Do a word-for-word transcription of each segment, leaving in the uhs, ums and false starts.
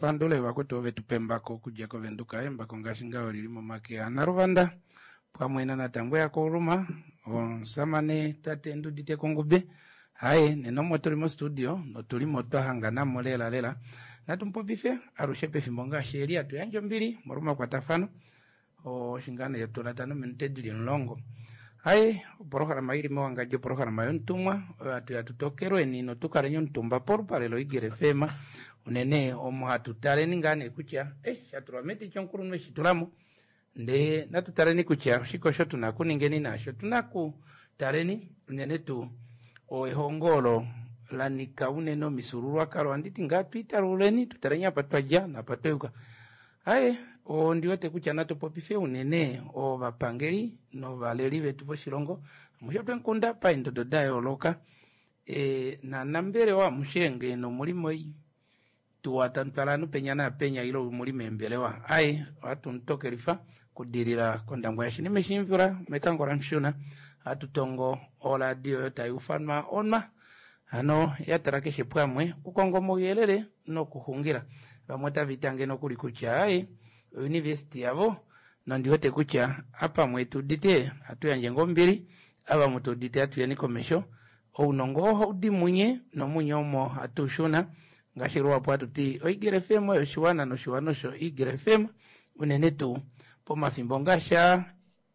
pandule vakwetu ove tu pa embako okudja kovenduka. Embako ngaashi ngaho olili momake aNaluvanda pamwe naNatangwe yaKouluma, omusamane tate Ndudite Kongube. Haye nena omo tuli mostudio notuli mo twa hanganamo lela lela. Natu mupopife alushe pefimbo ngaashi eli hatu yandje ombili molwa omakwatafano oshinga nee tula nominute dili omulongo. Haye opolohalama ili mewangadjo opolohalama yomutumwa oyo hatu ya tutokelweni notukaleni omutumba polupale loEagle F M unene omo hatu taleni ngaa nee kutya eh, shatulwa meti chomukulunhu eshi tulamo ndee natu taleni kutya oshike osho tuna kuningeni naasho tuna kutaleni unene tuu ehongo olo la nika unene omifyuululwakalo anditi ngaa twiitaluleni tutaleni apa twadja napa twayuka. Haye ondi wete kutya natu popife unene ovapangeli novaleli vetu voshilongo amushe twemukunda paendodo da yooloka e, nanambelewa amushe ngee nomuli moituwa tamu twala ovanhu penya naapenya ile muli meembelewa. Aye ohatu mutokelifa kudilila kOndangwa yaShinime Shimvula mekango laMushuna hatu tongo oradio oyo tai ufanwa onwa hano ya tala keshe pamwe okukonga omauyelele nokuxungila. Vamwe otava itange nokuli kutya aye ouniversity yavo nondi wete kutya apamwe tuudite hatu yandje ngoo ombili avamwe tuudite hatu yeni komesho ounongo ohau di munye nomunye omo hatu shuna ngaashi luhapu hatu ti oEagle F M oyo oshiwana noshiwana osho Eagle F M unene tuu pomafimbo ngaashi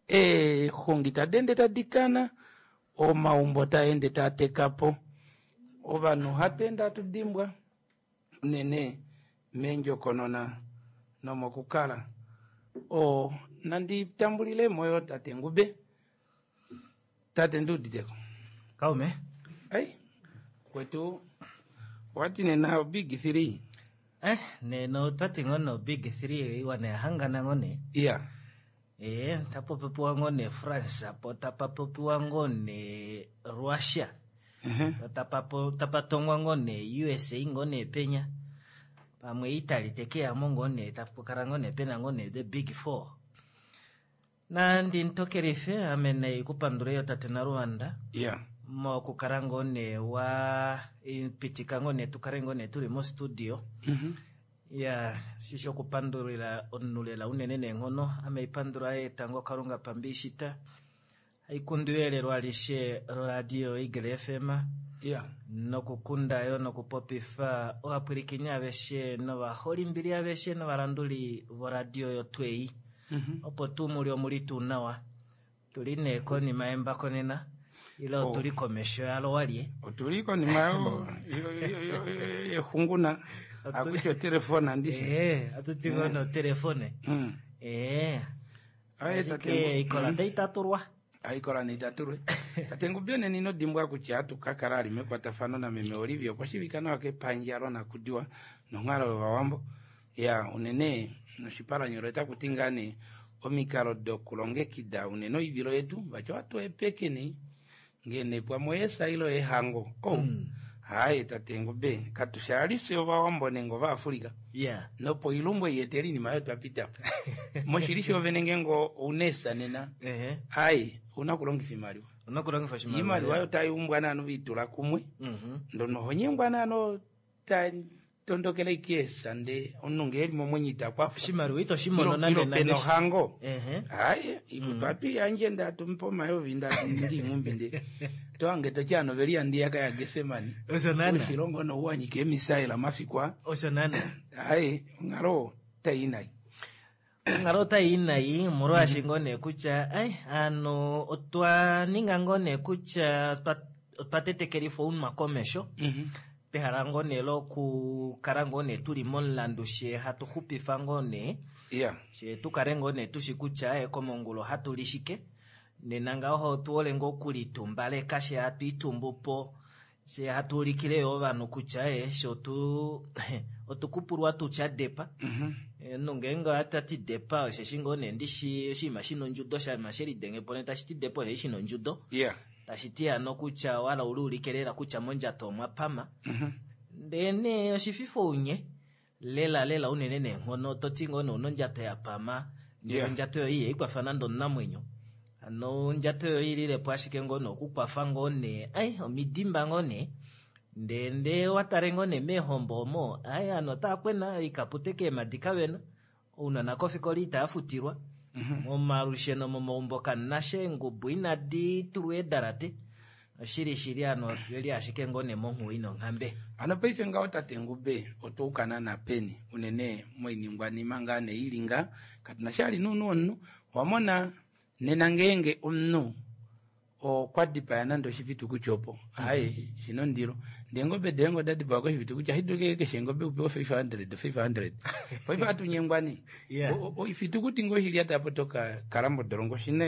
eexungi tadi ende tadi kana omaumbo taa ende taa teka po ovanhu hatu ende hatu dimbwa unene meendjokonona nomokukala. O nandi tambulile moyo tate Ngube. Tate Nduuditeko. Kaume. Ai kwetu wati nena big three. Eh, nena otwati ngono big three iwana yahangana ngone. Yeah. Eh, tapopiwa ngone France apo tapapopiwa ngone Russia. Uh -huh. Tapapo tapatongwa ngone U S A ngone penya. Pamwe Italy tekeyamo ngone tapukala ngone pena ngone the big four. Na ndi ntokelife ame naikupandula yo tate Naluanda. Yeah. Mokukala ngone wa pitika ngone tukale ngone tuli mo studio. Mm -hmm. Ya shisho kupandulila onulela unene neenghono ame ipandula etango Kalunga pambishita aikundu elelo alishe loradio Eagle F M. Yeah. Nokukunda yo nokupopifa ovapwilikini aveshe novaholimbili aveshe novalanduli voradio yotwei. Mm -hmm. Opo tuu muli omuli tuu nawa tuli nee konima yembako nena ile Oh. otuli komesho yalo walye. Otuli konima yexunguna akutya otelefona ndishe. Eh, atuti ngono telefone. Mm. Eh, Aye tate ashike ikola taitatulwa. Aikola neitatulwe. Tate Ngube nena ino dimbwa kutya atukakala ali mekwatafano nameme Olivia okwa shivika nawa kepandja lonakudiwa nonghalo yovawambo ya unene noshipalanyolo otaku ngaa nee omikalo dokulongekida unene oivilo yetu vati ohatu epekeni ngene pamwe oyesa ile oyehango oh. Mm. Haye tate Ngube katushalise ovawambo nenge ovaafrika yeah nopo ilumbu eyetela iinima oyo twapitapo moshili shoovene ngenge ouna esa nena ehe aye ouna okulongifa imaliwa. Unokulongifa oshimaliwa. Iimaliwa oyo tayumbwa naano viitula kumwe Mhm. ndono honyengwa naano ta tondokela ike esa nde omunhu ngee eli momwenyo ita kwafa. Oshimaliwa ito shimono ilo nande ilo pena nande ohango. Ehe. Aye ikutu atwiyandje ndatumpa omayovi ndaningi ing'umbi nde toange totyano veli andiyaka ya Gesemani. Osho nana. Oshilongo nouwanyika emisaela mafikwa. Osho nana. Aye onghalo tayi nayi. Onghalo otayi nayi molwaashi ngoo nee kutya ai ano otwa ninga ngoo nee kutya otwa- otwa tetekelifa ounwa komesho pehala ngoo nee lokukala ngoo nee tuli momulandu she hatu xupifa ngoo nee ya she tukale ngoo nee tushi kutya e komongulo hatu li shike nena ngaho otuhole ngoo okulitumbaleka she hatu itumbu po she hatu ulikile yo ovanhu kutya e she otu otukupulwa tutya depa. Omunhu ngeenge otati depa osheshi ngoo nee ndishi oshinima shina ondjudo oshinima shelidenge po nee tashi ti depa osheshi shina ondjudo ya tashi ti hano kutya wala uli ulike lela kutya mondjato omwa pama ndee nee oshififa ounye lela lela unene neenghono toti ngoo nee una ondjato ya pama ndele Yeah. ondjato yoye ihaikwafa nande omunamwenyo hano ondjato yoye ililepo ashike ngoo nee okukwafa ngoo nee ai omidimba ngoo nee Ndee ndee watale ngoo nee meehombo omo ai ovanhu otava kwena oikapute keemadi kavena, ounona kofikola itava futilwa, momalusheno momaumbo kamunasha, eengubu inadi tulwa eedalate. Oshili shili ovanhu oveli ashike ngoo nee monghuwo ina onghambe. Hano paife ngaho tate Ngube otwa ukana napeni unene moiningwanima ngaa nee ili ngaa katuna sha ali nounhu womunhu. Owamona nena ngeenge omunhu okwa dipaya nande oshifitukuti opo aye shina ondilo ndee eengobe doye ngee oda dipawa koshifitukuti ohashi dulu keshe engobe upewe five hundred five hundred paife ohatu nyengwa nee. Yeah. Oifitukuti ngoo shili ata apo toka kala modolongo oshina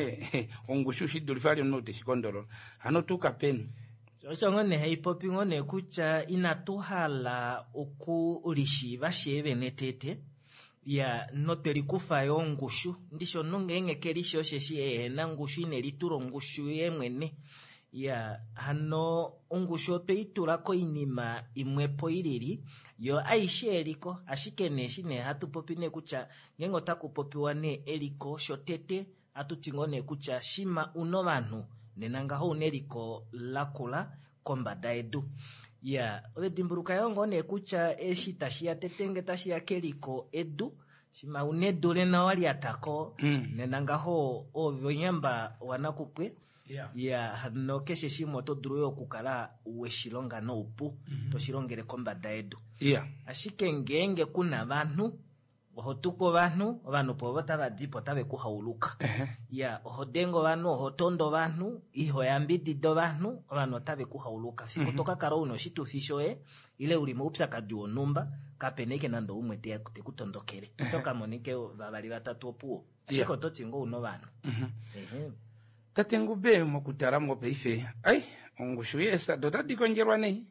ongushu shidulife ali omunhu ou teshikondolola. Hano otuuka peni? Osho ngoo nee haipopi ngoo nee kutya inatu hala okulishiiva shee vene tete ya notwelikufa yo ongushu. Ndishi omunhu ngeenge kelishi osheshi ehena ongushu inelitula ongushu yeemwene. Ya hano ongushu otweitula koinima imwepo ilili yo aishe eliko, ashike nee eshi nee hatu popi nee kutya ngeenge otaku popiwa nee eliko shotete hatuti ngoo nee kutya shima una ovanhu nena ngaho una eliko lakula kombada yedu. Ya ove dimbuluka yoo ngoo nee kutya eshi tashiya tete nge tashiya keliko edu, shima una edu lena walyatako nena ngaho ove onyamba wanakupwe. Yeah. Ya hano keshe shimwe oto dulu yo okukala weshilonga noupu, toshilongele kombada yedu. Yeah. Ashike ngeenge kuna vanhu, oho tuku ovanhu, ovanhu po ovo tava dipo tave ku hauluka. Ya oho denge ovanhu, oho tondo ovanhu, iho yambidida ovanhu, ovanhu otave ku hauluka. Fiku toka kala una oshitufi shoye ile uli moupyakadi wonhumba, kapena ike nande umwe te ku tondokele. Oto ka monike vavali vatatu opuwo. Ashike Yeah. oto ti ngoo una ovanhu. Ehe. Tate Ngube mokutala mo paife, ai ongushu yeesa otadi kondjelwa nei.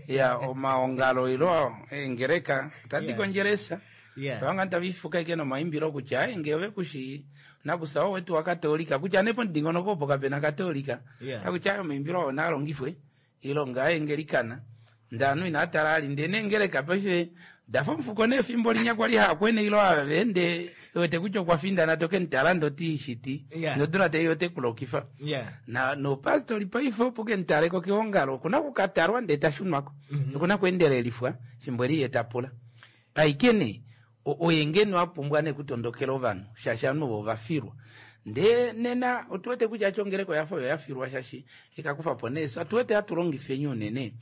Ya omaongalo ilo eengeleka otadi Yeah. kondjele esa. Yeah. Vanga tavifuka ike nomaimbilo kutya ai ngee ove kushi nakusa owetu wakatolika kutya nepo ndingonoko opo kapena katolika. Yeah. Takutya ayo omaimbilo oo naalongifwe ilonga aengelikana ndee ovanhu inatala ali ndee neengeleka paife dafa omufuko nefimbo linya kwali haakwene ilo avende wete kutya okwa findana toke mutala ndoti shiti Yeah. nodula tai ote kulokifa. Yeah. Na nopastori paife opo ke mutaleko keongalo okuna okukatalwa ndee tashunwako. Okuna kweendelelifwa fimbo eli ye tapula. Aike nee oye ngeno apumbwa nee kutondokela ovanhu shaashi ovanhu ovo ovafilwa. Ndee nena otuwete kutya chongeleko yafa oyo yafilwa shaashi ikakufa po nee. Otuwete hatu longifeni unene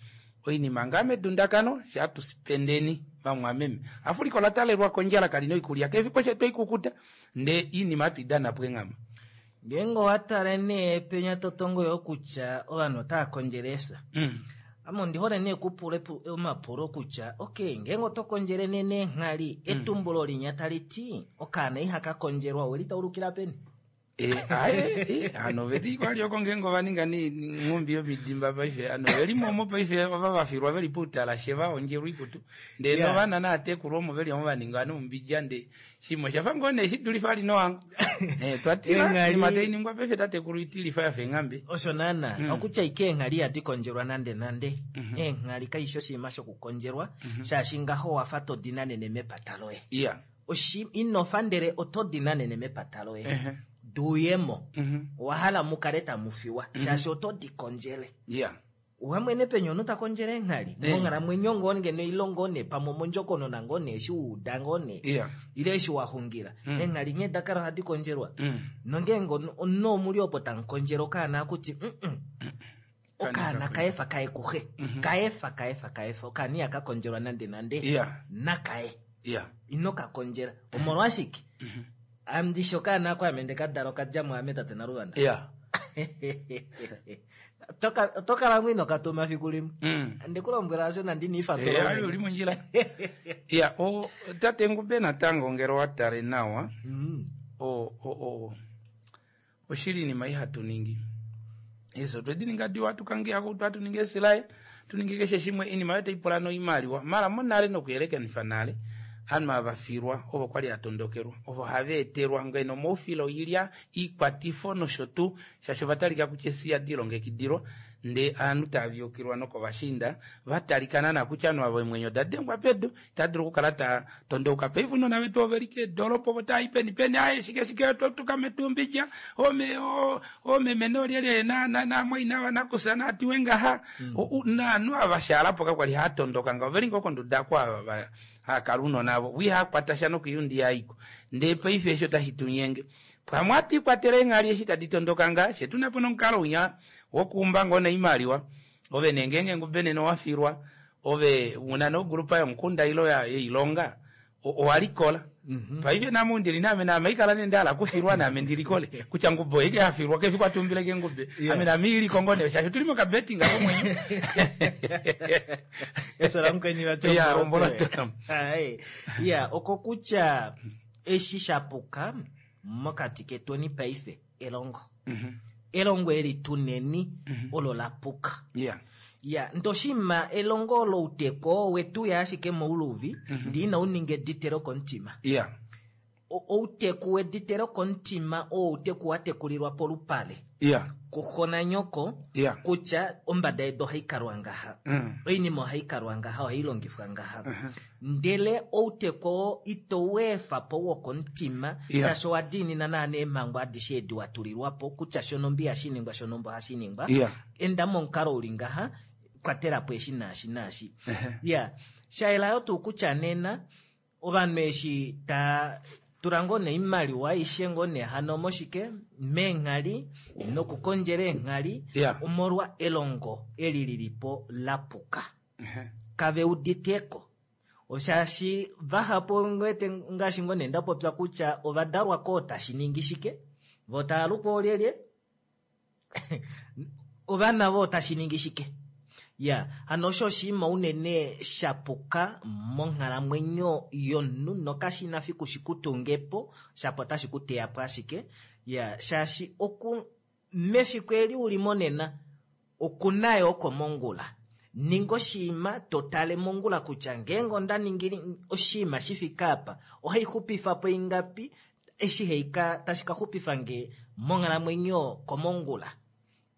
oinima ngaa medundakano sha tusipendeni vamwameme. Afrika ola talelwa kondjala kalina oikulya kefipo shetu oikukuta ndee iinima hatu idana po enghama. Ngeenge owatale nee penya totongo yo kutya ovanhu otava kondjele efya. Mm. Ame ondi hole nee kupula epu-, omapulo kutya okay, ngeenge oto kondjele nee neenghali, etumbulo linya tali ti okaana ihaka kondjelwa oweli taulukila peni? Eh, aye, eh, ano veli kwali oko ngeenge ova ninga ni-, ni ngumbi yomidimba paife, ano veli momo paife ova vafilwa veli poutalashe va ondjelwa oikutu. Ndee Yeah. novana naatekulu omo veli omo va ninga noumbidja ndee shimwe oshafa ngoo nee shidulifa ali nowango. Eh, twatila, Eenghali- inima tai ningwa paife tatekulu itilifa yafa eenghambe. Osho naana, Mm. okutya ike eenghali ihadi kondjelwa nande nande. Mm-hmm. Eenghali kaishi oshinima shokukondjelwa, Mm-hmm. shaashi ngaho wafa to dinanene mepata loye. Yeah. Oshi-, inofa ndele oto dinanene mepata loye. Uh-huh. Duyemo. Mm-hmm. Owahala mukale tamufiwa, Mm-hmm. shaashi oto di kondjele. Yeah. Wamwene penya omunhu ta kondjele eenghali. Eh. Monghalamwenyo ngoo ngeno ilongo nee, pamwe omondjokonona ngoo nee, eshi wa uda ngoo nee. Yeah. Ile eshi wa xungila. Mm. Eenghali nghee da kala ohadi kondjelwa. Mm. Nongeenge omunhu, omunhu omuli opo tamu kondjele okaana akuti, mm-mm. Okaana Kaana kaefa kae kuxe. Mm-hmm. Kaefa, kaefa, kaefa. Okaana ihaka kondjelwa nande nande. Yeah. Nakae. Yeah. Ino ka kondjela. Omolwashike? Mm-hmm. Ame ndishi okaana ako ame ndekadala okadja muame tate Naluvanda. Yeah. Toka, oto kala ngoo ino katuma fiku limwe. Mm. Ndikulombwela asho nandi niifatula. Eh, ayo uli mondjila. Ya, o tate Ngube natango ngele owa tale nawa, Mm. o, o, o, oshili inima ihatu ningi. Eso otwedi ninga diwa tukangiako twatu ninge esilaye, tuninge keshe shimwe inima yote ipula noimaliwa. Mara monale nokuyelekanifa nale, ovanhu ava filwa ovo kwali atondokelwa, ovo hava etelwa ngeno moufilo oilya, iikwatifo nosho tuu, shaashi ova talika kutya esi yadi ilongekidilwa. Ndee aanhu tavyukilwa nokovashiinda vatalikana na kutya ovanhu ava eemwenyo odadengwa pedu itadulu okukala ta tondouka paife ounona vetu oveli keedoropa ovo taayi peni peni aaye shike shike twatuka metumbidja ome omeme noolyelye namwaina vanakusa naatiwe ngaha naanhu ava shaalapo kakwali haatondoka ngaho oveli ngoo konduda oko ava haakala ounona avo vo ihaakwata nokoiyundi yaiko ndee paife eshi otashi tunyenge pamwe atwiikwatele eenghali eshi tadi tondoka nga she tunapo nomukalo unya wokuumba ngoo noimaliwa ove nee ngeenge ngubenene owafilwa ove una nogrupa yomukunda ilo yoilonga owalikola paife name ndili naame naame ikala nee ndahala kufilwa naame ndilikole kutya ngube oike afilwa kefi kwatumbile ngube ame naame iliko ngoo nee shaashi otuli mokabetting komwenyo ya omboloto ya oko kutya eshi shapuka mokati ketweni paife elongo elongo eli tuneni olo lapuka yeah ya ndoshima elongo louteko wetu ya ashike mouluvi ndi ina uninge editelo komutima yeah outeku weditelo komutima oo outeku watekulilwa polupale yeah kuxona nyoko yeah kutya ombada yedu ohaikalwa ngaha mm. oinima ohaikalwa ngaha ohailongifwa ngaha ndele outeku ito weefa po wokomutima Yeah. shaashi owa diinina naana eemhango adishe edi watulilwa po kutya shonombi ihashiningwa shonombo ohashiningwa yeah enda momukalo uli ngaha kwatela po eshi naashi naashi ya shaelayo tuu kutya nena ovanhu eshi ta tula ngoo neimaliwa aishe ngoo nee hano moshike meenghali nokukondjela eenghali Yeah. omolwa elongo eli lilipo lapuka kave uditeko oshaashi vahapu ngwete ngaashi ngoo nee ndapopya kutya ovadalwa koo tashi ningi shike vo taalukwa olyelye ovana vo tashi ningi shike ya hano osho oshinima unene shapuka monghalamwenyo yomunhu nokashina fiku shikutungepo shapo otashi kuteyapo ashike ya shaashi oku mefiku eli uli monena okunayo oko mongula ninga oshinima totale mongula kutya ngeenge onda ningile oshinima shifike apa ohaixupifapo ingapi eshi haika tashi kaxupifa nge monghalamwenyo komongula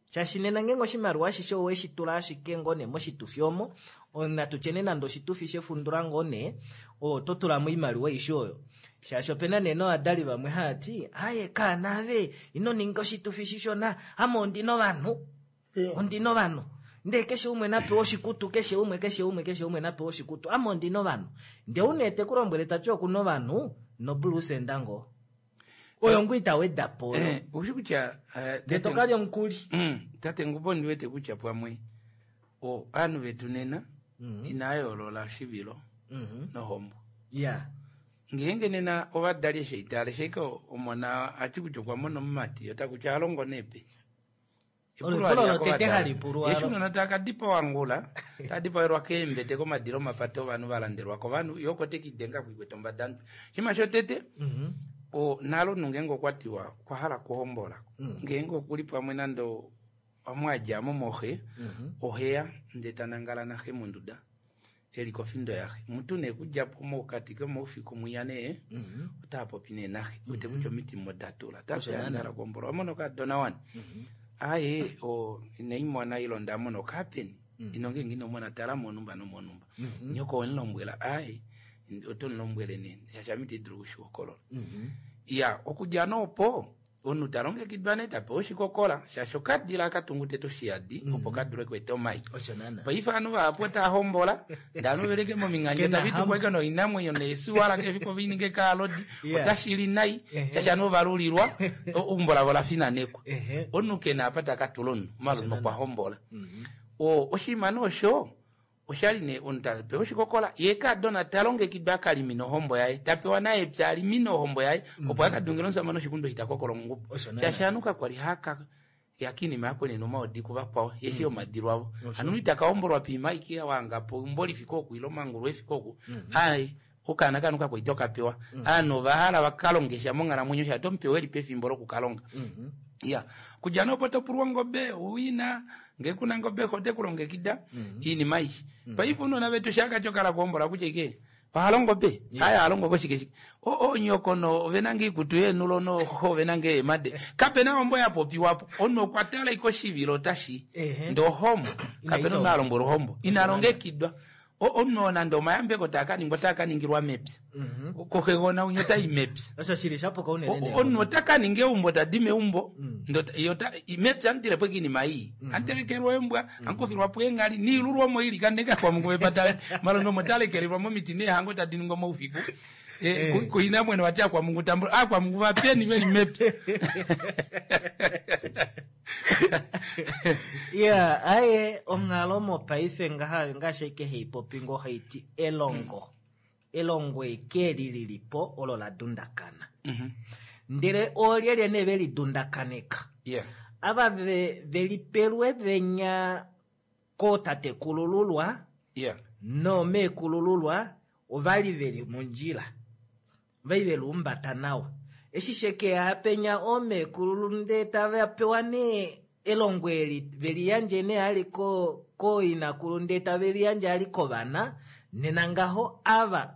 shaashi nena ngeenge oshimaliwa ashishe oweshi tula ashike ngoo nee moshitufi omo natu tyene nande oshitufi shefundula ngoo nee oto tulamo oimaliwa aishe oyo shaashi opena nee novadali vamwe haati aye kaanave ino ninga oshitufi shishona ame ondina ovanhu ondina ovanhu ndee keshe umwe napewa oshikutu keshe umwe keshe umwe keshe umwe napewa oshikutu ame ondina ovanhu ndee une tekulombwele tati okuna ovanhu noblusenda ngoo oyo ngoo itaweda po eh ushi kutya eh, ndee tokalya omukuli mm, tate ngubo ndiwete kutya pamwe o ovanhu vetu nena inayoolola oshivilo nohombo ya ngeenge nena ovadali eshi itale sheike omona ati kutya okwa mona omumati ota kutya alongo nepe Olo epulo lotete hali pulwa eshi unona takadipawa ngula tadipawerwa keembete komadilo omapate ovanhu valandelwa kovanhu yoko tekidenga kuikwete ombada shima shotete o nalo omunhu ngeenge okwatiwa okwa hala okuhombola ngeenge okuli pamwe nande amwadjamo moxe oheya ndee tanangala naxe monduda eli kofindo yaxe mutu nee kudjapo mokati komaufiku mwiya nee otaapopi nee naxe wete kutya omitima odatula tapeandala kuhombola wamona okadona wani aye o inaimona ilo ndamona okapeni ino ngeenge inomona tala monumba nomonumba nyoko wemulombwela aye oto mulombwele nee shaashi ame itedulu okushihokolola ya okudja noopo omunhu talongekidwa nee tapewa oshikokola shaashi okadila akatungu tete oshiyadi opo kadule okweeta omai osho naana paife ovanhu vahapu otahombola ndee ovanhu veleke momingandjo Kena tavitukwa ike noinamwenyo neesuwala kefiko vininge kaalodi Yeah. otashili nai Ehe. shaashi ovanhu ovalulilwa eumbo lavo lafinanekwa Ehe. omunhu kena apa takatula omunhu omalume okwa hombola o oshinima nee osho oshali nee omunhu tapewa oshikokola ye kaadona talongekidwa akalimina ohombo yaye tapewa naye epya alimine ohombo yaye opo akadungile omusamane oshikundo itakokola ongubo Osho naana. shaashi anu kakwali haka yakinima yakwenena omaodi kuvakwao yeshi omadilo avo anu itakahombolwa piima ike wangapo umbo lifike oku ile omangulu efike oku ai okaana kanu kakwaita okapewa aanhu ovahala vakalongesha monghalamwenyo sha tomupewa eli pefimbo lokukalonga ya kudja nopo topulwa ongobe uwina ngee kuna ngobe xo tekulongekida iinima aishe paife unona vetu shakati okala kuhombola kutya ike Ohalongo pe haya alongo koshike shike onyoko ovena nge ikutu yeenulo noho ovena nge eemade kapena ombo ya popiwapo omunhu okwa tala ike oshivilo otashi ndee ohombo kapena omunhu alombwela ohombo ina longekidwa omunhu nande omayambeko taa kaningwa otaa kaningilwa mepya koxegona unye otai mepya osho shili shapuka unene omunhu ota kaninga eumbo tadi meumbo mepya amudilepo oinima ii antelekelwa embwa ankufilwapo eenghali niilulwa omo ili kaneka kwamungu vepata malondo omo talekelelwa momiti neehango tadi ningwa moufiku kuinamweno vati akwamungu tambula akwamungu vapeni veli mepya. Yeah, aye onghalo mopaife ngaha ngaashi eke heipopi ngo haiti elongo. Elongo eke lililipo olo la dundakana. Ndele olyelye ne veli dundakaneka. Yeah. Ava velipelwe venya kootatekulululwa. Yeah. No meekulululwa ovali veli mondjila. Vai veluumbata nawa. Eshi sheke apenya omeekululu nde tava pewa ne elongo eli veliyandje ne ali ko koinakulu nde tave liyandje ali kovana nena ngaho ava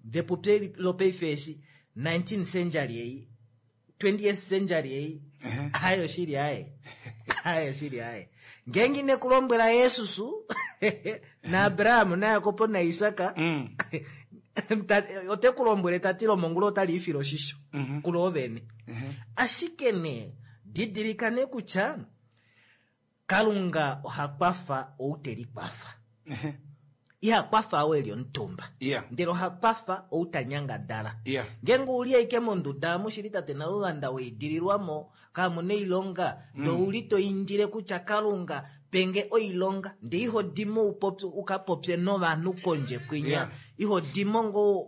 vepupi lopaife eshi nineteenth century ei twentieth century ei ayo shili aye ayo shili aye ngengi nekulombwela Yesus na Abraham na Jakob na Isaka mm. ote kulombwele tati lomongulu otali ifile oshisho mm-hmm. kulo vene mm-hmm. ashike ne didilikane kutya Kalunga oha kwafa ou te likwafa. Iha kwafa ou eli omutumba. Yeah. Ndele oha kwafa ou ta nyangadala. Yeah. Ngeenge uli aike monduda mushili tate Naluvanda weidililwamo kamuna oilonga mm. ndee ouli to indile kutya Kalunga penge oilonga ndee iho dimo upopye ukapopye novanhu kondje kwinya. Yeah. Iho dimo ngo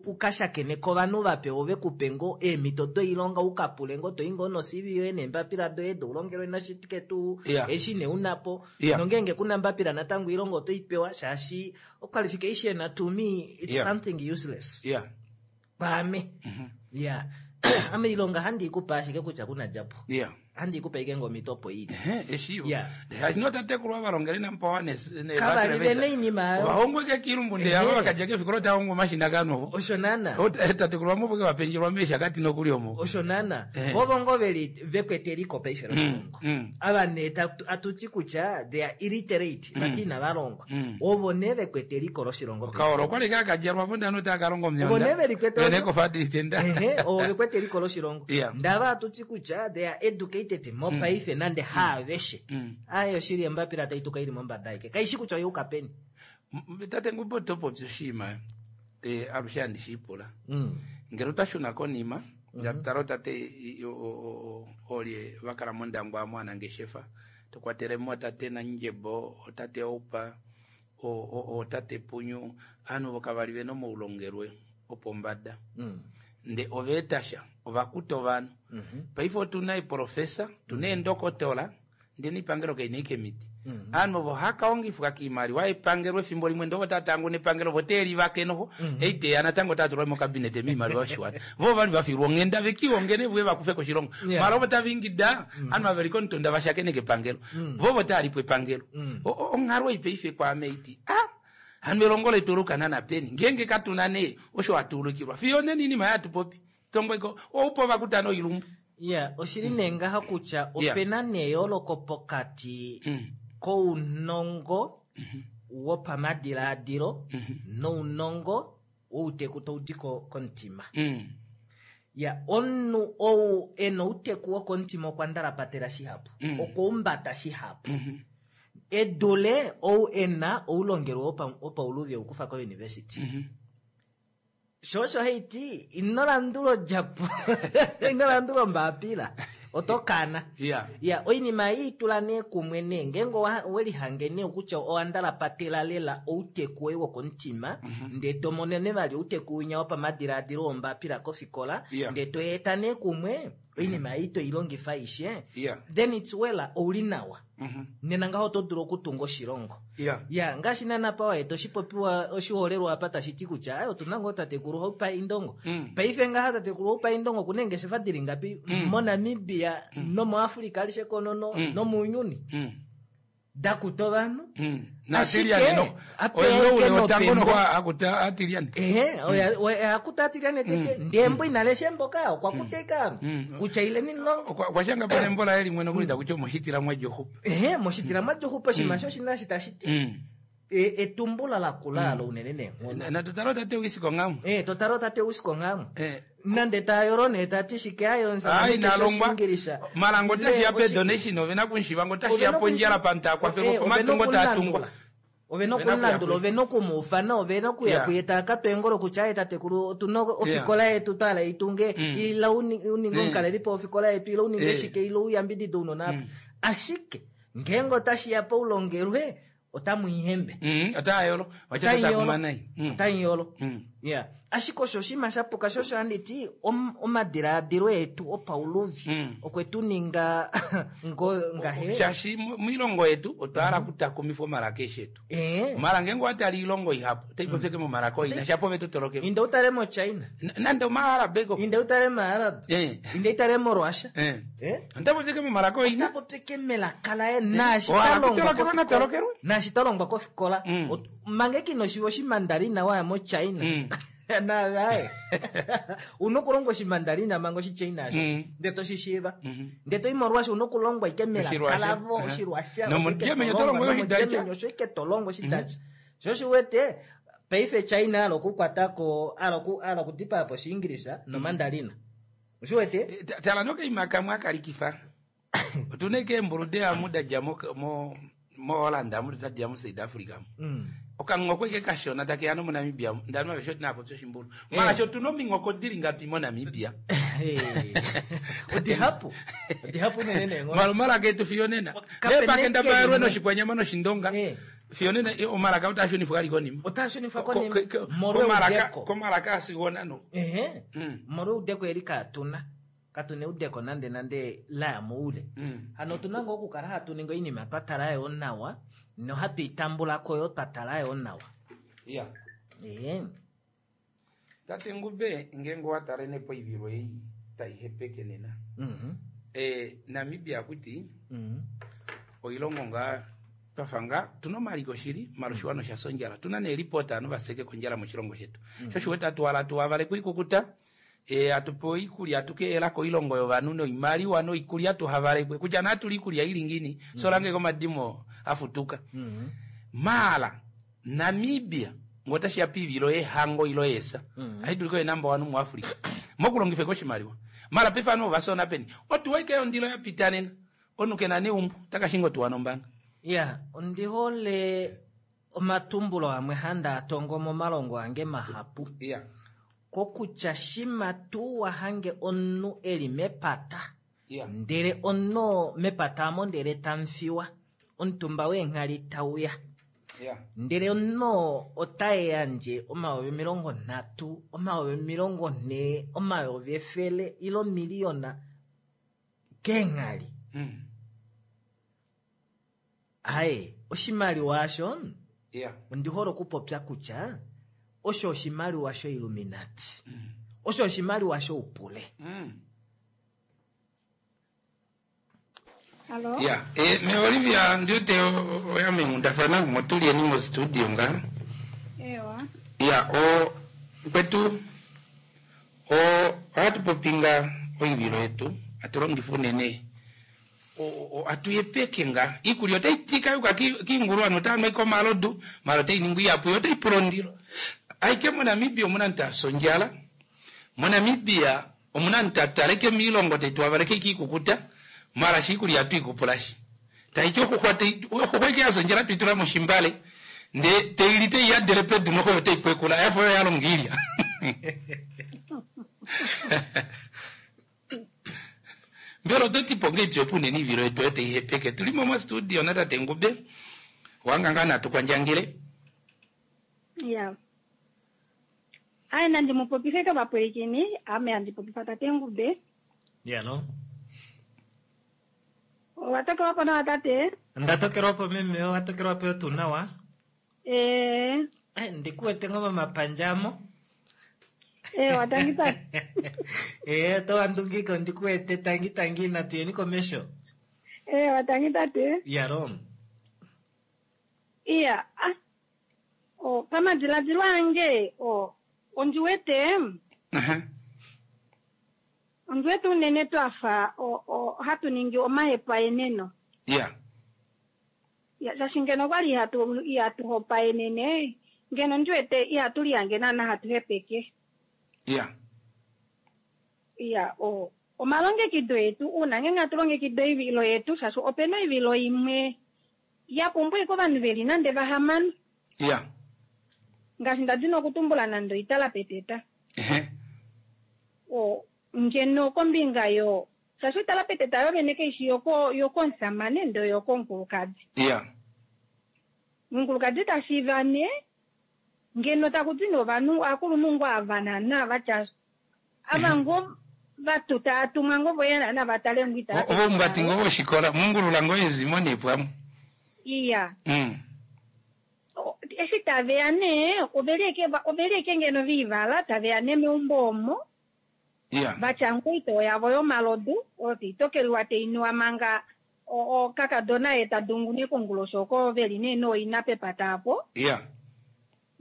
ukashakene kovanhu vape ove kupe ngo eemhito doilonga ukapule ngo toi ngo no C V yoye neembapila doye doulongelwe nashike tuu yeah. eshi ne unapo yeah. Nongeenge kuna mbapila natango oilonga oto ipewa shaashi qualification to me it's yeah. something useless. Yeah. Kwaame. Mm-hmm. Yeah. Ame ilonga handi ikupa ashike kutya kuna djapo. Yeah. Handi ikupa ike ngo mitopo ili. Eshivo. Yeah. Hashino tatekulwa valongele nampawa ne ne Kavali vene inima ayo. Vahongwe ke kilumbu nde ava vakadya ke fikolo taongo mashina kanovo. Osho nana. Tatekulwa mopo ke vapenjelwa mesha kati nokuli omo. Osho nana. Vovo ngo veli vekwete eliko paife loshilongo. Mm. Ava ne atuti kutya they are illiterate mm. vati inavalongwa. Mm. Ovo ne vekwete eliko loshilongo. Okaoro okwali kakadjalwa po ndano takalonga omyonda. Ovo ne velikwete. Vene kofadi tenda. Ehe, ovo vekwete eliko loshilongo. Yeah. Ndava atuti kutya they are educated mopaife mm. nande haaveshe mm. ayo shili embapila taituka ili mombada ike kaishi kutya oyuka peni tate ngubo topopya oshinima eh alushe handi shiipula mm. ngele otwashuna konima mm-hmm. tala tate olye vakala mondangwa mwanangeshefa tokwatelemo tate Nandjebo otate Oupa otate Punyu aanhu voka vali vena omaulongelwe opombada mm. nde oveetasha ovakuta ovanhu mm-hmm. paife otuna eprofesa tuna eendokotola ndee neipangelo kaina ike miti mm-hmm. aanhu ovo hakaongifwa kiimaliwa epangelo efimbo limwe ndoo votatangu nepangelo voteelivake noho mm-hmm. eiteya natango otatulwa mokabinete miimaliwa yoshiwana vo vali vafilwa onghenda vekiongene vuye vakufe koshilongo yeah. mala ovo tavingida mm-hmm. aanhu vaveli komutunda vashakeneke epangelo mm-hmm. vo votaalipo epangelo mm-hmm. onghalo ei paife kwaame iti ah hano elongo letu olukanana peni ngeenge katuna nee osho hatuulukilwa fiyo neni inima yatupopi tongweko oupo vakutana oilumbu yeah oshili nee ngaha kutya opena neyooloko pokati mm. kounongo mm-hmm. wopamadilaadilo mm-hmm. nounongo wouteku taudi komutima mm. ya omunhu ou ena outeku wokomutima okwa ndalapatela shihapu mm. okwaumbata shihapu mm-hmm. edule ou ena oulongelwe wopauluvi oukufa kouniversity mm-hmm. sho osho haiti ino landula odjapo ino landula ombapila oto kana yeah. ya oinima ei itula nee kumwe nee ngeenge owelihange nee kutya owandalapatela lela outeku woye wokomutima mm-hmm. ndee tomono vali outeku winya wopamadilaadilo wombapila kofikola yeah. ndee toyeeta nee kumwe oinima ei toilongifa ishe yeah. then it's well ouli nawa mm-hmm. nena ngaho oto dulu okutunga oshilongo yeah. ya ngaashi nana pawa yetu oshipopiwa oshiholelwa apa tashi ti kutya ayo otuna ngoo tatekulu Oupa Indongo mm. paife ngaha tatekulu Oupa Indongo okuna eengeshefa dili ngapi mm. moNamibia mm. nomoAfrika alishe konono mm. nomuuyuni mm. Dakuta ovanhu. Mm. Naatiliane no. Ashike, Oye wotango nopembo. noho akuta atiliane. Ehe, oya- oya- akuta atiliane tete ndee embo inalesha embo ka okwa kuta ike ovanhu Mm. kutya ileni nilonge. Okwa okwa shanga po nembo laye limwe nokuli takuti omoshitila mwadjoxupa. Ehe, moshitila mwadjoxupa oshinima sho oshina eshi tashi ti Mm. e- etumbulo lakula alo unene neenghono. Natutala tate Uisiko Nghaamwa. Eh, totala tate Uisiko Nghaamwa. Eh. Nande tayolo nee tati shike ayo Ai nalongwa Oshiingilisha. malango Ile otashi ya oshi- pe donation ovena kunshiva ngo otashi Ove ya noku- pondjala pantu akwafelwa Eh, ove pomatungo taatungwa. nokulandula. Ove Ove nokuya nokulandula, kuye. ove nokumuufana, ove nokuya Yeah. kuye taakatwa eengolo kutya aye tatekulu otuna ofikola yetu twala itunge Mm. ila uni- uninge Mm. omukalelipo wofikola yetu ila uninge Eh. shike ila uyambidide ounona apa. Ashike ngeenge otashi ya poulongelwe otamu ihembe. Mm, otayolo wacha Otaiyolo. takumanai. Mm. Otaiyolo. Mm. Yeah. Ashike osho oshinima shapuka sho osho handiti om- omadilaadilo etu opauluvi Mm. okwe tu ninga ngo ngahe Shaashi mu- moilongo yetu otwa hala okutakumifwa omalaka eshi etu. Eh. Mara ngeenge owatala oilongo ihapu otai popyeke momalaka oina shapo ove totoloke. Inde utale moChina, Nande omaarab eko. inde utale maArab, Eh. inde utale moRussia. Eh. Eh? Onda popyeke momalaka oina. Ota popyeke melaka laye naashi Ohala ta longwa kutolokelwa kofikola. natolokelwe. Naashi ta longwa kofikola. Mm. Ot- Mange kino shiva oshimandarina waya moChina. Mm. Naaye. Una okulongwa oshimandarina manga oshichina asho. Mm. Ndee toshishiiva. Mhm. Ndee toyi moRussia una okulongwa ike melaka Oshirussia. lavo Eh. oshirussia. Nomo Germany oto longwa Oshidacha. osho ike tolongwa Oshidacha. Sho oshiwete paife China ala okukwatako ala oku- ala okudipaya po Oshiingilisa nomandarina. Oshiwete? Eh, ta- Tala nokaima kamwe akalikifa. Otuna ike eembulu deamu dadja mo mo moHolland amu tadija mu South Africa mu. Mm. Okanghoko ike kashona takeya nomoNamibia ndani mavesho tina popya oshimbulu. Mara sho tuna ominghoko dili ngapi moNamibia. Odihapu. Odihapu unene neenghono. Mara omalaka etu fiyo nena. Kapene Nepakenda limwe. noshikwanyama noshindonga. Eh. Fiyo nena eh, omalaka otaashunifwa kali konima. Otaashunifwa Ko- konima. ko- ko- Molwa komalaka eudeko. komalaka asigona no. Ehe. Mm. Molwa eudeko eli kaatuna. Katuna eudeko nande nande laya moule. Mm. Hano otuna ngoo okukala hatu ningi oinima twa tala yo nawa nohatu itambulako yo twa tala yo nawa. Yeah. Ehe. Tate Ngube ngeenge owatalene poivilo ei taihepeke nena. Mhm. Eh, Namibia kuti Mhm. oilongo nga twafa nga tuna omaliko shili mala oshiwana osha sondjala tuna neelipota ovanhu vaseke kondjala moshilongo shetu sho oshiwete atuwala tuwavale kuikukuta e, atupewa oikulya atukeela koilongo yovanhu noimaliwa noikulya tuhavalekwe kutya naatuli ikulya ili ngini solange komadimo afutuka Mhm. mala Namibia ngotashiya piivilo yehango ilo yesa Mm. ahiduliko ye number one mu Africa mokulongifeka oshimaliwa mala pefano ovasona peni otuwa ike ondilo yapita nena omunhu kena neumbo takashinga otuwa nombanga Ya, ondihole omatumbulo amwe handa atongo momalongo ange mahapu. yeah. Kokutya shima tuu wahange omunhu eli mepata. yeah. Ndele omunhu mepata amo ndele tamfiwa. Omutumba weenghali tauya. yeah. Ndele omunhu ota yandje omayovi omilongo nhatu, omayovi omilongo nhee, omayovi efele ile omiliyona keenghali. Mm. Aye, oshimaliwa osho yeah. ondihole okupopya kutya osho oshimaliwa shoIlluminati. Osho oshimaliwa shoupule. Mm. Allo? Yeah. E, me Olivia ndiute oya mengundafana motulieni mo studio nga Ewa. ya o kwetu o ohatu popinga oivilo yetu atulongifa unene o- o- atuyepeke nga ikulya otaitika yuka ki- kiingulu ano otaanwa omalodu mala otainingi iyapu yo otaipula ondilo aike moNamibia omuna ntu ondjala moNamibia omuna ntu ataleke miilongo taituwavaleke ikiikukuta mala shi ikulya atuikupulashi taiti oxuxwa tai- oxuxwa ike yasa ondjala tuitula moshimbale nde teili teiyadele pedu noxoyo teikwekula yafa oyo yalonga ilya mbela ototi po ngeitu yopunene ivilo yetu oyo teihepeke tulimo mostudio natate Ngube wanga ngaa natukwandjangile Ya. Aye nandi mupopife kovapwilikini, ame handi popifa tate Ngube. Ya no. Owatokelwa po nawa tate? Ndatokelwa po meme, owatokelwa po tuu nawa. Eh, Eh, ndikuwete ngoo momapandja amo. ewa tangi tate. Eh, towandungika ondikuwete tangi tangi natuyeni komesho. Ewa tangi tate. Ya ro. Iya, ah. O, pamadiladilo ange, o, ondi wete, Aha. ondi wete unene twafa o, o, hatu ningi omahepaeneno. Ya. Ya, shaashi ngeno okwali ihatu ihatu hopaenene, ngeno ndi wete ihatu lihange naana hatu hepeke. Ya. Iya, o, omalongekido etu, uuna ngenge hatu longekida oivilo yetu, shaashi opena oivilo imwe ya pumbwa ashike ovanhu veli nande vahamano. Ya. Ngaashi ndadina okutumbula nande oitala peteta. Ehe. O, ngeno kombinga yo, shaashi oitala peteta yo vene kaishi yoko yokomusamane ndee oyokomukulukadi. Ya. Omukulukadi tashiiva nee, ngeno taku ti nee ovanhu aakulunhu ngoo ava naana vatya, ava ngoo vatu tava tumwa ngoo voye naana vatale ngoo itala Ovo omumbati ngoo voshikola, mungulula ngoo ezimo nee pwamwe. Iya. Mm. O, eshi taveya nee, oveli eke va-, oveli eke ngeno viivala, taveya nee meumbo omo. Ya. Vatya ngoo oitoo yavo yomalodu, oyo taitokeliwa tainuwa manga o-, o kakadona ye ta dungu nee konguloshi oko veli nee nooina pepata apo. Ya.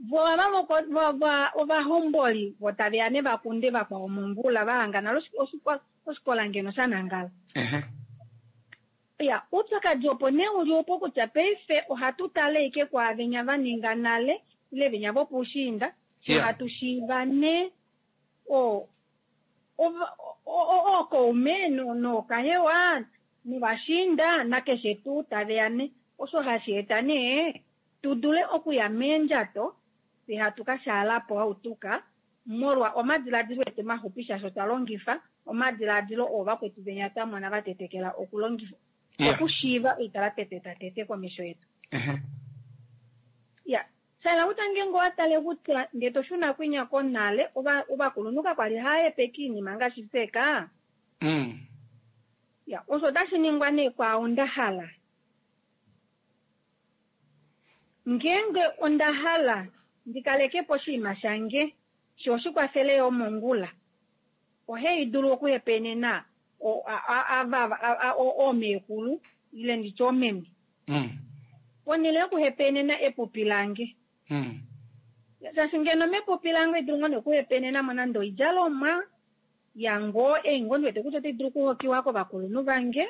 Vo ava voko-, vo-, vo-, ovahomboli vo taveya nee vakunde vakwao mongula, vahangana oshi-, oshi-, oshikola ngeno sha nangala. Ehe. Ya, oupyakadi opo nee uli opo kutya paife ohatu tale ike kwaavenya va ninga nale, ile venya vopuushiinda, she Yeah. hatu shiiva nee o-, ova-, o-, o-, ookaume no-, nookahewa, novashiinda, nakeshe tuu taveya nee. Osho hashi eta nee tu dule okuya meendjato, fye hatu ka shaala po hautuka, molwa omadiladilo etu maxupi shaashi otwa longifa omadiladilo oo vakwetu venya twa mona va tetekela okulongifa. Yeah. Okushiiva oitala peteta tete komesho yetu. Ehe. Ya, shala kutya ngenge owa tale kutya nge to shuna kwinya konale, ova-, ovakulunhu kakwali hava hepeke iinima ngaashi feka. Mm. Ya, osho otashi ningwa nee kwaao nda hala. Ngenge onda hala ndikaleke po oshinima shange, sho oshikwafele yo mongula. Ohei dulu okuhepenena o-, a-, a-, ava, a-, a-, o-, oomekulu, ile nditye oomeme. Mm. Ponhele yokuhepenena epupi lange. Mm. Shaashi ngeno mepupi lange idulu ngoo nokuhepenena mo nande oidjalomwa yango, ei ngoo ndiwete kutya otai dulu okuhokiwa kovakulunhu vange.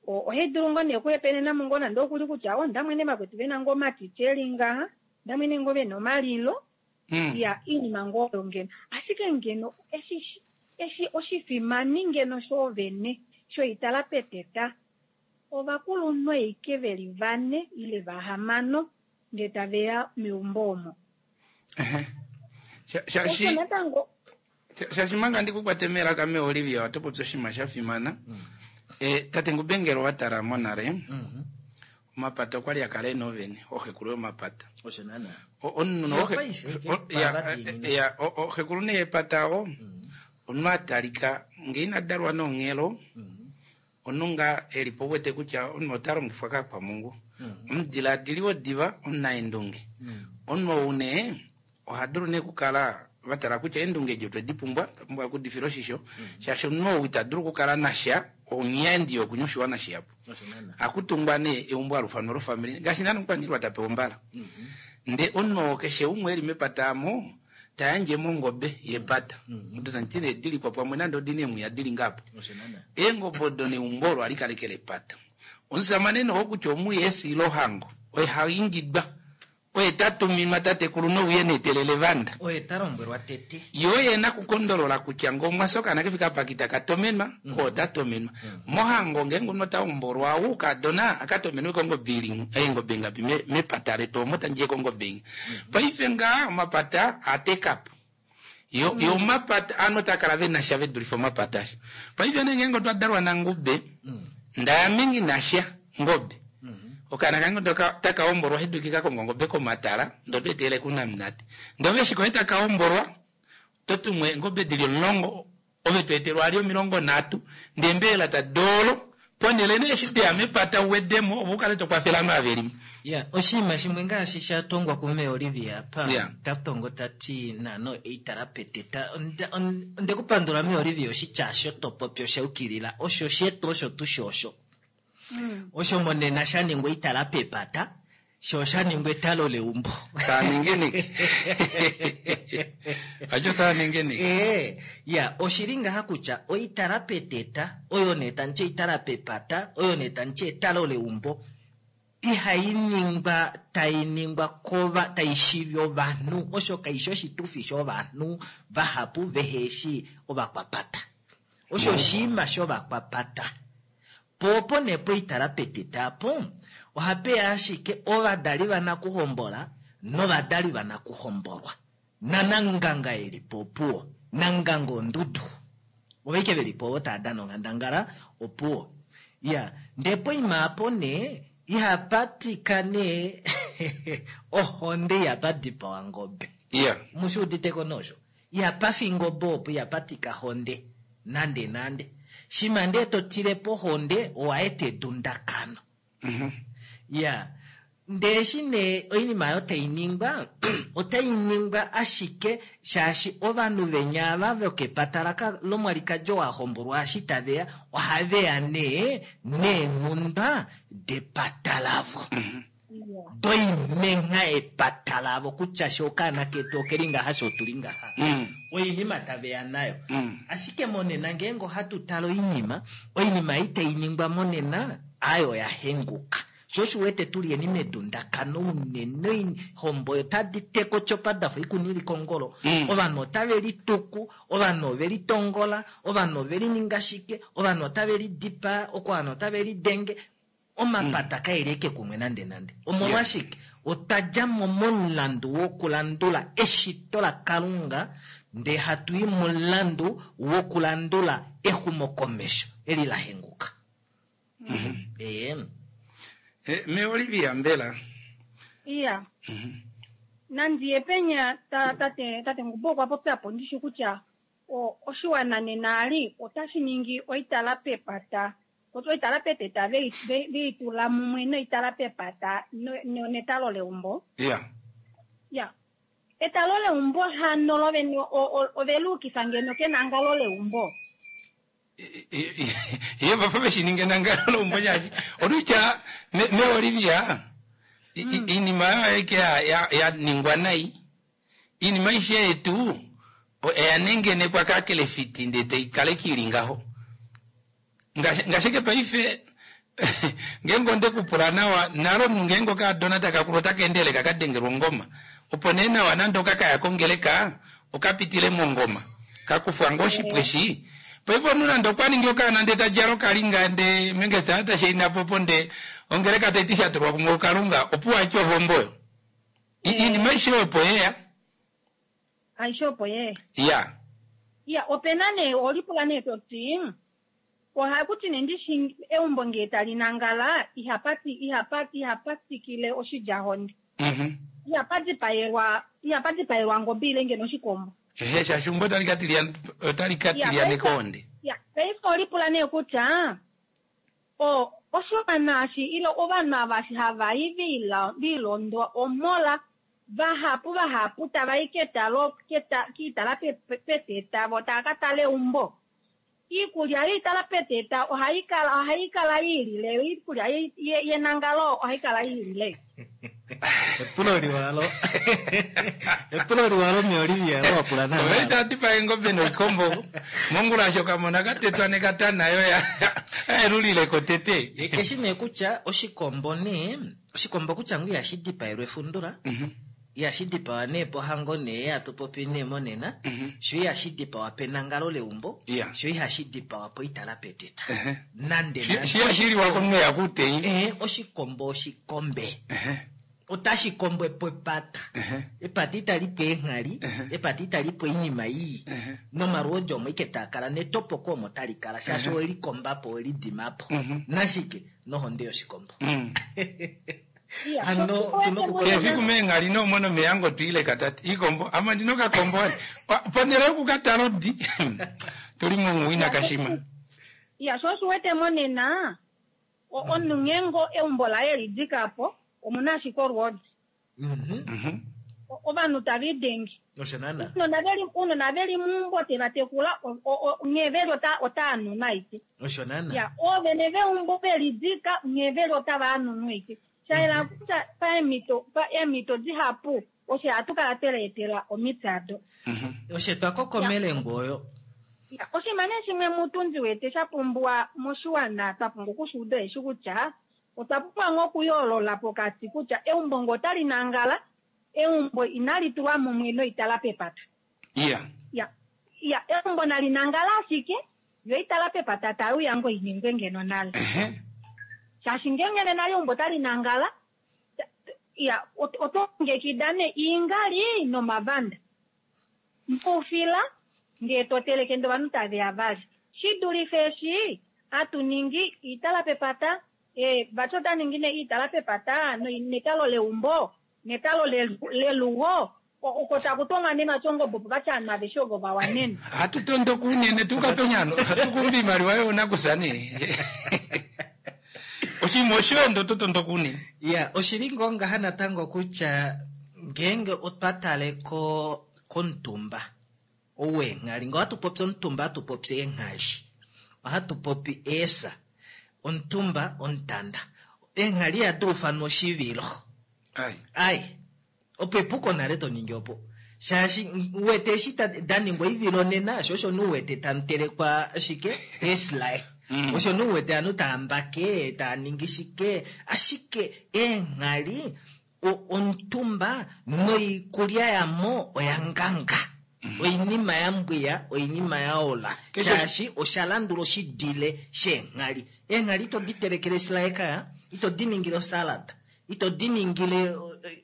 O-, ohai dulu ngoo nee okuhepenena mo ngoo nande okuli kutya, oh, ndamwene vakwetu vena ngoo omatiti eli ngaha, ndamwene ngoo vena omalilo. Mm. Ya, iinima ngoo oyo ngeno. Ashike ngeno, eshi, eshi oshifimani ngeno shoovene, shoitala peteta, ovakulunhu eike veli vane, ile vahamano, nge taveya meumbo omo. Ehe. Sha-, sha-, Osho shi- natango. Sha-, shaashi manga ndikukwate melaka me Olivia, oto popi oshinima sha fimana. Mm. Eh, tate Ngubengelo wa tala monale. Mm-hmm. Omapata okwa li a kala ena ovene, oxekulu yomapata. Osho naana. O-, omunhu Sho oxe- paife, o-, ke ya, pava eh, diinini. ya, o-, oxekulu nee yepata o, Mm-hmm. omunhu a talika, nge ina dalwa nonghelo, Mm-hmm. omunhu nga e li po wete kutya omunhu ota longifwa kakwamungu. Mm-hmm. Omudiladili wodiva, omunaendunge. Mm-hmm. Omunhu ou nee, oha dulu nee okukala va tala kutya eendunge edi otwe di pumbwa, twa pumbwa okudifila oshisho. Mm-hmm. Shaashi omunhu ou ita dulu okukala nasha, onyendi yokunywa oshiwana shihapu. Osho naana. Akutungwa nee eumbo alufano lofamili, ngaashi naana omukwaniilwa ta pewa ombala. Mm-hmm. Nde omunhu oo keshe umwe eli mepata amo, ta yandje mongobe yepata. Mm-hmm. Odo tandi ne dili kwa pamwe nande odi ne mwiya dili ngapo. Osho naana. Eengobe odo neumbo olo alikalekele epata. Omusamane noho kutya omuye esilo hango, oye haingidwa. Oye ta tuminwa tatekulu nouye netelele vanda. Oye ta lombwelwa tete. Yo ye na kukondolola kutya ngo mwasoka na kefika pakita katomenwa, Mm. o ta tomenwa. Mm. Mohango ngengo no ta omborwa u kadona akatomenwe kongo bili, engo benga pi me, me patare to mota nje kongo benga. Mm. Paife nga mapata atekap. Yo, Mm. yo mapata ano takala ve na shave dulifo mapata. Paife ngengo twa dalwa na ngube. Mm. Ndaya mingi na sha ngobe. Mm-hmm. Okana kange ndoka taka omborwa hidukika kongo ngobe komatala ndo twetele kuna mnati. Ndo veshi ko taka omborwa totumwe ngobe dili longo ove twetelwa ali milongo natu ndembela ta dolo ponele ne shite amepata wedemo obukale to kwafela maveri. Ya, oshinima shimwe ngaashi sha tongwa kume Olivia pa Yeah. ta tongo tati nano eitala peteta. Onde, on-, onde kupandula me Olivia oshitya sho to popyo sha ukilila osho shetu osho tu shosho. Mm. Osho monena sha ningwa itala pepata. Sho osha ningwa etalo leumbo. Taa ninginike. Ajo taa ninginike. Ee, ya oshili ngaha kutya oitala peteta oyo nee tandi ti oitala pepata oyo nee tandi ti etalo leumbo ihai ningwa tai ningwa kova tai shivi ovanhu, osho kaishi oshitufi shovanhu vahapu veheshi ovakwapata, osho oshiima shovakwapata. Po opo nee poitala peteta apo ohapeya ashike ovadali vanakuhombola novadali vanakuhombolwa nananganga eli po opuwo, nanganga ondudu ovaike veli po ovo tava dana onghandangala opuwo. Ya ndee poima apo nee ihapatika nee ohonde ihapa ngobe. Iya. Mushuuditeko nosho ihapafi ngobe opo ihapatika honde nande nande. Shima ndee totile po honde owaeta edundakano. Mhm. Ya ndee eshi nee oinima oyo tainingwa otai ningwa ashike shaashi ovanhu venya ava vokepata lomwalikadi oo ahombolwa eshi taveya ohaveya nee neenghundwa depata lavo. Doimenha epata lavo kutya sho okaana ketu okeli ngaha sho otuli ngaha. Mm. Oinima taveya nayo. Mm. Ashike monena ngeenge ohatu tale oinima, oinima ei tainingwa monena ayo oya henguka. Sho osho uwete tuli eni medundakano unene oihombo otadi teka otyopa dafa oikuni ili kongolo. Mm. Ovanhu otave lituku, ovanhu ove litongola, ovanhu ove lininga shike, ovanhu otave lidipaa, ovanhu otave lidenge. Omapata kaeli eke kumwe nande nande. Omolwashike? Otwa dja mo momulandu wokulandula eshito laKalunga ndee hatu i momulandu wokulandula exumokomesho eli la henguka. Mm-hmm. Ee. Eh, me Olivia mbela. Iya. Mhm. Nandi yepenya ta tate tate Ngubo okwa popya po ndishi kutya o oshiwana nena ali otashi ningi oitala pepata. Oitala peteta vei vei tula mumwe noitala pepata no netalo leumbo. Iya. Ya. Etalo leumbo hano lovene ovelukifa ngeno kenangalo leumbo. Ye vafa veshininge nangalo leumbo shaashi olutya me, me Olivia iinima oyo aike ya, ya ningwa nai, iinima aishe yetu oya nengenekwa kakelefiti ndee taikale kiili ngaho. Ngaashi paife ngeenge onde kupula nawa nalo omunhu ngeenge okaadona takakulu otaka endelele kakadengelwa ongoma, opo nee nawa nande okakaya kongeleka okapitile mongoma kakufwa ngoo oshipweshi. Paife omunhu nande okwa ningi okaana ndee tadjala okalinga ndee mengesta tashaina po ndee ongeleka taiti shatulwa kumwe kuKalunga opuwo atya ohombo oyo. Iinima aishe opo yeya. Aishe opo yeya. Ya. Ya, opena nee olipula nee toti ohakuti nee ndishi eumbo ngee tali nangala ihapati ihapati ihapatikile oshidjahonde. Mhm. Ihapadipaelwa ihapadipaelwa ngobe ile ngeno oshikombo. Ehe, shaashi umbo otali katilia otali katilia nekonde. Ya, paife olipula nee kutya o oshiwana eshi ile ovanhu ava eshi hava i vilondwa omola vahapu vahapu tava i ketalo keta kiitala peteta vo tava ka tala eumbo. Iikulya yoitala peteta ohai kala ohai kala iilile, iikulya yenangalo ohai kala iilile. Epulo liwalo. Epulo liwalo me Olivia lo wapula na. Oveita dipa engobe noikombo. Mongula shoka mona katetwa nekatana yo ya. Elulile kotete. Keshi nee kutya oshikombo nee, oshikombo kutya ngu ihashi dipaelwa efundula. Mhm. Ihashi dipawa nee pohango nee hatu popi nee monena. Mm-hmm. Sho ihashi dipawa penangalo leumbo. Yeah. Sho ihashi dipawa poitala peteta. Uh-huh. Nande nande. Shi hashiliwa komunhu yakutei. Eh, oshikombo oshikombe. Uh-huh. Otashi kombwe po epata. Uh-huh. Epata itali po eenghali, Uh-huh. epata itali po oinima ii. Uh-huh. Nomalwoodi omo ike taa kala netopoko omo tali kala shaashi Uh-huh. owelikomba po owelidima po. Mhm. Nashike nohonde yoshikombo. Mm. Iya, Hano, so- tuno Kefiku meenghali nomono meyango twiile katati ikombo ame ndina okakombo wani ponhele yokukatala odi tuli mumuwina kashima. Ya, sho oshiwete monena omunhu ngeenge eumbo laye lidika po omuna ashike olwoodi. Mhm. Mhm. Ovanhu tava idenge. Osho naana. Ounona veli ounona veli meumbo teva tekula nghee veli otava nu naike. Osho naana. Ya, oovene veumbo velidika nghee veli otava anu noike. Shaela kutya paemito paemito dihapu oshe hatu kala tweleetela omiti ado. Oshe twakokomele ngoyo. Ya, oshinima nee shimwe mutu ndi wete sha pumbiwa moshiwana twa pumbwa okushuuda eshi kutya otwa pumbwa ngoo okuyoolola pokati kutya eumbo ngo otali nangala, eumbo inali tulwa mumwe noitala pepata. Iya. Ya, ya, eumbo nali nangala ashike yo itala pepata tayi uya ngo iningwe ngeno nale. Ehe. Shaashi ngeenge nena eumbo tali nangala, ya, ot- oto longekida nee iingali nomavanda. Moufila ngee to teleke ndee ovanhu tave ya vali. Shi dulife eshi hatu ningi iitala pepata, eh, vati ota ningi nee iitala pepata noi- netalo leumbo, netalo lelu- lelugo, o- oko taku tongwa nee vati ongobe opo vati ovanhu aveshe ovo va wanene. Hatu tondoka unene tuka penyano, hatu kumba imaliwa yoonakusa nee. Oshinima osho oto tondoka unene. Ya, oshili ngoo ngaha natango kutya ngeenge otwa tale ko komutumba ou weenghali, ngoo hatu popi omutumba hatu popi eenghali, ohatu popi eesa, omutumba omutanda, eenghali ihadi ufanwa oshivilo. Ai. Ai, opo epuko nale to ningi opo. Shaashi uwete eshi da ningwa oivilo nena, sho osho nuwete tamu telekwa shike eesilaye. Mm. Osho nuwete ovanhu tava mbake, tava ningi shike, ashike eenghali omutumba noikulya yamo oya nganga. Oinima ya mbwiya, oinima ya ola. Shaashi osha landula oshidile sheenghali. Eenghali ito di telekele esilaye kaya, ito di ningile osalad, ito di ningile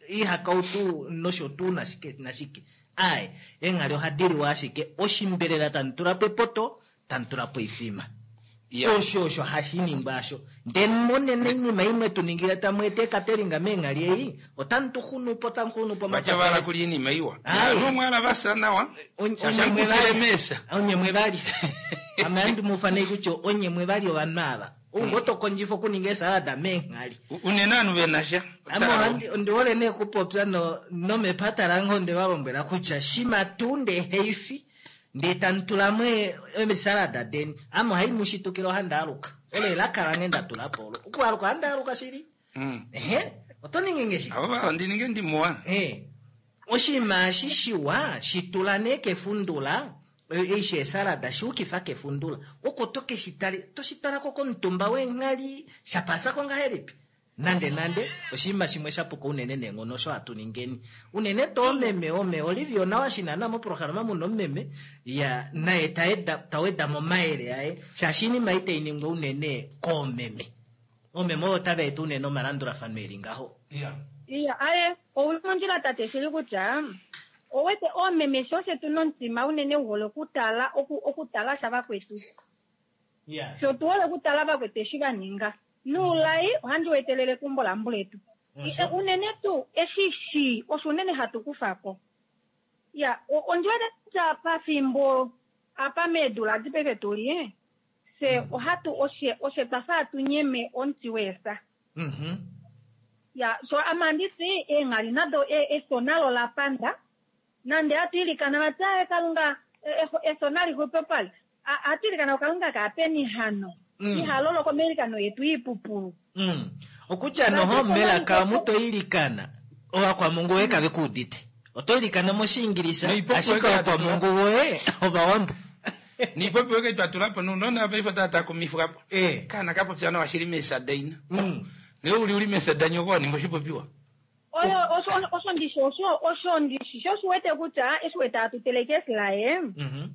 ihakautu nosho tuu nashike nashike. Ai, eenghali ohadi liwa ashike oshimbelela tamu tula po epoto, tamu tula po oifima. Yeah. Osho osho hashi ningwa asho. Ndele monene oinima imwe tu ningile tamu ete ekateringa meenghali ei, otamu tu xunu po, tamu xunu po Vacha vala kulya iinima iwa. Ai. Nomwala vasa nawa. Onye- Shasha onye mwe mukutile vali. mesa. Onye mwe vali. Ame handi mu fanei kutya onye mwe vali ovanhu ava. Ou oto kondjifa okuninga esalada meenghali. Unene ovanhu ve na sha. Ame ohandi ondi hole nee okupopya no nomepata lange onde va lombwela kutya shima tuu ndee heifi ndee tamu tula mo eesalada deni, ame ohai mu shitukile ohandi aluka. Olo elaka lange nda tula po olo. Okualuka ohandi aluka shili. Mm. Ehe, oto ningi nge shike? Avo va ondi ninge ndimuwa. Eh, oshinima eshi shiwa shitula nee kefundula, eshi esalada shiukifa kefundula. Oko to ke shi tale, to shi talako komutumba weenghali, shapasako ngahelipi? Nande nande, oshinima shimwe sha puka unene neenghono osho hatu ningeni. Unene to omeme, ome, Olivia onawa shinana moprograma muno omeme, ya, naye taeda, taweda momayele aye, shaashi iinima itai ningwa unene koomeme. Omeme oyo tava eta unene omalandulafano eli ngaho. Yeah. Iya, aye, ouli mondjila tate shili kutya owete oomeme sho shetu nomutima unene u hole okutala, oku, okutala sha vakwetu. Yeah. Sho tu hole okutala vakwetu eshi va ninga. Nuulai ohandi wetelele keumbo lambuletu. Osho. Unene tuu eshi shi osho unene hatu kufa ko. Ya, ondi wete kutya pafimbo apa meedula dipepe tuli, se ohatu oshe oshe twafa hatu nyeme omuti weesa. Mhm. Ya, so ame anditi eenghali nado efo nalo la panda, nande hatu ilikana vati aye Kalunga efo nali xwepopale. Hatu ilikana Kalunga kaapeni hano. Mm. Ihaloloko meilikano yetu iipupulu. Mm. Okutya noho melaka omu to ilikana, ovakwamungu woye kave ku udite. Oto ilikana moshiingilisa, Noipopi ashike weke ovakwamungu woye ovawambo. Niipopi weke twa tula po nounona paife otava takumifwa po. Eh. Kaana ka popya nawa shili meesa daina. Mm. Ngee uli uli meesa danyoko wa ninga oshipopiwa. Oyo osho osho ndishi osho osho ndishi sho shi wete kutya eshi wete hatu teleke esilaye. Mhm.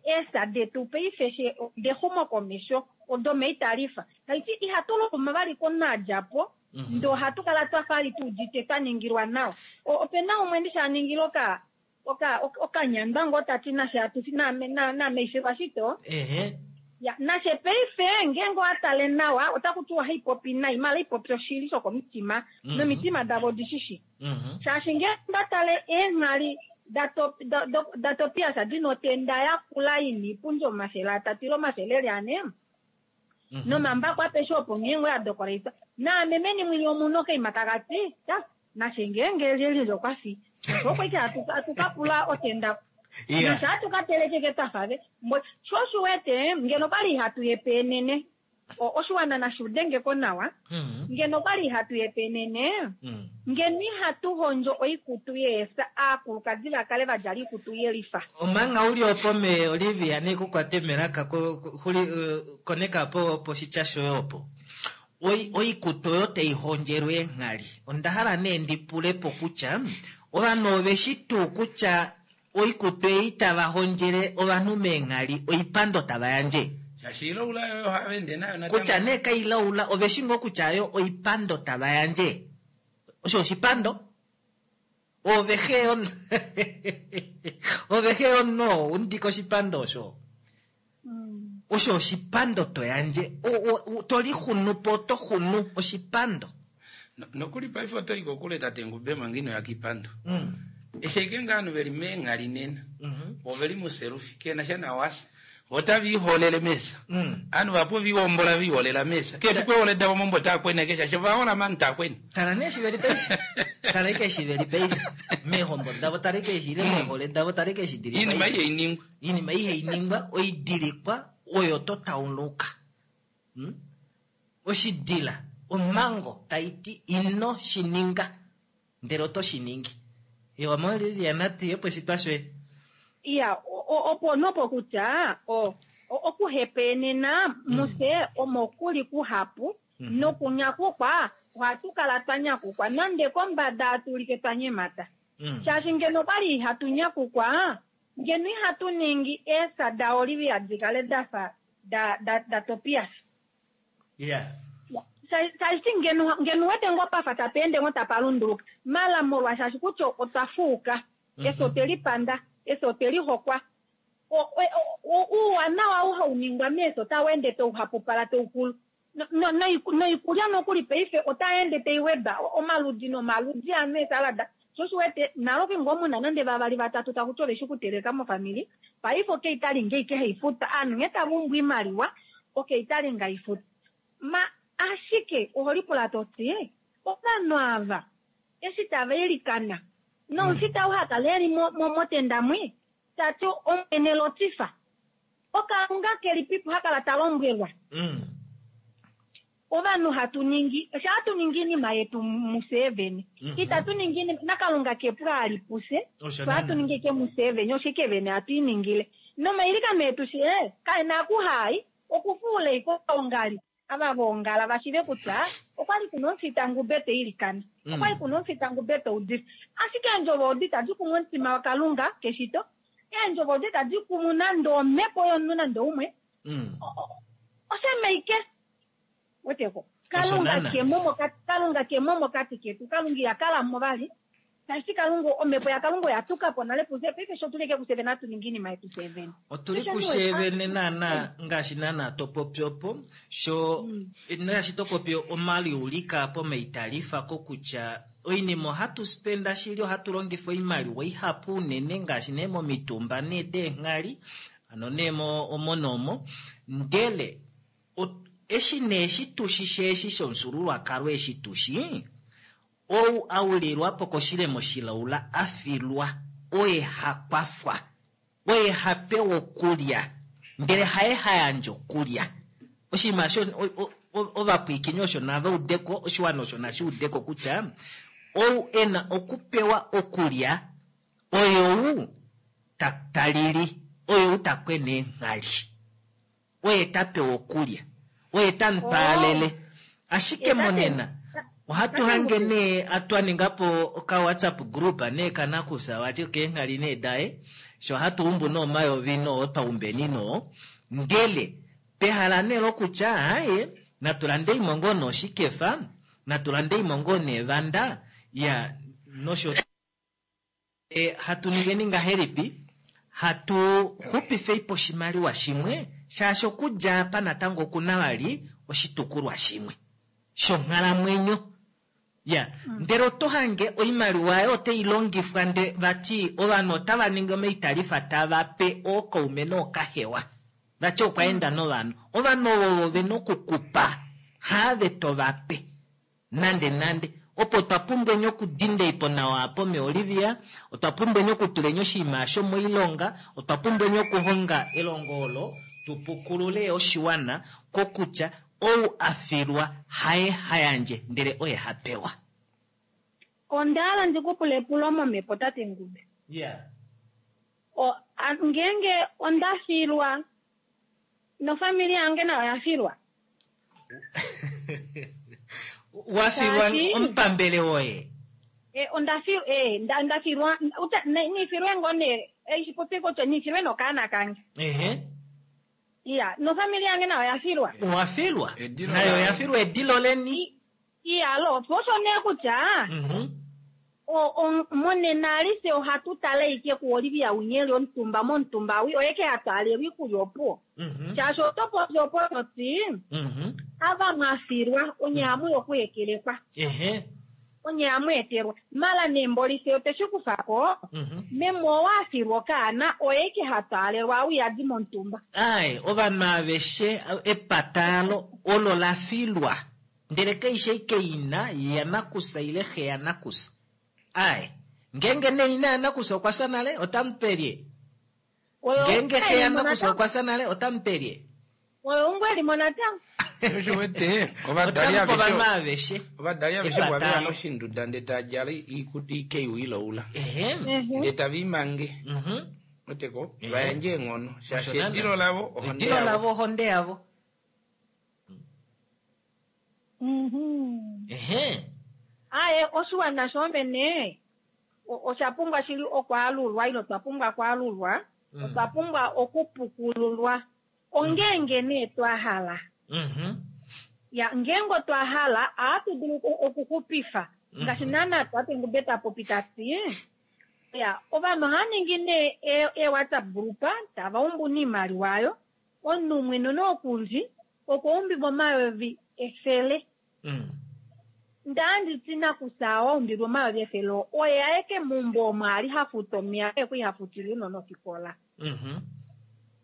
Eesa detu paife she dexumo komesho odo meitalifa. Taiti ihatu longoma vali konadjapo. Mhm. Ndo ohatu kala twafa ali tu udite twa ningilwa nawa. Opena umwe ndishi a ningila oka oka okanyandwa ngoo tati nashe hatu name name ifilwa shito. Ehe. Ya, nashe paife ngeenge owa tale nawa otaku tiwa haipopi nai, mala ipopi oshili shokomitima. Mhm. Nomitima davo odishishi. Mhm. Shaashi ngeenge nda tale eenghali da Tobias dina otenda yakula ina iipundi omafele atatu ile omafele eli ane. Mhm. Nomambako apeshe opo ngeenge oya dokoleitwa. Naame meni mwili omunhu okaima taka ti, ta, nashe ngeenge lyelye okwa fi. Osho ike hatu ka pula otenda. Yeah. Nashe hatu ka telekeke twafave. Mbo sho shi wete ngeno kwali ihatu yepe enene. Oshiwana nashi udengeko nawa. Mm. Ngeno kwali ihatu yepenene, Mm. ngeno ihatu hondjo oikutu yeesa, aakulukadi va kale va djala oikutu yelifa. Omanga uli opo me Olivia ne kukwate melaka ko, ko- xuli, eh, koneka po poshitya shoye opo. Oi, oikutu oyo taihondjelwa eenghali. Onda hala nee ndi pule po kutya ovanhu ove shi tuu kutya oikutu ei tava hondjele ovanhu meenghali oipando tava yandje. Shaashi ilaula yoyo ohava ende nayo natango. Kutya nee kailaula ove shi ngoo kutya yo oipando tava yandje. Osho oshipando? Ove xe on- Ove xe ono undika oshipando osho. Mm. Osho oshipando to yandje. O-, o-, o-, to lixunu po, to xunu oshipando. No-, nokuli paife oto i kokule tate Ngube manga ino ya kiipando. Mm. Eshi ike ngaa ovanhu veli meenghali nena. Mm-hmm. Ove li muselufi, kena sha nawasa. Otava iholele mesa. Mm. Ovanhu vapo viwombola viholela mesa. Kefi kwehole davo mombo takwena kesha, sho vahola mani takwena. Tala nee eshi veli paife. Tala ike eshi veli paife. Meehombo davo, tala ike eshi ile meehole davo, tala ike eshi dili Iinima paife. ihai ningwa. Iinima ihai ningwa, oidilikwa, oyo to tauluka. Mm? Oshidila, omhango tai ti ino shi ninga, ndele oto shi ningi. Ewa, mo Olivia, natu ye poshitwa shoye. Iya, o-, o-, opo nopo kutya, o-, o-, okuhepenena Mm. muse omo kuli kuhapu, Mm-hmm. nokunyakukwa, ohatu kala twa nyakukwa, nande kombada hatu ulike twa nyemata. Mm. Shaashi ngeno kwali ihatu nyakukwa, ngeno ihatu ningi eesa da Olivia di kale da fa da, da, da Tobias. Yeah. Shaashi ngeno, ngeno wete ngo pafa tapa ende ngo tapa lunduluka. Mala molwa shaashi kutya otwa fuuka. Mm-hmm. Eso otwe lipanda, eso otwe lihokwa. O-, o-, o-, uuwanawa ou hau ningwa meeso otau ende tau hapupala tau kulu. No, no, noiku-, noikulya nokuli paife otai ende tai weda omaludi nomaludi anu esalada. Sho shi wete, naloke ngoo muna nande vavali vatatu taku ti ove shi kuteleka mofamili, paife okei tali ngei kehe ifuta, aanhu nghee tava umbu iimaliwa, okei tali nga ifuta. Ma ashike oho lipula to ti, ovanhu ava eshi tava ilikana, nomufita ou hakala eli mo-, mo-, motenda mwi, ta ti omwene lotifa. Okalunga keli pipo hakala ta lombwelwa. Mm. Ovanhu hatu ningi, osho hatu ningi iinima yetu Museveni. Mm-hmm. Itatu ningi iinima, naKalunga kepu ali puse, Osho so hatu nana. ningi ke Museveni, oshike vene hatu iningile. Nomailikano etu shi, eh, kaena kuhai, okufuula iko ongali. Ava vongala vashive kutya, okwali kuna omufita Ngube te ilikana. Mm. Okwali kuna omufita Ngube te udifa. Ashike eendjovo odi tadi kumu omutima waKalunga keshito. Eendjovo odi tadi kumu nande omhepo yomunhu nande umwe. Mm. O-, o-, oshemeike. Weteko. Osho Kalunga nana. ke mo mokati, Kalunga ke mo mokati ketu. Kalunga ya kala mo vali. Tashi Kalunga, omhepo ya Kalunga ya tuka po nale puse. Paife sho tuleke ku seven, atu ningi iinima yetu seven. Otuli Osho ku niwe. seven nana, ngaashi nana to popi opo. Sho, Mm. ngaashi to popi omali ulika po meitalifa ko kutya oinima ohatu spenda shili, ohatu longifa oimaliwa ihapu unene ngaashi nee momitumba nee deenghali, ano nee mo-, omonomo. Ndele, o-, eshi nee eshi tushi sheshi shomufyuululwakalo eshi tushi, ou aulilwa po koshilemo shilaula a filwa, oye ha kwafwa, oye ha pewa okulya, ndele haye ha yandja okulya. Oshinima osho, o-, o-, o-, ovapwiikini osho nava udeko, oshiwana osho nashi udeko kutya, ou e na okupewa okulya, oye ou ta-, ta lili, oye ou ta kwene eenghali. Oye ta pewa okulya, oye ta mupaalele. Oh. Ashike Ye ta monena, pe- ohatu hange nee atwa ninga po oka WhatsApp group nee kanakusa wati keenghali nee daye, sho hatu umbu no mayovi no otwa umbeni no, ndele pehala nee lokutya, haye, natulande imongo no shikefa, natulande imongo ne vanda, ya, nosho. E, hatu ningeni ngahelipi, hatu xupifei po oshimaliwa shimwe, shaashi okudja apa natango okuna vali oshitukulwa shimwe shonghalamwenyo. Ya, Mm. ndele oto hange oimaliwa yayo otai longifwa nde vati ovanhu otava ningi omaitalifa tava pe ookaume nookahewa. Vati okwa enda novanhu. Ovanhu ovo ve nokukupa, have to va pe. Nande nande. Opo twa pumbweni okudinda ipo nawa apo me Olivia, otwa pumbweni okutuleni oshinima osho moilonga, otwa pumbweni okuhonga elongo olo, tupukulule oshiwana kokutya Ou a filwa haye ha yandje, ndele oye ha pewa. Onda hala ndi ku pule epulo momhepo tate Ngube. Yeah. O, a, ngeenge onda filwa nofamili yange nayo oya filwa. Wa filwa Shaashi- omupambele woye. E, onda filwa e, nda, nda filwa uta, ne, nifilwe ngo ne eishi popi kutya nifilwe nokaana kange. Ehe. Iya, nofamili yange nayo oya filwa. Owa filwa. Edilo Nayo lawo. oya filwa edilo leni. Iya, lo osho nee kutya Mhm. o, o, monena alise ohatu tale ike ku Olivia Unyeli omutumba momutumba wi oye ke hatwaalelwa iikulya opuwo. Mhm. Shaashi oto popi opo toti Mhm. ava mwafilwa onye hamu okuhekelekwa Ehe. onye hamu etelwa mala nembolise oteshi kufako Mhm. meme owafilwa okaana oye ke hatwaalelwa auyadi momutumba. Ai, ovanhu aveshe epatalo olo la filwa. Ndele keishe ike ina yanakusa ile xe yanakusa. Ai, ngenge ne ina yanakusa okwa fya nale otamupelye. Oyo Ngenge xe elimo yanakusa natango. okwa fya nale otamupelye. Oyo ungu elimo natango. Osho wete ovadali Otamupe ovanhu aveshe aveshe. ovadali aveshe bwaveya Epatalo. moshinduda nde tadjala ikeiwiloula Ehe. Mhm. nde taviimange Mhm. oteko Ehe. vayandje eenghono shaashi Osho naana. edilo lavo ohonde Edilo yavo lavo ohonde yavo. Mhm. Ehe. Aye, oshiwana shomene o- osha pumbwa shili okwaalulwa ilo twa pumbwa okwaalulwa Mm. otwa pumbwa okupukululwa ongenge nee twa hala Mhm. ya ngeenge otwa hala ohatu dulu oku- okuxupifa Mhm. ngaashi naana tate Ngube ta popi tati ya ovanhu ohava ningi nee e- e-whatsapp group tava umbu niimaliwa ayo omunhu umwe nonokundji okwa umbilwa omayovi efele Mm. ndanditi nakusa waumbilwa omayovi efele oye aeke meumbo omo ali hafuta omeya oye kwiihafutile uunona ofikola Mhm.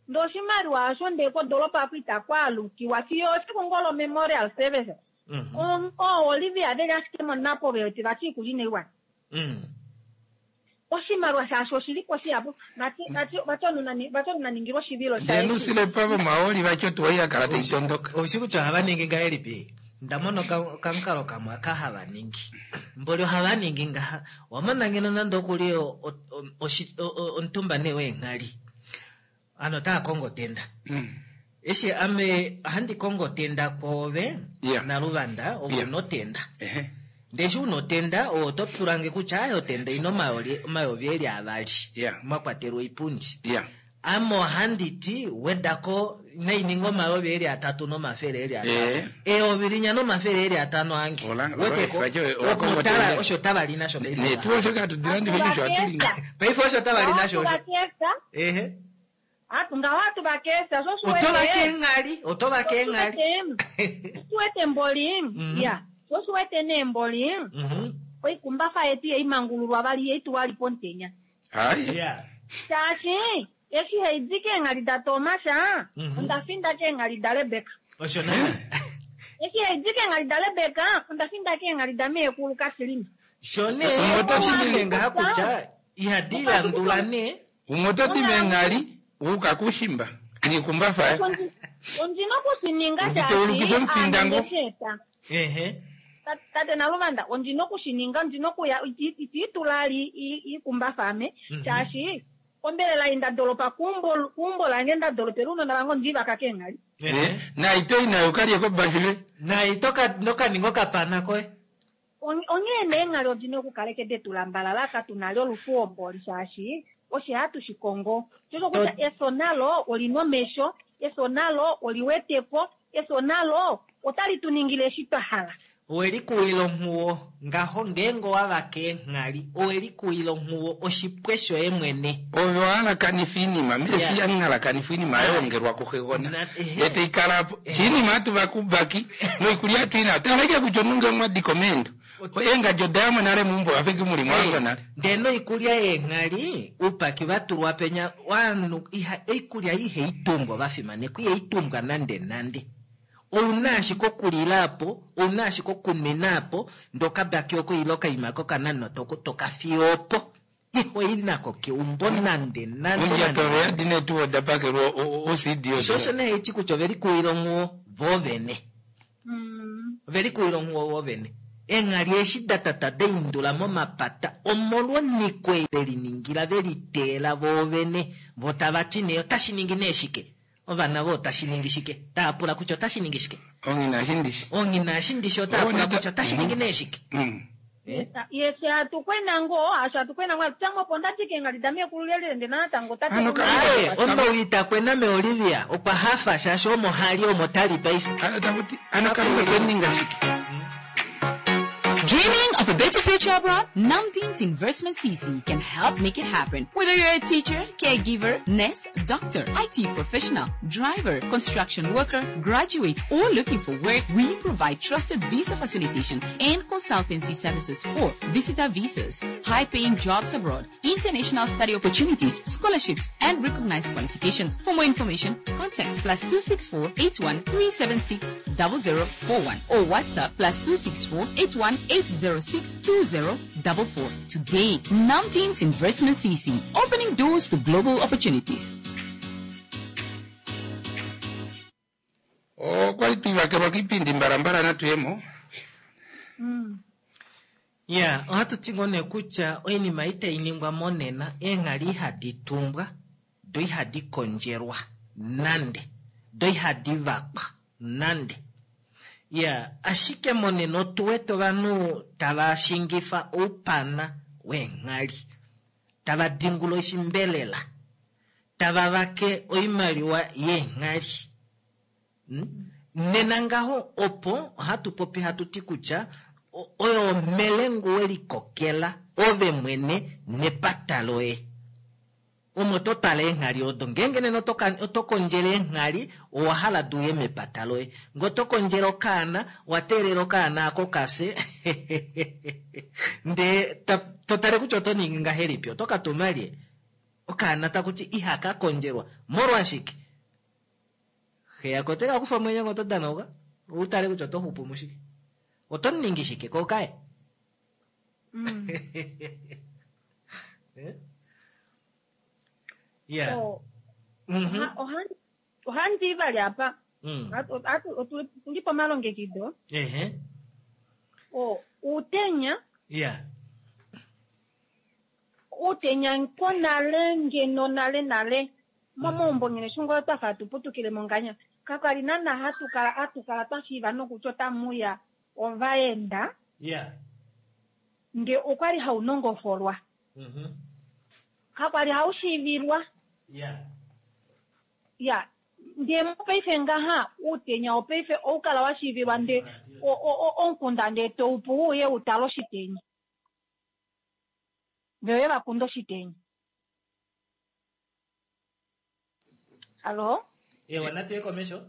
ndee oshimaliwa osho ndee kodolopa aku itakwaalukiwa fiyo efiku ngolo memorial service Mhm. O- oo Olivia veli ashike monapo vewete vati iikulya inaiwana Mm. oshimaliwa shaashi oshilipo shihapu vati vati vati omunhu vati omunhu aningilwa oshivilo ndee nusile pavo maoli vacho tuwai yakala taitondoka Oushi kutya ohava ningi ngahelipi? Ndamona oka- okamukalo kamwe aka hava ningi. Mboli ohava ningi ngaha. Wamona ngeno nande okuli o- o- o- oshi- o- o- omutumba nee weenghali. Ano otaa kongo otenda. Mm. Eshi ame ohandi kongo otenda kwoove Yeah. naluvanda ove Yeah. una otenda. Ehe. Ndee eshi una otenda owe oto pulange kutya aye otenda ina omayoli- omayovi eli avali. Yeah. Mwa kwatelwa oipundi. ya Ame ohandi ti wedako naininga omayovi eli atatu nomafele eli atano. Eh. Eyovi linya nomafele eli atano ange. Ola- Weteko, vacho- opo owakongo tava- tenda. osho tava li nasho paife. netu osho katudilandife osho atulinga Paife osho tava li nasho osho. Atuvakesa Ehe. atu ngaho atuvakesa sho Otova keenghali, otova keenghali. oshiwete mboli Mhm. ya sho oshiwete nee mboli Mhm. oikumbafa yetu yeimangululwa vali yeituwa li pomutenya hayi Yeah. shaashi eshi haidi keenghali da Tomasha Mhm. onda finda keenghali da Rebeka Osho naana. eshi haidi keenghali da Rebeka onda finda keenghali da meekulu Kasilima Sho nee Umwe ota oshilile ngaha kutya ihadi landula nee. umwe ototi meenghali wuuka kushimba nikumbafa ondina okushininga Nditeulukife omufinda ngo. shaashi Ehe. tate Naluvanda ondina okushininga ondina okuya itiitula ali iikumbafa ame Mhm. shaashi ombelela ei ndadolopa keumbo keumbo lange ndadolopela uunona vange ondivaka keenghali Ehe. naito inayo kalye kobashile Nai toka nokaninga okapana koye. On- onghee nee eenghali odina okukaleke detulambalala katuna olufuwo mboli shaashi oshe hatu shikongo shosho kutya efyo nalo olina omesho efyo nalo oliweteko efyo nalo otali tu ningile eshi twa hala Owelikuwila onghuwo ngaho ngeenge owavaka eenghali owelikuwila onghuwo oshipwe shoye mwene. ove wahalakanifa iinima mesi Yeah. yanhalakanifa iinima yayongelwa kuxegona Na- ehe. etaikalapo shiinima atuva kubaki noikulya atuina taleke kutya onunge mwadiko meendo eengadji odayamo nale muumbo wafiki muli mwango nale Ndee noikulya yeenghali oupaki vatulwa penya ovanhu iha oikulya ihaitumbwa vafimanekwa ihaitumbwa nande nande. Ouna ashike okulila apo, ouna ashike okunwina apo, ndee okabaki oko ile okaima kokananwa tokafiya opo. Iho inako keumbo nande nande. ondjato nande. yadi netu odapakelwa ocd Sho osho nee haiti kutya ovelikuwila onghuwo voovene. Ovelikuwila onghuwo vovene. Eenghali eshi datata daindula momapata omolwonhiko ei veliningila veliteela voovene vo tava ti nee otashi ningi nee shike. Ovana vo otashi ningi shike. Tava pula kutya otashi ningi shike. Onghina eshi ndishi. Onghina eshi ndishi otava pula kutya otashi ningi nee shike. Mm. Eh? Ye fye hatu kwena ngoo, asho hatu kwena ngoo, hatu tya opo ndati keenghali dameekulu lelele ndee natango tate Ano ka- Aye, omawi itakwena meOlivia okwa hafa shaashi omo hali omo tali paife. Ano takuti ano Kalunga kweninga shike. Dreaming of a better future abroad? Namdeen's Investment C C can help make it happen. Whether you're a teacher, caregiver, nurse, doctor, I T professional, driver, construction worker, graduate, or looking for work, we provide trusted visa facilitation and consultancy services for visitor visas, high-paying jobs abroad, international study opportunities, scholarships, and recognized qualifications. For more information, contact plus two six four eight one three seven six double zero four one or WhatsApp plus two six four eight one eight zero six two zero double four. Today, Namdeen's Investment C C, opening doors to global opportunities. Okwali twivakelwa kiipindi mbalambala natuyemo. Mm. Ya, ohatu ti ngoo nee kutya oinima itai ningwa monena, eenghali ihadi tumbwa, do ihadi kondjelwa nande, do ihadi vakwa nande. Ya, ashike monena otu wete ovanhu tava shingifa oupana weenghali, tava dingula oshimbelela, tava vake oimaliwa yeenghali. Hmm? Nena ngaho opo ohatu popi hatu ti kutya o-, oyo omelengu welikokela ove mwene nepata loye. Omo to tala eenghali odo, ngeenge nena oto ka-, oto kondjele eenghali, owa hala du uye mepata loye. Nge oto kondjele okaana, owa teelela okaana ako kafye. Ndee ta-, to tale kutya oto ningi ngahelipi, oto ka tuma lye? Okaana taku ti ihaka kondjelwa. Molwashike? Xe yako ote ka kufa omwenyo ngo oto danauka, u tale kutya oto xupu mushike. Oto ningi shike kokaye? Mm. Eh? Yeah. Oh. Mm-hmm. Oha-, oha-, ohandi vali apa. Mm. Atu, atu, otu, tuli pomalongekido. Ehe. O, utenya. Yeah. Utenya nkonale ngeno nale nale. Momaumbo ngene shungo twa fa tuputukile monganya. Kakali nana hatu kala, hatu kala twa shiiva nokutya otamuya ovaenda. Yeah. Nge okwali haunongofolwa. Mm-hmm. Kakwali haushiivilwa. Yeah. Ya, nde mopaife ngaha utenya opaife oukala wa shiivilwa nde o, o, o, onkunda nde toupu uye utala oshitenya. Vewe vakunda oshitenya. Alo? Ewa, natuye komesho?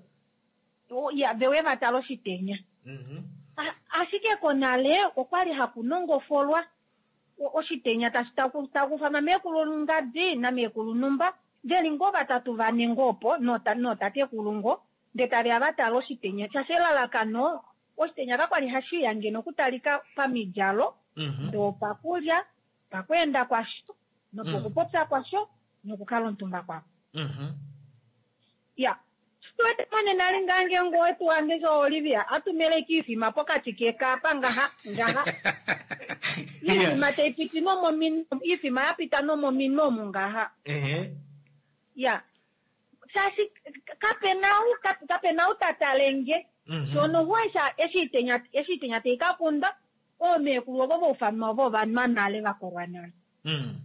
O, ya, vewe vatala oshitenya. Mm-hmm. A-, ashike konale okwali hakunongofolwa o-, oshitenya tashi taku, takufa meekulu ngadi na meekulu numba. Veli ngo vatatu vane ngopo, nota, notatekulu ngo, nde tave avatala oshitenya. Shashe elalakano, oshitenya kakwali hashiya ngeno okutalika pamidjalo, Mm-hmm. ndo pakulya, pakweenda kwasho, nopokupopya kwasho, nokukala omutumba kwako. Mm-hmm. Ya. Tuwete mane nale ngange ngo wetu wange so Olivia, atumele kifima pokati kekapa ngaha, ngaha. Ifima taipiti nomo min-, ifima yapita nomo minomu ngaha. Ehe. Ya. Sasi, kapenau, kap-, kapenau tatalenge. Mm-hmm. Shono huwa eshi itenya, eshi itenya teikakunda, oomekulu ovo voufama ovo vanwa nale vakolwa nale. Mm.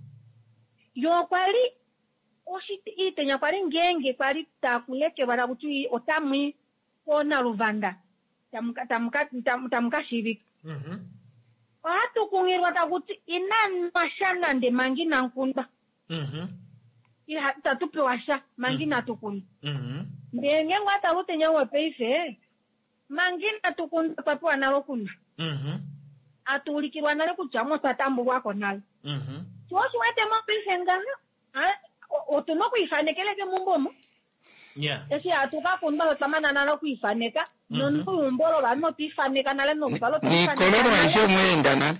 Yo kwali, oshi-, itenya kwali ngenge, kwali takulekelwa takuti otamwi kona luvanda. Tamuka, tamuka, tam-, tamuka shivika. Mm-hmm. Ohatu kungilwa takuti inanwa sha nande mangi nankunda. Mm-hmm. Iha, tatu pewa sha, mangi Mm. natukunda. Mm-hmm. Ndee ngenge atalutenya wepeife, mangi natukunda twa pewa nalo kuna. Mm-hmm. Atuulikilwa nale kutya mo twa tambulwako nale. Mm-hmm. Sho osho wete mopaife ngaha, a, o-, otu na okwiifanekela kemumbo omo. Yeah. Eshi hatu ka kundwa otwa mana nale okwiifaneka, Mm-hmm. nonolumbo lovanhu otwa ifaneka nale noluvalo otwa ifaneka Nikololo nale. aishe omweenda nale.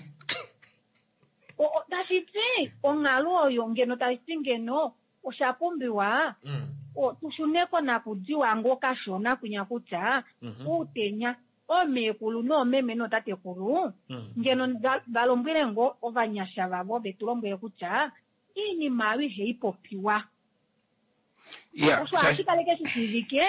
O-, o-, tashi ti, onghalo oyo ngeno tashi ti ngeno, osha pumbiwa, Mm. o, tu shune ko nakudiwa ngo kashona kwinya kutya, Mm-hmm. uutenya Omeekulu noomeme nootatekulu ngeno va lombwele ngo ovanyasha vavo vetu lombwele kutya iinima ayo ihai popiwa. Osho ohashi kaleke shi shiivike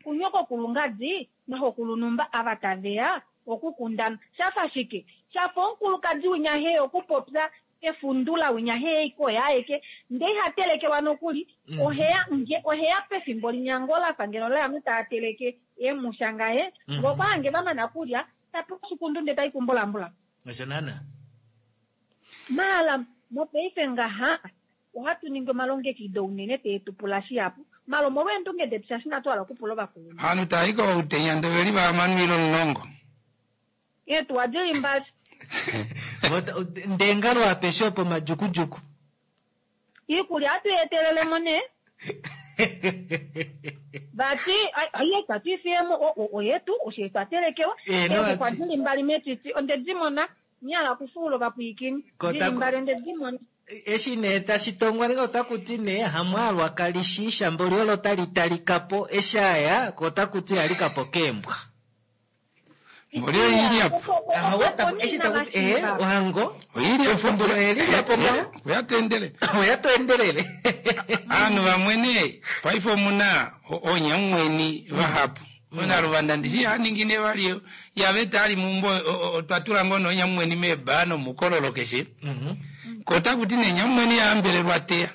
kunyokokulungadi naxokulunumba ava taveya okukundana. Shafa shike? Shafa omukulukadi winya he okupopya efundula winya he ikoya aeke ndee iha telekelwa nokuli oheya nge oheya pefimbo linyango lafa ngeno laanhu taa teleke eemusha ngaye ngokwa hange vamana kulya tapewa oshikundu ndee tai kumbulambulam. Osho naana. Maala mopaife ngaha ohatu ningi omalongekido unene tee tu pula shihapu. Malo molweendunge detu shaashi inatu hala okupula ovakulunhu. Ovanhu tava i koutenya ndee oveli vahamano ile omulongo. Eetuwa dili mbali. Ndee ngalo apeshe opo majukujuku. Iikulya ohatu i etelelemo nee. Vati aiye itatu i fiyemo oyetu osho twa telekelwa. Eexuxwa dili mbali metiti onde di mona nyahala okufuula ovapwiikini. Dili mbali onde di mona. Eshi nee tashi tongwa nenge otaku ti nee hamwaalwa kali shi shamboli olo tali talika po eshi aya ko otaku ti alika po keembwa. Mboli oili apo. Eshi taku ti ee ohango Oili apo. Efundulo eli apo ngaho. Oya toendele. Oya toendelele. Ovanhu vamwe nee paife omuna oonyamumweni vahapu. Onaluvanda ndishi haningi ne vali yave tali meumbo otwa tula ngoo noonyamumweni meebaa nomukololo keshe. Ko otaku ti nee nyamumweni yahambelelwa teya.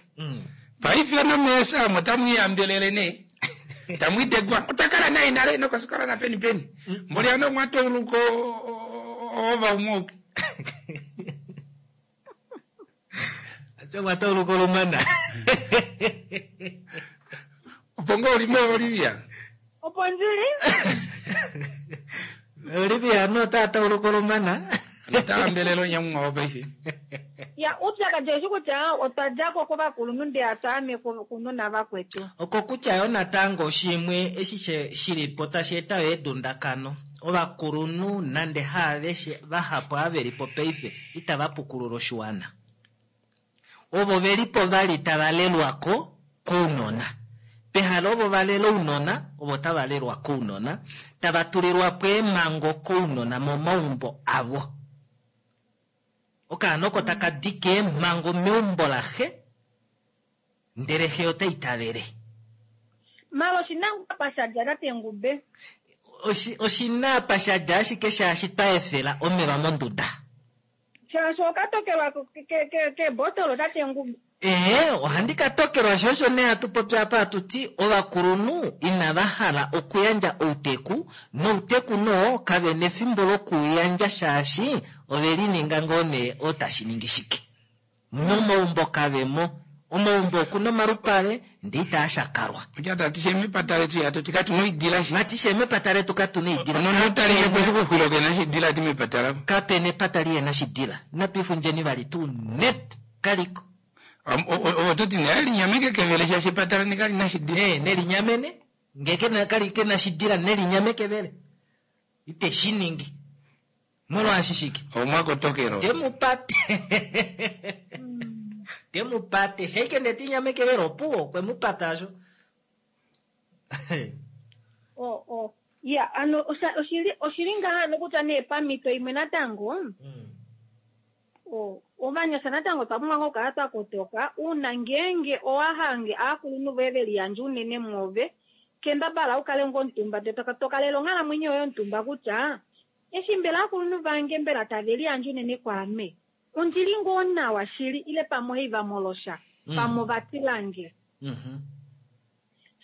Paife nomeesa omo tamwiihambelele nee. Tamwiitegwa otwa kala naye nale nokosikola napeni peni. Mboli ano omwa tauluka ova umwe. Acho tauluka olumana. Opo ngoo olimo Olivia. Opo ndili. Olivia ano ota tauluka olumana. Ota hambelele onyamumwa wo paife. Ya upyakadi oshi kutya otwa djako kovakulunhu ndee atwaame kunona vakwetu. Oko kutya yo natango shimwe eshi shilipo tashi eta yo edundakano. Ovakulunhu nande haaveshe vahapu avelipo paife itava pukulula oshiwana. Ovo velipo vali tava lelwako kounona. Pehala ovo valela ounona, ovo tava lelwa kounona, tava tulilwa po eemhango kounona momaumbo avo. Okaana oko taka dike eemhango meumbo laxe, ndele xe ota itavele. Malo oshina apa shadja tate Ngube? Oshina apa shadja ashike shaashi twa efela omeva monduda. Shaashi okatokelwa kebotolo tate Ngube. Ee, ohandi ka tokelwa sho osho nee hatu popi apa hatu ti ovakulunhu inava hala okuyandja outeku, nouteku noo kave nefimbo lokuyandja shaashi ove lininga ngoo nee otashi ningi shike. Momaumbo kavemo. Omaumbo okuna omalupale ndee itaa shakalwa. Okutya tati she mepata letu ya toti katu na oidila shi. Vati she mepata letu katu na oidila. Nonotali yekwexuxwilo kena shidila ti mepata lavo. Kapena epata lihena shidila. Napifundjeni vali tuu net kaliko. Ototi nee linyameke kevele shaashi epata leni kali na shidila. Ee, nelinyamene. Ngee kena kali kena shidila nelinyame kevele. Ite shi ningi. Molwaashi shike? Omwakotokelo. Temupate. Temupate. Shaike ndeti nyame kevele opuwo kwemupata asho. O o ya ano oshili oshili ngaha nokutya nee pamhito imwe natango. O ovanyasha natango twa pumbwa okukala twa kotoka uuna ngeenge owahange aakulunhu voye veliyandja unene mwoove kendabala ukale ngo omutumba tokalela onghalamwenyo yoye omutumba kutya eshi mbela aakulunhu vange mbela tave liyandja unene kwaame ondili ngoo nawa shili ile pamwe ohaiva molosha pamwe ovatilange.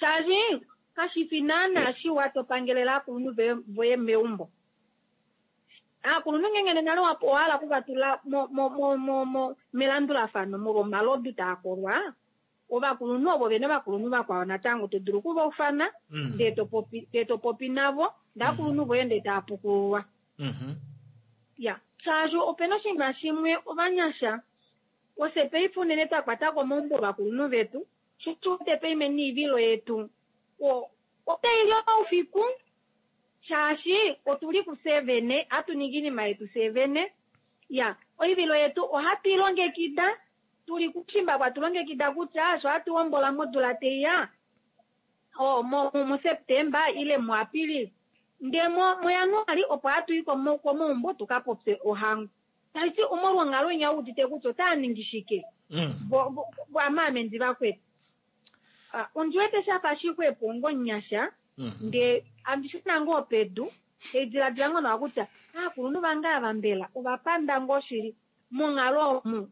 Shaashi kashifi naana shiwa topangelela aakulunhu voye meumbo. Aakulunhu ngenge nale owahala okuvatula melandulafano molwa omalodu taakolwa ovakulunhu ovo vene ovakulunhu vakwao natango to dulu okuvaufana ndee to popi navo ndee aakulunhu voye ndee taapukululwa. Ya shaashi opena oshinima shimwe ovanyasha ofye paife unene twa kwatako omaumbo ovakulunhu vetu sho paife niivilo yetu otaili oufiku shaashi otuli kufye vene hatu ningi iinima yetu fye vene. Ya oivilo yetu ohatu ilongekida tuli kushimba kwatulongekida kutya sho hatu hombola modula teiya o muSeptemba ile muApilili Ndee mo muJanuali opo hatu i komaumbo tuka popye ohango. Tashi ti omolwonghalo inya udite kutya otaa ningi shike. Mm. Vo vo amaamendi vakwetu. Ah, ondi wete shafa shixwepo ngonyasha Mhm. ndee andi shuna ngoo pedu eidiladila ngoo nawa kutya aakulunhu vange ava mbela ovapanda ngoo shili monghalo omu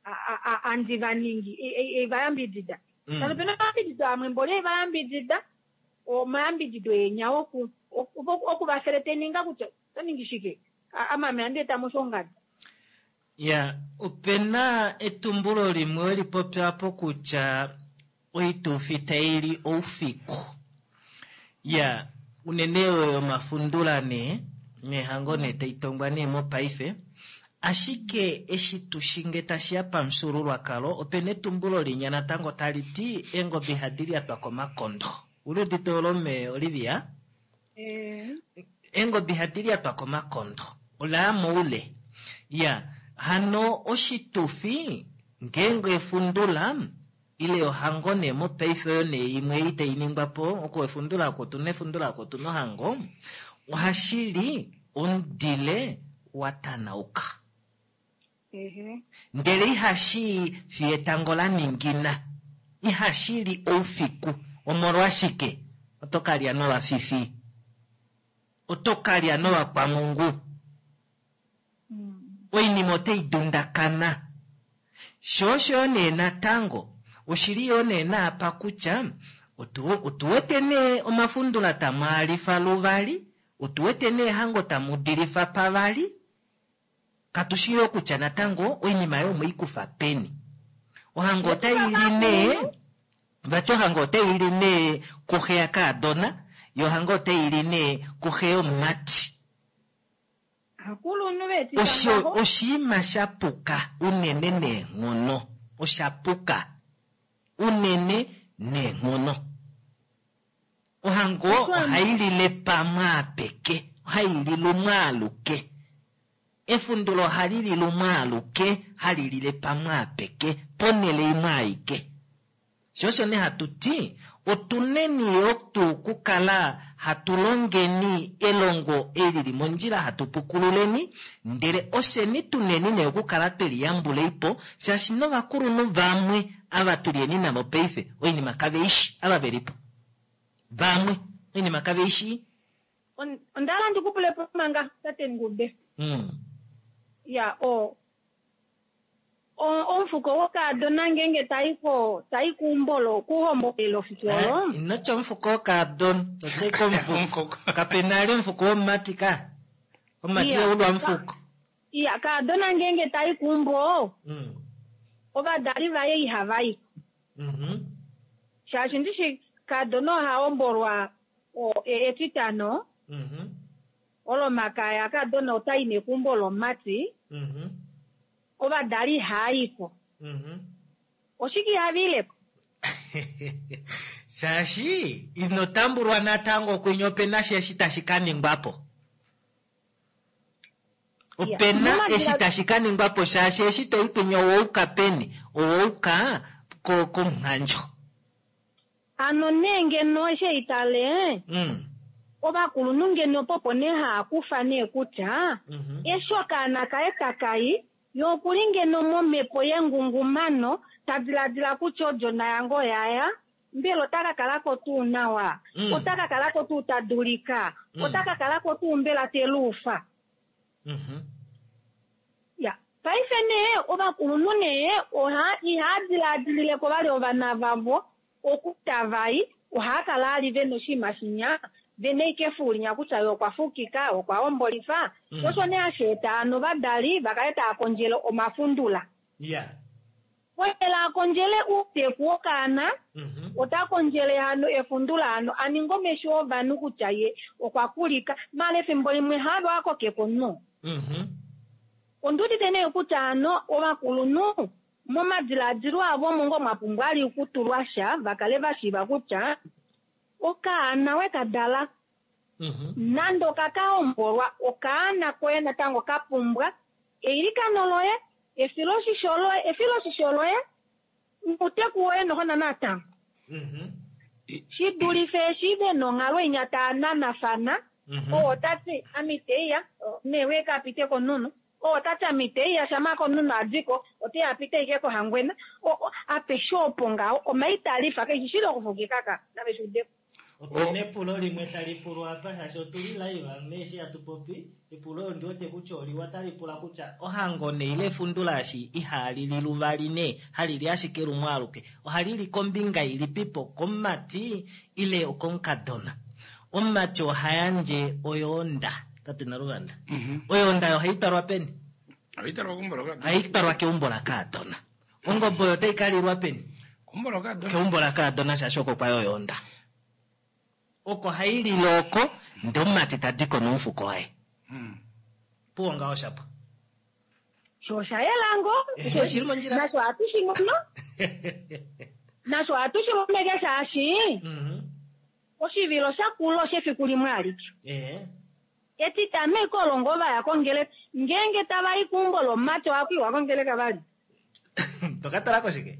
a- a- a- andi vaningi eivayambidida Mm. kano pena omayambidido amwe mboli eivayambidida omayambidido enya oku oku- okuvafeleteninga kutya oto ningi shike A- amame andi eta moshongadi Ya, opena etumbulo limwe weli popya po kutya oitufi taili oufiku. Ya, unene oyo yomafundula nee, nehango nee taitongwa nee mopaife. Ashike eshi tushinge tashiya pamufyuululwakalo opena etumbulo linya natango tali ti eengobe ihadi lyatwa komakondo. Uli udite olo me Olivia? Eengobe ihadi lyatwa komakondo. Olaya moule. Ya, hano oshitufi ngeenge efundula ile ohango nee mopaife oyo nee imwe ei tainingwa po oko efundula oko otuna efundula oko otuna ohango ohashili omudile watanauka. Ehe. Ndele ihashi fiyo etango la ningina, ihashili oufiku. Omolwashike? Oto kalya novafifi, oto kalya novakwamungu, oinima otai dundakana. Sho osho nee natango oshili yoo nee naapa kutya otu, otuwete nee omafundula tamwaalifa luvali, otuwete nee hango tamudilifa pavali, katushi yoo kutya natango oinima yo omweikufa peni. Ohango otaili nee, vati ohango otaili nee kuxe yakaadona, yo ohango otaili nee kuxe yomumati. Akulunhu vetu Osho ngaho. oshiima shapuka unene neenghono, oshapuka unene neenghono. Ohango ohailile pamwe apeke, ohailile umwe aluke. Efundulo ohali lile umwe aluke, hali lile pamwe apeke, ponhele imwe aike. Sho osho nee hatu ti, otuneni yo tuu kukala hatu longeni elongo eli lili mondjila hatu pukululeni, ndele osheni tuneni nee okukala tweliyambuleipo, shaashi novakulunhu vamwe ava tulieni navo paife oinima kaveishi ava velipo. Vamwe oinima kaveishi. On- Onda hala ndikupulepo manga tate Ngube. Mm. Ya o o- omufuko wokaadona ngenge taiko tai kuumbolo kuhombolelo fiku olo. Eh, inotya omufuko wokaadona, otai komufuko. Omufuko. Kapena ali omufuko womumati ka. Omumati Iya. oulwa omufuko. Ya kaadona ngenge tai kuumbo Mm. ovadali vaye ihava i. Mhm. Shaashi ndishi kaadona oha hombolwa o- e- etitano Mhm. olomakaya kaadona otai nekumbo lomumati Mhm. ovadali ihaayiko. Mhm. Oshike ihaviilepo? Shaashi ino tambulwa natango kwinya opena sha eshi tashi ka ningwa po. Opena Momadila- eshi tashi ka ningwa po shaashi eshi toi kwinya owouka peni, owouka ko- komunghandjo. Ano nee ngeno eshi eitale Mm. ovakulunhu ngeno popo nee haakufa nee kutya Mhm. eshi okaana kaye takai ye okuli ngeno momhepo yengungumano ta diladila kutya odjona yange oyaya mbela ota ka kalako tuu nawa Mm. ota ka kalako tuu ta dulika Mm. ota ka kalako tuu mbela te luufa. Mhm. Ya paife nee ovakulunhu nee oha ihaa diladilileko vali ovana vavo okuta vai ohaa kala ali vena oshinima shinya vena ike efuulinya kutya ye okwa fukika okwa hombolifa. Mm. Osho nee hashi eta ano ovadali vakale tava kondjele omafundula. Yeah. Oyela akondjele uuteku wokaana Mhm. ota kondjele hano efundula hano aninge omesho ovanhu kutya ye okwa kulika maala efimbo limwe havo akokeko no. Mhm. Ondiudite nee kutya hano ovakulunhu momadiladilo avo omo ngoo mwa pumbwa ali okutulwa sha vakale vashiiva kutya okaana wekadala Mhm. nande okakahombolwa okaana koye natango ka pumbwa eilikano loye efiloshisho loye efiloshisho loye nouteku woye nohona natango Mhm. shi dulife eshi ve nonghalo inya taa nanafana Mhm. Oo ota ti ami teiya newe ka pite koNuno, oo ota ti ami teiya shama koNuno adiko oteya apite ike koHangwena. Apeshe opo ngaho omaitalifa keshi shili okufukika ka nave shuudeko. Opena epulo limwe tali pulwa apa shaashi otuli live neeshi hatu popi. Epulo ondi wete kutya oliwa tali pula kutya ohango nee ile efundula eshi ihali li luvali nee hali li ashike lumwe aluke, ohali li kombinga ilipipo, komumati ile okomukadona? Omumati oha yandje oyoonda, tate Naluvanda. Oyoonda oyo ohai twalwa peni? Ohai twalwa keumbo lokadona. Ohai twalwa keumbo lakaadona. Ongobe oyo otai kalilwa peni? Keumbo lokadona. Keumbo lakaadona shaashi oko kwayo oyoonda. Oko hai lile oko, ndee omumati tadi ko nomufuko waye. Puwo ngaho shapo. Sho osha yela ngoo. Ehe, shili mondjila. Nasho ohatu shi mono. Nasho ohatu shi momeke shaashi Mhm. oshivilo shakula oshefiku limwe alike. Ehe. Etitano ekolongo vaya kongeleka. Ngeenge tava i keumbo lomumati ohaku iwa kongeleka vali. Toka talako shike?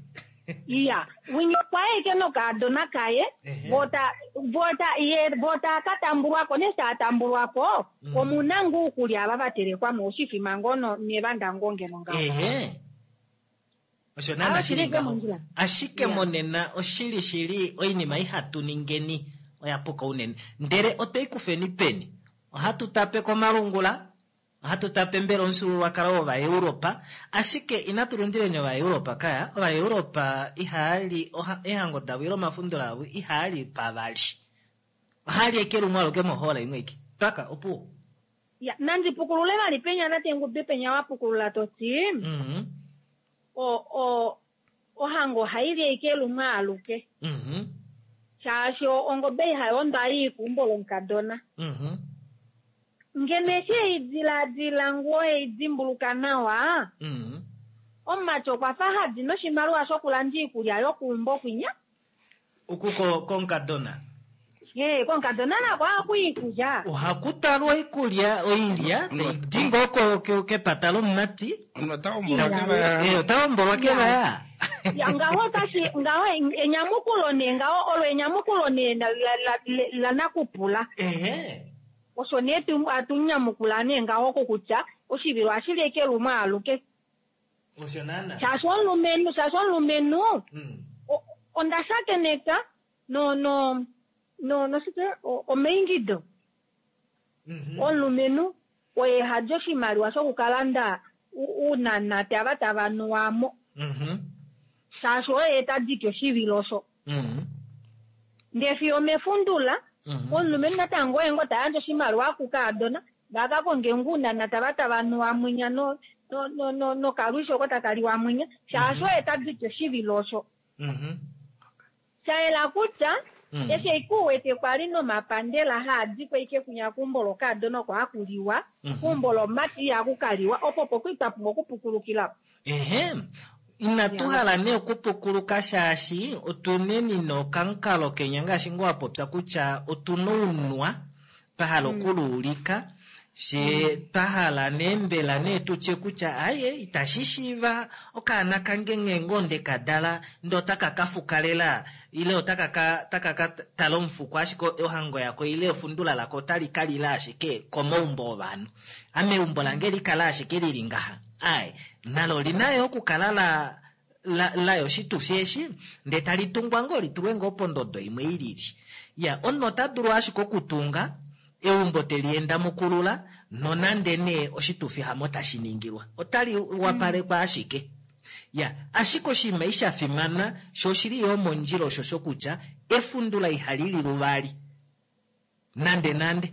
Iya, winya okwa eke nokaadona kaye, Ehe. vota vota ye vota katambulwako nesi atambulwako, Mm. omuna ngoo okulya ava vatelekwa mo oshifima ngoo no nevanda ngoo ngeno ngaho. Ehe. Osho naana Ah, shili shili ngaho. mondjila. Ashike Ya. monena oshili shili oinima ihatu ningeni oya puka unene. Ndele otwei kufeni peni? Ohatu tape komalungula, ohatu tape mbela omufyuululwakalo wOvaeuropa, ashike inatu lundileni Ovaeuropa kaya. Ovaeuropa ihaali oha, ehango davo ile omafundula avo ihaali pavali. Ohaali eke lumwe aluke mohola imwe ike. Twaka opuwo. Ya, nandi pukulule vali penya nate ngube penya wa pukulula toti. Mhm. O o ohango haili eke lumwe aluke. Mhm. Shaashi ongobe ihayondwa ii keumbo lomukadona. Mhm. Ngeno eshi eidiladila ngoo eidimbuluka nawa, Mhm. omumati okwa fa hadi noshimaliwa shokulanda iikulya yokuumbo kwinya. Oku ko- komukadona. Ee, komukadona nako ohaku iikulya. Ohaku talwa oikulya oilya tai di ngoo ko- ke- kepata lomumati. Omunhu ota hombolwa kevaya. Eh, ota hombolwa kevaya. Ya, ngaho otashi ngaho enyamukulo nee ngaho olo enyamukulo nee la, la, la, la, la nakupula. Ehe. Osho nee tu atu nyamukula nee ngaho kokutya oshivilo ohashi li eke lumwe aluke. Osho naana. Shaashi omulumenhu, shaashi omulumenhu, Mm. o- onda shakeneka no no no noshike o- omaingido. Mhm. Omulumenhu oye hadi oshimaliwa shokukalanda u- uunanate ava tava nuwa mo. Mhm. Shaashi oye ta diki oshivilo osho. Mhm. Ndee fiyo mefundula, Mhm. omulumenhu natango oye ngoo ta yandje oshimaliwa kukaadona, va ka konge nguunanate ava tava nuwa mwinya no no no no nokalwishi oko taka liwa mwinya, shaashi oye ta diki oshivilo osho. Mhm. Sha yela kutya Mm. eshi ikuwete kwali nomapandela haadikwa ike kunya keumbo lokaadona oko haku liwa, Mhm. keumbo lomumati ihaku kaliwa, opo opo kwali twa pumbwa okupukulukila. Ehe. Inatu hala nee okupukuluka shaashi otuneni nokamukalo kenya ngaashi ngoo wa popya kutya otuna ounwa twa hala okuluulika, she twa hala nee mbela nee tutye kutya aye itashi shiiva okaana kange nghee ngoo ndeka dala ndee otaka ka fukalela ile otaka ka, taka ka tala omufuko ashike ohango yako ile efundula lako otali ka lila ashike komaumbo ovanhu. Ame eumbo lange likala ashike lili ngaha. Aye, nalo olina yo okukala la la layo oshitufi eshi ndee tali tungwa ngoo litulwe ngoo pondodo imwe ilili. Ya, omunhu ota dulu ashike okutunga eumbo teli enda mukulula nonande nee oshitufi hamo tashi ningilwa. Otali wapalekwa ashike. Ya, ashike oshinima eshi sha fimana sho oshili yo mondjila osho shokutya efundula ihali li luvali. Nande nande.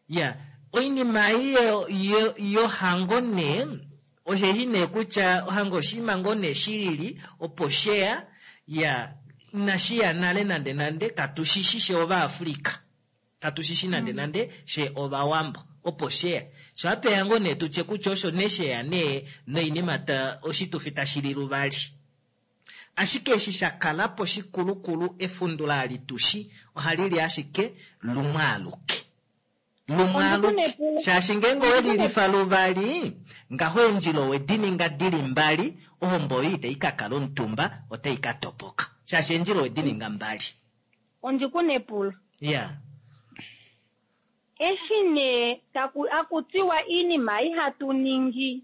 Ya, oinima ei yo, yo, yohango nee osheshi nee kutya ohango oshinima ngoo nee shilili opo sheya, ya, inashiya nale nande nande, katushishi she Ovaafrika. Katushishi nande nande she Ovawambo opo sheya. Sho apeya ngoo nee tutye kutya osho nee sheya nee noinima ta oshitufi tashi li luvali. Ashike eshi sha kala po shikulukulu efundula alitushi ohali li ashike lumwe aluke. Lumwe aluke. Shaashi ngeenge owe lilifa luvali, ngaho eendjila owe di ninga dili mbali, ohombo oyo itai ka kala omutumba, otai ka topoka. Shaashi eendjila owe di ninga mbali. Ondikuna epulo. Ya. Eshi nee taku akutiwa iinima ihatu ningi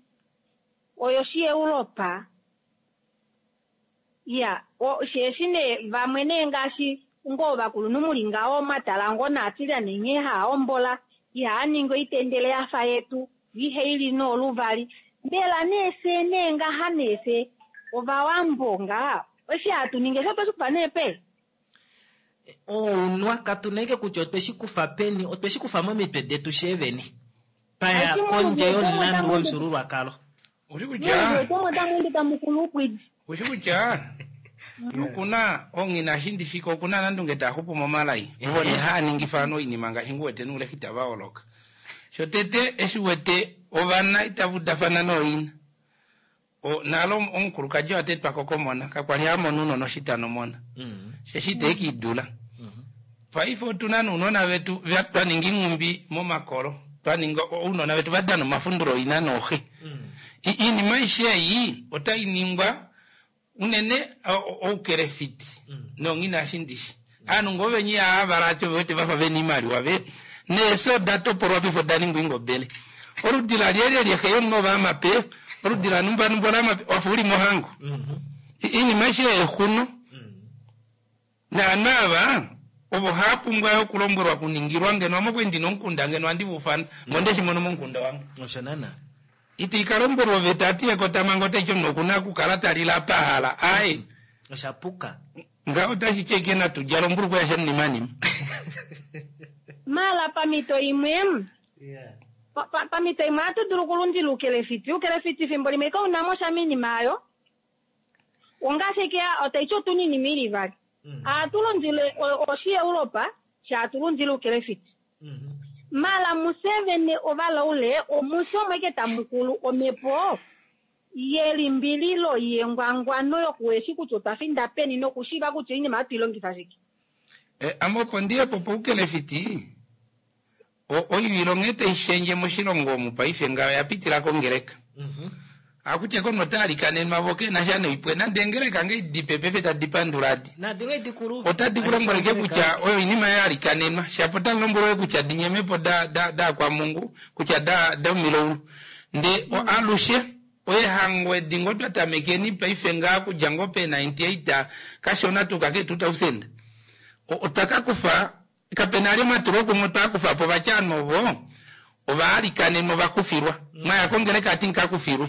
oyo shiEuropa. Ya, sheeshi nee vamwe nee ngaashi ngoo ovakulunhu muli ngaho mwatala ngoo naatilyane nghee haa hombola, ihaa ningi oitendele yafa yetu, ihe ili nooluvali. Mbela nee fye nee ngaha nee fye ovawambo ngaha, eshi hatu ningi eshi otweshi kufa nee pe? Ounwa katu na ike kutya otweshi kufa peni, otweshi kufa momitwe detu sheeveni. Paya Ashi kondje mulungu yomulandu otamu- womufyuululwakalo. Ushi Mulungu kutya otomwe tamu ende tamu kulu upwidi. ushi kutya okuna ongina shindishika okuna nandunge taxupu momalai ovo ne haaningifa ano oinima ngaashi nguwete nuulexita vaoloka shotete eshi wete ovana itavudafana nooina O- nalo omukulukadi watetwako komona kakwali hamona unona oshitano mona Mm. sheshi itekiidula paife otuna nounona vetu va- twaninga inghumbi momakolo twaninga ounona vetu vadana omafundulo oina nooxe I- iinima aishe ei otai ningwa unene o- o- oukelefiti nonghina ashindishi aanhu ngoo venyi aavala acho vewete vafa vena iimaliwa ve neeso oda topolwa pifo da ningwa ingobele oludi la lyelye lyexe yomunhu ovaamape oludi la numba numba lamape wafa uli mohango I- iinima aishe exuno naanhu ava ovo haapumbwa yo okulombwelwa kuningilwa ngeno amokwendi nomukunda ngeno andi vufana monde shimono momukunda wange Osho naana. iti ikalombwelwa oveta ati ekotamango otaiti omunhu okuna okukala talila pahala aye Osha puka. nga otashi cheke natudjala ombulukwe yasha nimanima Mala pamito imwe, pa- pa- pamito imwe ohatu dulu okulundila oukelefiti. Oukelefiti fimbo limwe kaunamo sha minima ayo. Ongaashi ike otaiti otuna iinima ili ivali. Ohatu lundile o- oshiEuropa, sha hatu lundile oukelefiti. Mala musevene ovalaule omuse omo ike tamukulu omhepo yelimbililo yengwangwano yokuweshi kutya otwa finda peni nokushiiva kutya oinima ohatu ilongifa shike. e, ame opo ndiyepo poukelefiti o- oivilo nghee taishendje moshilongo omu paife nga oya pitila kongeleka akutya kono otalikanenwa vo kena sha noipwe nande engeleka nge dipe pefe tadi pandula adi Nadinga dikulu. otadi kulombweleke kutya oyo oinima yalikanenwa shapo tali kutya dinyemepo da da da kwa mungu kutya da da miloulu nde o alushe oyehango edi ngo twa tamekeni paife ngaa kudja ngo pe ninety-eight kashona tuka ke two thousand O- otwa kakufa kapena ali omatulo kumwe otwa kufa po vatyano ovo ovaalikanenwa ovakufilwa mwaya kongeleka ati nkakufilwe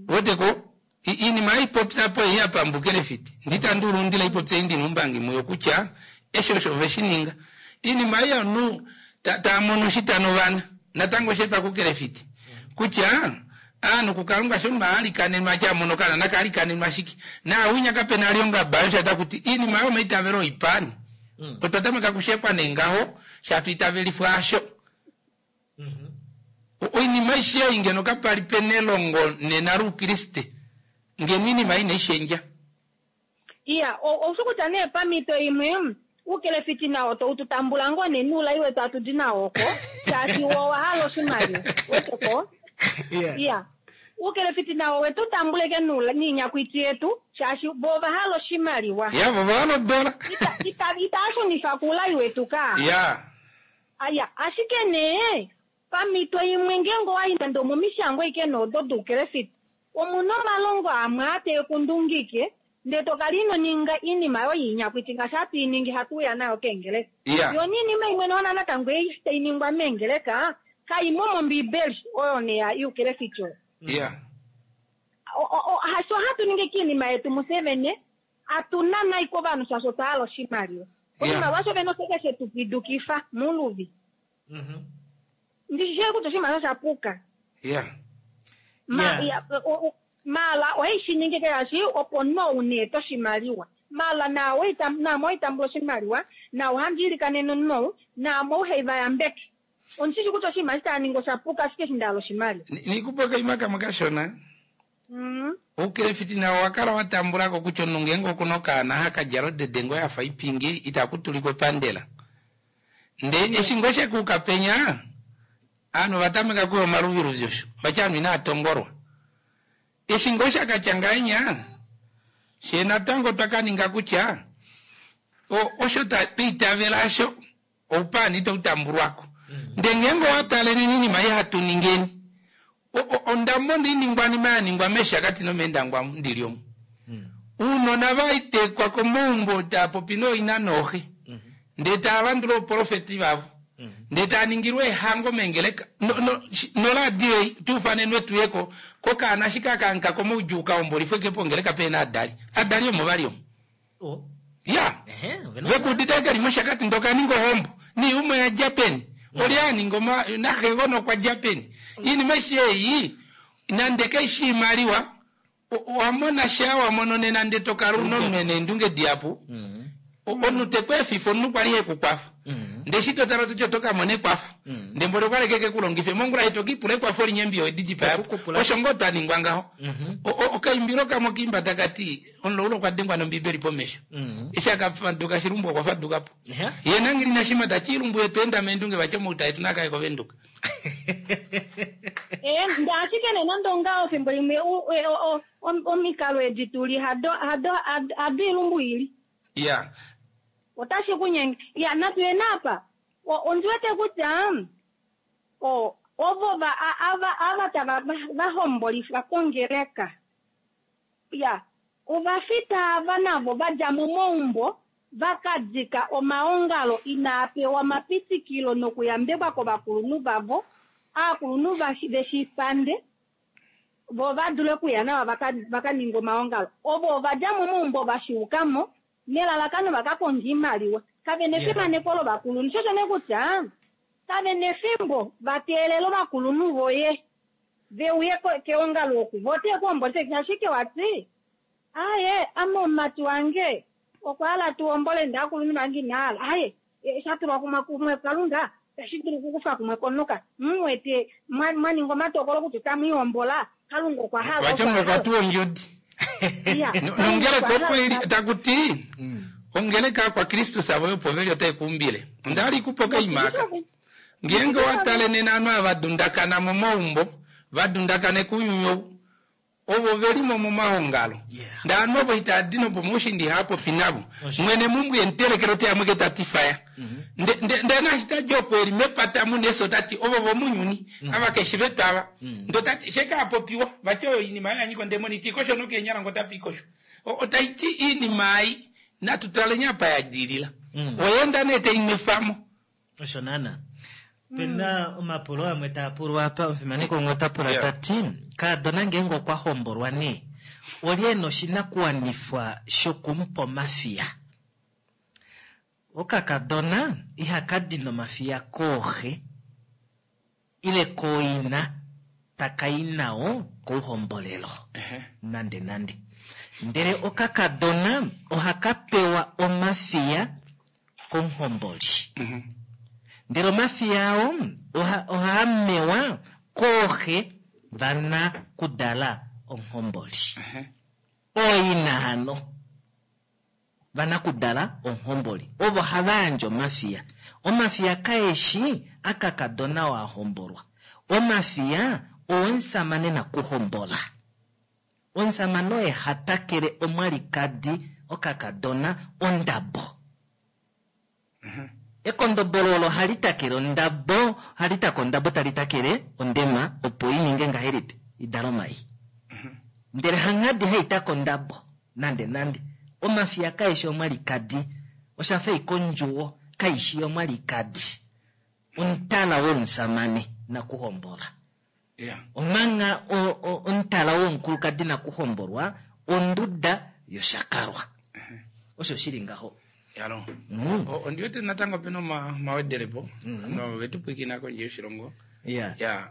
weteko i- iinima ipopya po ei yapambukile fiti nditandulundila ipopya indi numbangi muyo kutya esho osho veshininga iinima ei anu ta- tamono shitano vana natango shetwa kukele fiti kutya aanhu kukalunga sho maalikanenwa chamono kana nakaalikanenwa shike naawinya kapena alionga bayo shata kuti iinima yomaitavelo oipani otwa tameka kushekwa nengaho shatwiitavelifwa asho O- oinima aishe ei ngeno kapali pene elongo nena luukriste ngeno iinima ina ishendja Iya, oushi kutya nee pamito imwe oukelefiti nawo toututambula ngoo nee nuulai wetu atu di nawo oko shaashi wo owahala oshimaliwa weteko. Iya, oukelefiti nawo wetu tambuleke nuula niinyakwiti yetu shaashi vo ovahala oshimaliwa. ya vo vahala odola Ita- ita- itaashunifa kuulai wetu ka. ya Aya, ashike nee pamito imwe ngeenge owayi nande omomishangwa ike noodo doukelefiti omuna omalongo amwe ateekundungike ndee tokala ino ninga iinima yoye inyakwiti ngaashi hatu iningi hatu uya nayo keengeleka. ya Yo niinima imwe noona natango ei tainingwa meengeleka kaimo mombiibeli oyo neya iukelefiti oyo. ya O- o- o- hasho hatu ningi kiinima yetu musevene atuna nai kovanhu shaashi otwa hala oshimaliwa. Oshimaliwa sho vene oshike shetu pidukifa muluvi. Ndishishe kutya oshimaliwa sha puka. ya Ma, Yeah. ya, o- o- mala ohaishi ningi shaashi opo no uneeta oshimaliwa mala nawe ita- naamo oitambula oshimaliwa nawo handiilikanene nou naamo uheivayambeke ondishishi kutya oshinima shitaaningi oshapuka ashike eshi ndahala oshimaliwa. nikupa kaima kamwe kashona Mm. oukelefiti nawo wakala watambulako kutya omunhu ngeenge okuna okaana hakadjala odede ngo yafa ipingi itakutulikwa epandela nde eshi ngo shekuuka penya aanhu ovatameka kuya omaluviluvi osho vatya aanhu inaatongolwa eshi ngo shakatya ngahenya she natango twakaninga kutya o- osho ta- twiitavela asho Oupaani itau tambulwako. Ndee ngeenge owataleni oinima ei hatu ningeni, onda mona oiningwanima ya ningwa mEshakati nomEendangwa ndili omu. Ounona vaitekwa komaumbo taa popi nooina nooxe, ndee tava landula ouprofeti vavo, ndee taa ningilwa eehango meengeleka noradio ei tuufanenwe tuyeko kokaana ashike aka komaudjuu kahombolifwe ke pongeleka pehena adali. Adali omo vali omo. Ya, vekuudite keli mOshakati ndee okaninga ohombo niumwe yadja peni, olye aninga naxegona okwa dja peni. Oinima aishe ei nande kaishi oimaliwa, owamona sha wamono nena ndee tokala una omunhu ena eendunge dihapu, omunhu tekweefifa omunhu kwali hekukwafa, ndee eshi totala ototi oto kamona ekwafo, ndee mboli okwali ashike kekulongife mongula eshi tokiipula ekwafo linye mbiya owedidipaya po. Osho ngoo twaningwa ngaho. Okaimbilo kamwe okaimba takati omulaulu okwa dengwa nombibeli pomesho, eshi akafaduka shilumbu okwa fadukapo. Yee nanghili nashima tati ilumbu yetu enda meendunge vati omauta etu nakaye koVenduka. Ndee ashike nee nande ongaho fimbo limwe omikalo edi tuli hado hado hado ilumbu ili. Ya. Otashi kunyenge. Ya, natu yeni apa. Ondi wete kutya ovo ava ava tava vahombolifwa kongeleka. Ya, ovafita ava navo vadja momaumbo vakadika omaongalo inaa pewa omapitikilo nokuyambekwa kovakulunhu vavo, aakulunhu veshipande vo vadule okuya nawa vakaninga omaongalo. Ovo ovadja momaumbo vashiukamo nelalakano vakakonga oimaliwa. Kavena efimaneko lovakulunhu. Sho osho nee kutya kavena efimbo vateelela ovakulunhu voye veuye keongalo oku vo tekuhombolifwa ashike wati aye ame omumati wange okwa hala tuhombole ndee aakulunhu vange inahala aye shatulwa kumwe kumwe Kalunga tashi dulu okukufa kumwe konuka muwete mwaninga omatokolo kutya otamwiihombola Kalunga okwa hala Vati omunhu okwa tuwa ondjodi. Nongeleka opo ili takuti ongeleka yakwaKristus avo yopo veli otai kuumbile. Onda hala ikupe okaima aka. Ngeenge owa tale nena ovanhu ava vadundakana momaumbo, vadundakane kounyuni ou, ovo velimo momahongalo. Ndee ovanhu ovo itava di nopomaushiinda ihava popi navo. Mwene meumbo emutelekela oteya mweke tati faya. Ndee naashi tadi opo eli mepata muna efyo otati ovo vomunyuni, ava keshi vetu ava. Ndee otati shekaapopiwa, vati oyo oinima oyo yanyika ondemoni iti kosho nokeenyala ngoo otapa ikosho. Otaiti oinima ei natu taleni apa ya dilila. Oya enda nee tainwefamo. Osho naana. Pena omapulo amwe taa pulwa apa, omufimaneko umwe ota pula ta ti, kaadona ngeenge okwa hombolwa nee, olye ena oshinakuwanifwa shokumupa omafiya? Okakadona ihaka di nomafiya kooxe ile kooina takai nao kouhombolelo. Nande nande. Ndele okakadona ohaka pewa omafiya komuhomboli. Ndele omafiya ao ohaa mewa kooxe vana kudala omuhomboli. Ooina hano vana kudala omuhomboli. Ovo hava yandje omafiya. Omafiya kaeshi akakadona oo a hombolwa. Omafiya owomusamane nakuhombola. Omusamane oye ha takele omwalikadi okakadona ondabo. Ekondobolo olo hali takele ondabo, hali taka ondabo tali takele ondema opo i ninge ngahelipi idale omai. Ndele hanghadi hai taka ondabo nande nande. Omafiya kaeshi omwalikadi, oshafa ike ondjuwo kaishi omwalikadi. Omutala womusamane nakuhombola. Omanga omutala womukulukadi nakuhombolwa onduda yoshakalwa. Osho shili ngaho. Yalo. Ondi wete natango pena omawedelepo novetupwikina kondje yoshilongo. Ya,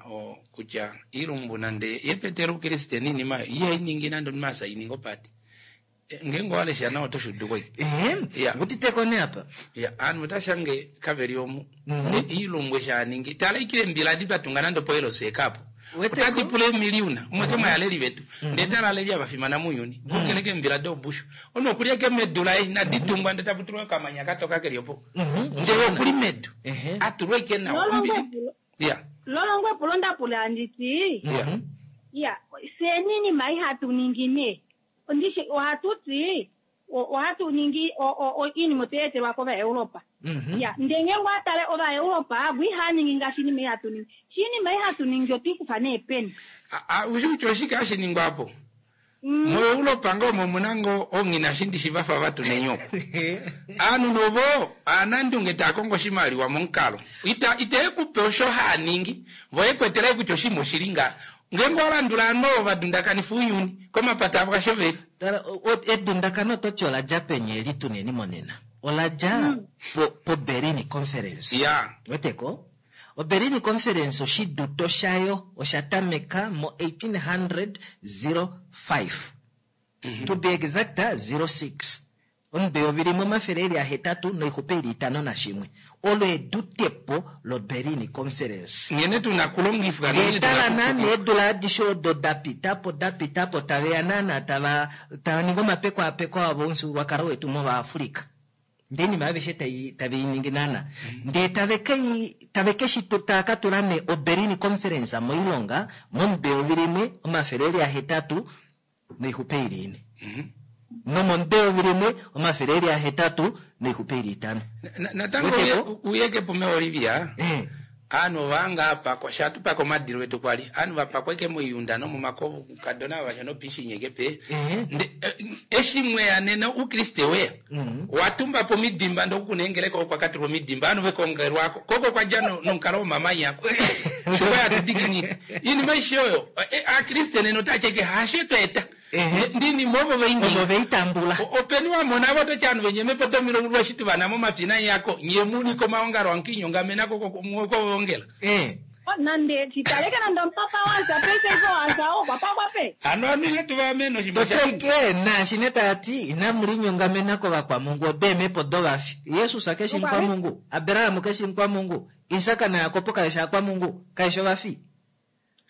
kutya ilumbu nande yepetela oukriste niinima ihai ningi nande omunhu asa ininga opati. Ngeenge owalesha nawa oto shuuduko ike. Utiteko nee apa. Ya, ovanhu otashange kaveli omu. Ilumbu eshi aningi. Tala ike eembila adi twatunga nande opo L C K apo. Otadi pula eemiliyuna. Umwe moyaleli vetu. Ndee tala aleli ava fimana mounyuni. Vokeleka eembila doobushu. Omunhu okulya ike medu laye inadi tungwa ndee tapu tulwa okamanya katoka keli opo. Ndele okuli medu. Atulwa ike nawa. Ya. Lolongo epulo ndapula handiti. Ya, fyeni iinima ihatu ningi nee. Ndishi ohatu ti Ohatu ningi oinima otwe etelwa kOvaeuropa. Mhm. Ya, ndele ngenge owa tale Ovaeuropa avo ihava ningi ngaashi inima ei hatu ningi. Shi inima ei hatu ningi otwiikufa neepeni. Ushi kutya oshike hashi ningwa apo? Mm. MoEuropa ngoo omo omuna ngoo oonghinashi shi vafa vatu nenyoko. Aanhu novo aanandunge taa kongo oshimaliwa momukalo. Ita ite kupe osho haaningi, vo ekwetela kutya oshinima oshili nga. Ngeenge owa landula ovanhu ovo vadundakanifa ounyuni komapata avo kasho veli. Tala, o- o- edundakano ototi ola dja peni eli tuneni monena? Ola dja po, po Berlin Conference. Ya. Weteko? O Berlin Conference oshiduto shayo osha tameka mo eighteen oh five. To be exact, zero six. Omubeyovi limwe omafele eli ahetatu noixupe ili itano nashimwe. Olo edutepo lo Berlin Conference. Nghene tuna kulongifwa, nghene tuna Etala nani kupuka. eedula adishe odo da pitapo, da pitapo, taveya naana tava, tava ningi omapekwaapeko avo omufyuululwakalo wetu mOvaafrika. Ndee inima aveshe tai, tave i ningi naana. Ndee tave kei, tave keshi tu, tava ka tula nee o Berlin Conference moilonga, momubeyovi limwe, omafele eli ahetatu noixupe ili ine. Nomomubeyovi limwe, omafele eli ahetatu noixupe ili itano. Na-, na-, natango Weteko? uye-, uyeke po me Olivia. Eh. Ovanhu vanga apa, kwa-, shatupaka omadilo etu kwali. Ovanhu vapakweke moiunda nomomakovo, kukadona vasha nopishinyeke pe. Eh. Nde, eh, eshi mweya nena ukriste weya. Mm. Watumba po midimba ndokunengeleka okwa katulwa midimba, ovanhu vekongelwako. Koko kwa dja no-, nonkalo womamanya ako. Sikoya atudiginike. Inima ishi oyo, eh, akriste nena otacheke hashe tweta. Eh. Ndini movo veingi. Ovo veitambula. O-, openi wamona avo toti anhu venye mepo tomilongo lwashitu vana momapina yako. Nye muni komaongalo ankinyongamena koko mwoko vongela. Eh. Oh, nande chitaleke nande mpaka wanza pese zo wanza o papa kwape. Ano anu yetu va meno shimba cha. Toteke na shine tati ina mulinyongamena ko vakwa Mungu obeme po dovafi. Yesu akeshi kwa Mungu, Abraham keshi kwa Mungu, Isaka na Yakobo kaisha kwa Mungu, kaisha vafi.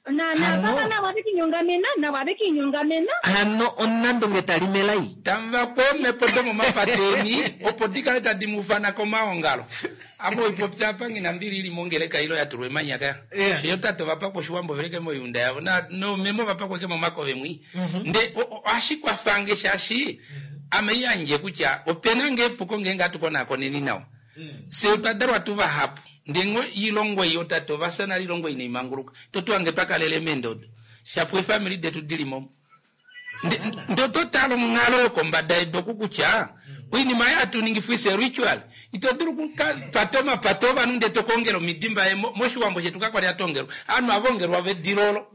Na na Ano. papa na wabe kinyongamena, na wabe kinyongamena. Ano onando ngetalimelai. Tamva kome podo mapateni, opo dikale tadimufana komaongalo. Amo ipopya pangi na mbili ili mongeleka ilo ya turwe manyaka. Yeah. Shiyo tato vapa kwa shuwambo veleke moyunda yavo. Na no memo vapa kwa kemo mako vemwi. Mm-hmm. Nde o, o, ashikwa fange shashi. Ame yanje kucha openange puko ngenga tuko na koneni nao. Mm. Se utadarwa tuva hapo. Ndengo ilongo iyo tato vasana lilongo ine imanguruka. Toto ange paka lele mendodo. Shapwe family detu dilimo. Ndoto talo mngalo kombada edo kukucha. Wini maya tu ningi fwise ritual. Ito duru kuka patoma patova nunde tokongero midimba e moshi wambo shetu kakwa ya tongero. Anu avongero wave dilolo.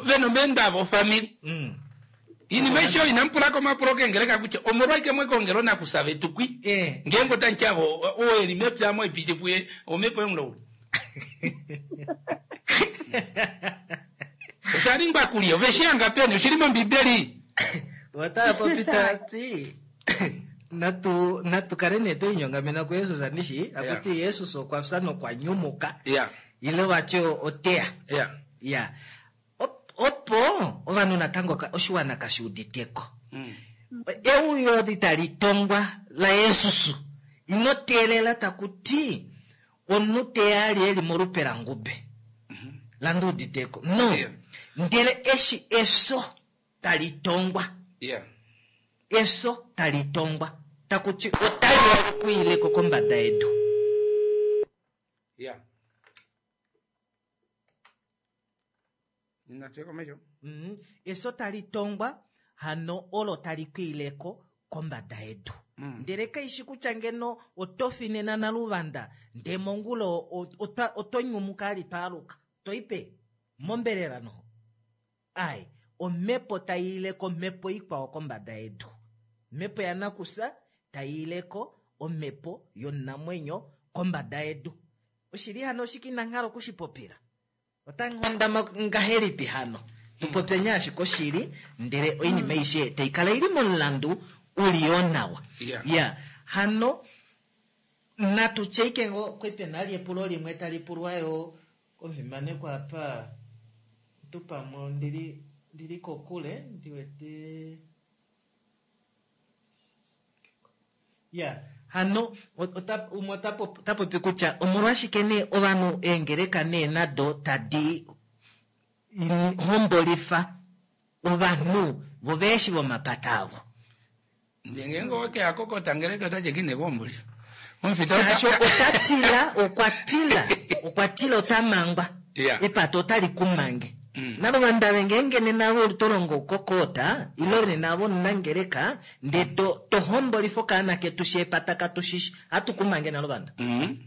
Veno menda avo family. Mm. Ini maisho inampula koma proke ngereka kucha. Omorwa ike mwe kongero na kusave tukwi. Eh. Ngengo tanchavo, o eli mepya mo ipite puye, o mepo yomlo. Osharingwa kuliyo, veshianga peni, ushirimo mbibeli. Wataya popita ti. Natu, natu kale nee toinyongamena ku Yesus anishi, akuti Yeah. Yesus okwa fya nokwa nyumuka. Yeah. Ile wacho otea. Yeah. Yeah. Op-, opo ovanhu natango ka-, oshiwana kashiuditeko. Mm. Euyo litali tongwa la Yesus. Ino teelela takuti omunhu teya ali eli molupe langube. Mm-hmm. Landuuditeko. No. Yeah. Ndele eshi efyo tali tongwa. Yeah. Efyo tali tongwa. Takuti otali kuileko kombada yedu. Yeah. Ninateko mesho. Mm-hmm. Efyo tali tongwa hano olo tali kuileko kombada yedu. Mm. Ndele kaishi kutya ngeno otofinena naluvanda nde mongulo ota-, otonyumuka ali twaaluka toipe mombelela noho. Ai, omhepo taiileko omhepo ikwao kombada yedu. Omhepo ya nakusa taiileko omhepo yonamwenyo kombada yedu. Oshili hano oshiki nanghalo okushipopila. Otanghondama ngahelipi hano? Tupopye nyashi koshili, ndele oinima aishe taikala ili momulandu uliyo nawa. Yeah. Yeah. Hano natu cheike ngo kwepe nali epulo limwe tali pulwayo komufimanekwa apa tupamwe ndili, ndili kokule ndiwete. Yeah. Hano ota, umwe ota tapopi kutya omolwashike nee ovanhu eengeleka nee nado tadi hombolifa ovanhu vo veeshi vomapata avo. Ndenge oke akokota ngeleka otache kine kuombulifa. Omufita shaashi ota tila okwa tila okwa tila ota mangwa Yeah. epata otali kumange Mm. nalovandu ngeenge nena vo to longo okokota ilo nena vo nangeleka nde to to hombolifa okaana ketu sheepata katu shishi hatu kumange nalovanda Mm.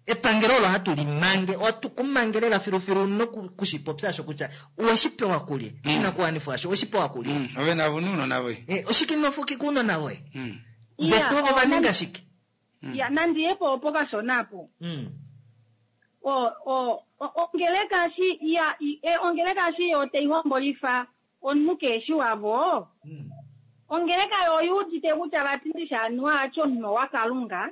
epangelo olo hatu limange ohatu kumange lela filufilu nokushipopya asho kutya oweshi pewa kulye shinakuwanifwa asho oweshi pewa kulye Mm. Ove navo nuunona voye. Eh, oshike inofuki kuunona voye Mm. Yeah. vetu ova ninga shike Ya, nandiyepo opo kashona apo Mm. o o o- ongeleka shi ya i- e, ongeleka shi yo taihombolifa omunhu keeshi wavo Mm. ongeleka yo oyuudite kutya vatindisha anuwa acho omunhu wakalunga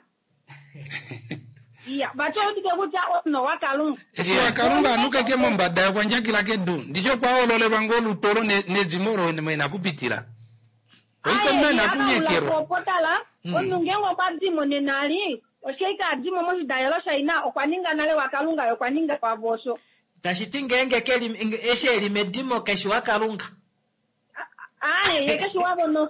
iya vati oyuudite kutya omunhu wakalunga Eshi wakalunga anukeke mombada yokwandjakila kedu ndisho kwaololelwa ngolutolo ne- nedzimo lo mwena kupitila. Oiko mwena kunyekerwa. opotala omunhu ngenge okwa dimo nenali osheika adimo moshidalelo shaina okwa ninga nale wakalunga ye okwa ninga wavo osho tashi ti ngeenge keli nge- eshi eli medimo keshi wakalunga aye ye keshi wavo no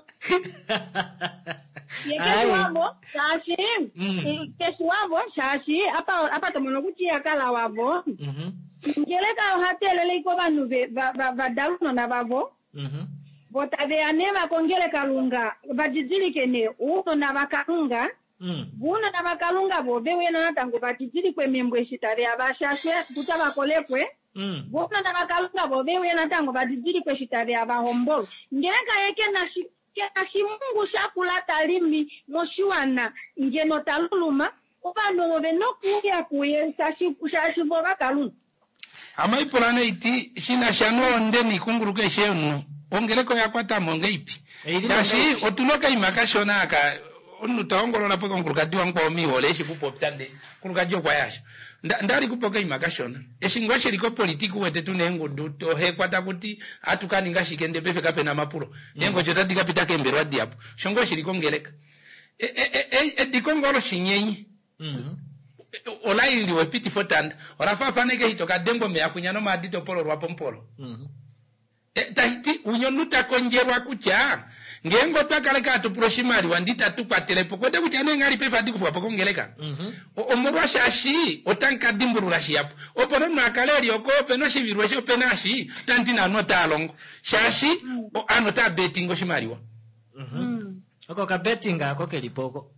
ye keshi Aye. wavo shaashi Mm. eh, keshi wavo shaashi apa apa tomono kutya iyakala wavo Mhm, ngeleka ohateeleleiko ovanhu ve- va- va- vadala ounona vavo mhm. vo taveya nee vakongele kalunga vadidilike nee ounona vakalunga Mm. vounona vakalunga vo veuye natango vadidilikwe membo eshi taveya vashashwe kutya vakolekwe Mm. vounona vakalunga vo veuye natango vadidilikwe eshi taveya vahombolwe ngeleka ye kena shi kena shimungu shakula talimi moshiwana ngeno taluluma ovanhu ove nokuuya kuye shaashi shaashi vo vakalunga Amaipula neiti shina sha noonde niikunguluka eshe omunhu ongeleka oya kwatamo ngeipi Eili shaashi nongeipi. otuna okaima kashona aka omunhu taongolola po omukulukadi wangu omiihole eshi kupopya nde omukulukadi okwa yasha Nda- ndali kupa okaima kashona eshi ngoo shili kopolitika uwete tuna eengudu tohekwa takuti atukaninga shike nde pefe kapena mapulo eengodjo otadi kapita keembelwa diyapo osho ngoo shili kongeleka E- e- e- ediko ngoo loshinyenyi Mhm. olailiwa epitifo tanda olafafaneke eshi tokadengwa omeya kunya nomaadi topololwa pomupolo Mhm. E, tashiti unye omunhu takondjelwa kutya ngeenge otwa kale atupula oshimaliwa ndi tatukwatelepo kwete kutya neenghali paife adi kufwa po kongeleka Mhm. O- omolwashaashi otamu dimbulula shiyapo opo nomunhu akale eli oko opena oshivilwa eshi opena ashi otamuti naanhu otaa longo shaashi o- aanhu otaa betinga oshimaliwa Mhm. Oko kabetting ako kelipo oko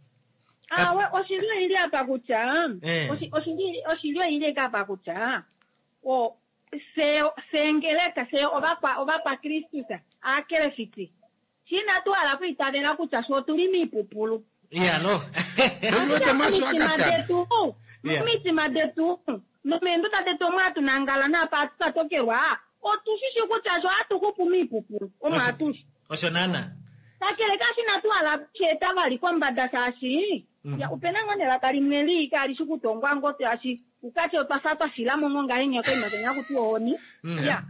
awe oshili oili apa kutya Eh. oshi- oshili oshili oili eka apa kutya o se sengeleka se ovakwa ovakwakristus aakelefiti shina tuhala kuitavela kutya sho otuli miipupulu iya no Ndokuti maso Momitima akatana. detu Yeah. momitima detu nomeenduda detu omo hatunangala naapa hatu katokelwa otushishi kutya sho hatu hupu miipupulu omo Osho. hatushi osho nana kakele kashina tuhala sheeta vali kombada shaashi Mm. ya opena ngoo nelaka limwe lii kali shi kutongwa ngo shaashi ukati otwa fa twa filamo ngo ngahenya koima kenya kuti ohoni Mm. ya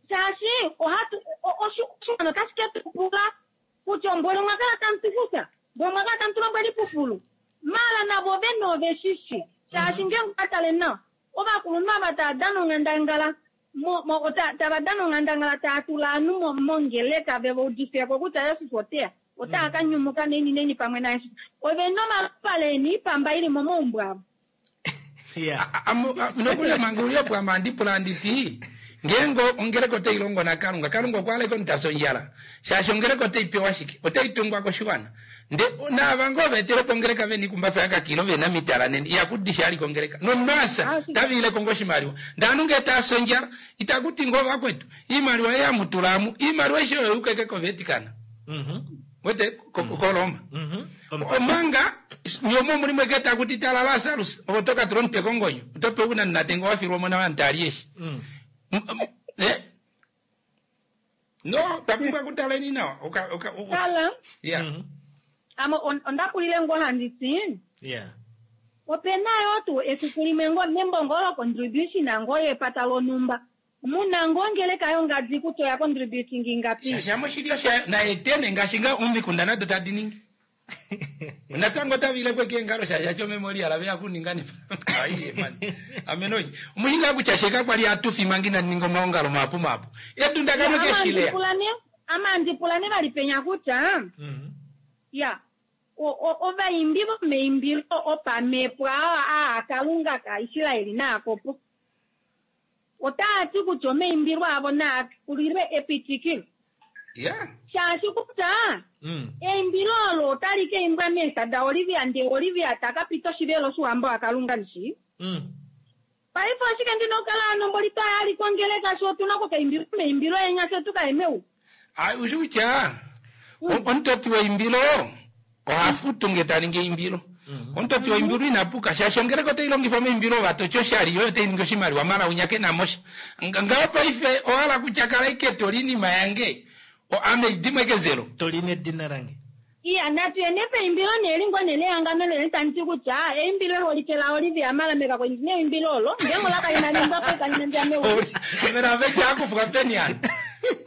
shaashi ohatu o- oshi- oshiwana otashi ke tupula kutya ombwele omwa kala tamu tufuta mbwe omwa kala tamu tulombwela ipupulu mala navo vene ove shishi shaashi ngeenge okatale nawa ovakulunhu ava tava dana onghandangala mo- mo- ta- tava dana onghandangala taa tula ovanhu mo- mongeleka veva udifeko kutya yesus oteya otaa ka nyumuka neni neni pamwe nayesus ove nomalupale eni ipamba ili momaumbo avo iya nokulya manga uliopo ama andipula anditi ngeenge ongeleka otai longo nakalunga kalunga okwaleka omutasa ondjala shaashi ongeleka otai pewa shike otai tungwa koshiwana nde naava ngoo veetelepo ongeleka vena ikumbafa yakakilo vena mitala neni iyakudisha ali kongeleka nomasa taviileko ngo oshimaliwa ndee anu ngee taasa ondjala itakuti ngoo vakwetu iimaliwa eyamutulaamu iimaliwa eshi oyo yukeke kovetikana Mhm. wete ko- ko- koloma Mhm. omanga nyomo mulimo eketa kuti tala lasarus ovo tokatula omutwe kongonyo otope unaninatenga wafilwa omona wantali eshi Mm. M- m- eh? no twapumbwa kutaleni nawa Oka- oka- o- tala yeah. Mhm. amo on- onda kulile ngoo handiti iya opena yo tuu efiku limwe ngo membo ngoo locontribution ngoo yepata lonumba muna ngoo ngeleka yongadi kutya oya contributing ingapi shashamo shilyo sha naetene ngaashi nga omikunda nado tadi ningi natango tavilekwe keengalo shasha chomemorial veya kuninga neaiye mani amenoi omushinga kutya sheka kwali atufi mangi naninga omaongalo mapu mapu edundakano keshilea Amandipulane amandipulane vali penya kutya Mhm. Ya o- o- ovaimbi vomeimbilo opamhepo aa aa kalunga kaIsraeli naakopo otaa ti kutya omaimbilo avo naa kulilwe epitikilo ya shaashi kutya Mm. eimbilo olo otali ka imbwa meesa daOlivia ndee Olivia taka pita oshivelo shouhamba wakalunga ndishi Mm. paife oshike ndina okukala anomboli twayali kongeleka sho otuna okukaimbila omaimbilo enya fye tukaye Ai, ushi kutya o- omutoti weimbilo oha futu nge ta ningi eimbilo omutoti weimbilo ina puka shaashi ongeleka otai longifa omaimbilo vatoti oshali yoyo otai ningi oshimaliwa mala unya ke na mosha Nga- ngaho paife ohala kutya kala ike toli inima yange o- ame dimwe kezelo toli nedina lange iya natu yene peimbilo nelingo nelehangano lene tandi ti kutya eimbilo eholike la Olivia Malameka kwendi neimbilo olo ngengo lakainaningwa po ikalinandia meulu mera vecha akufuka peni ano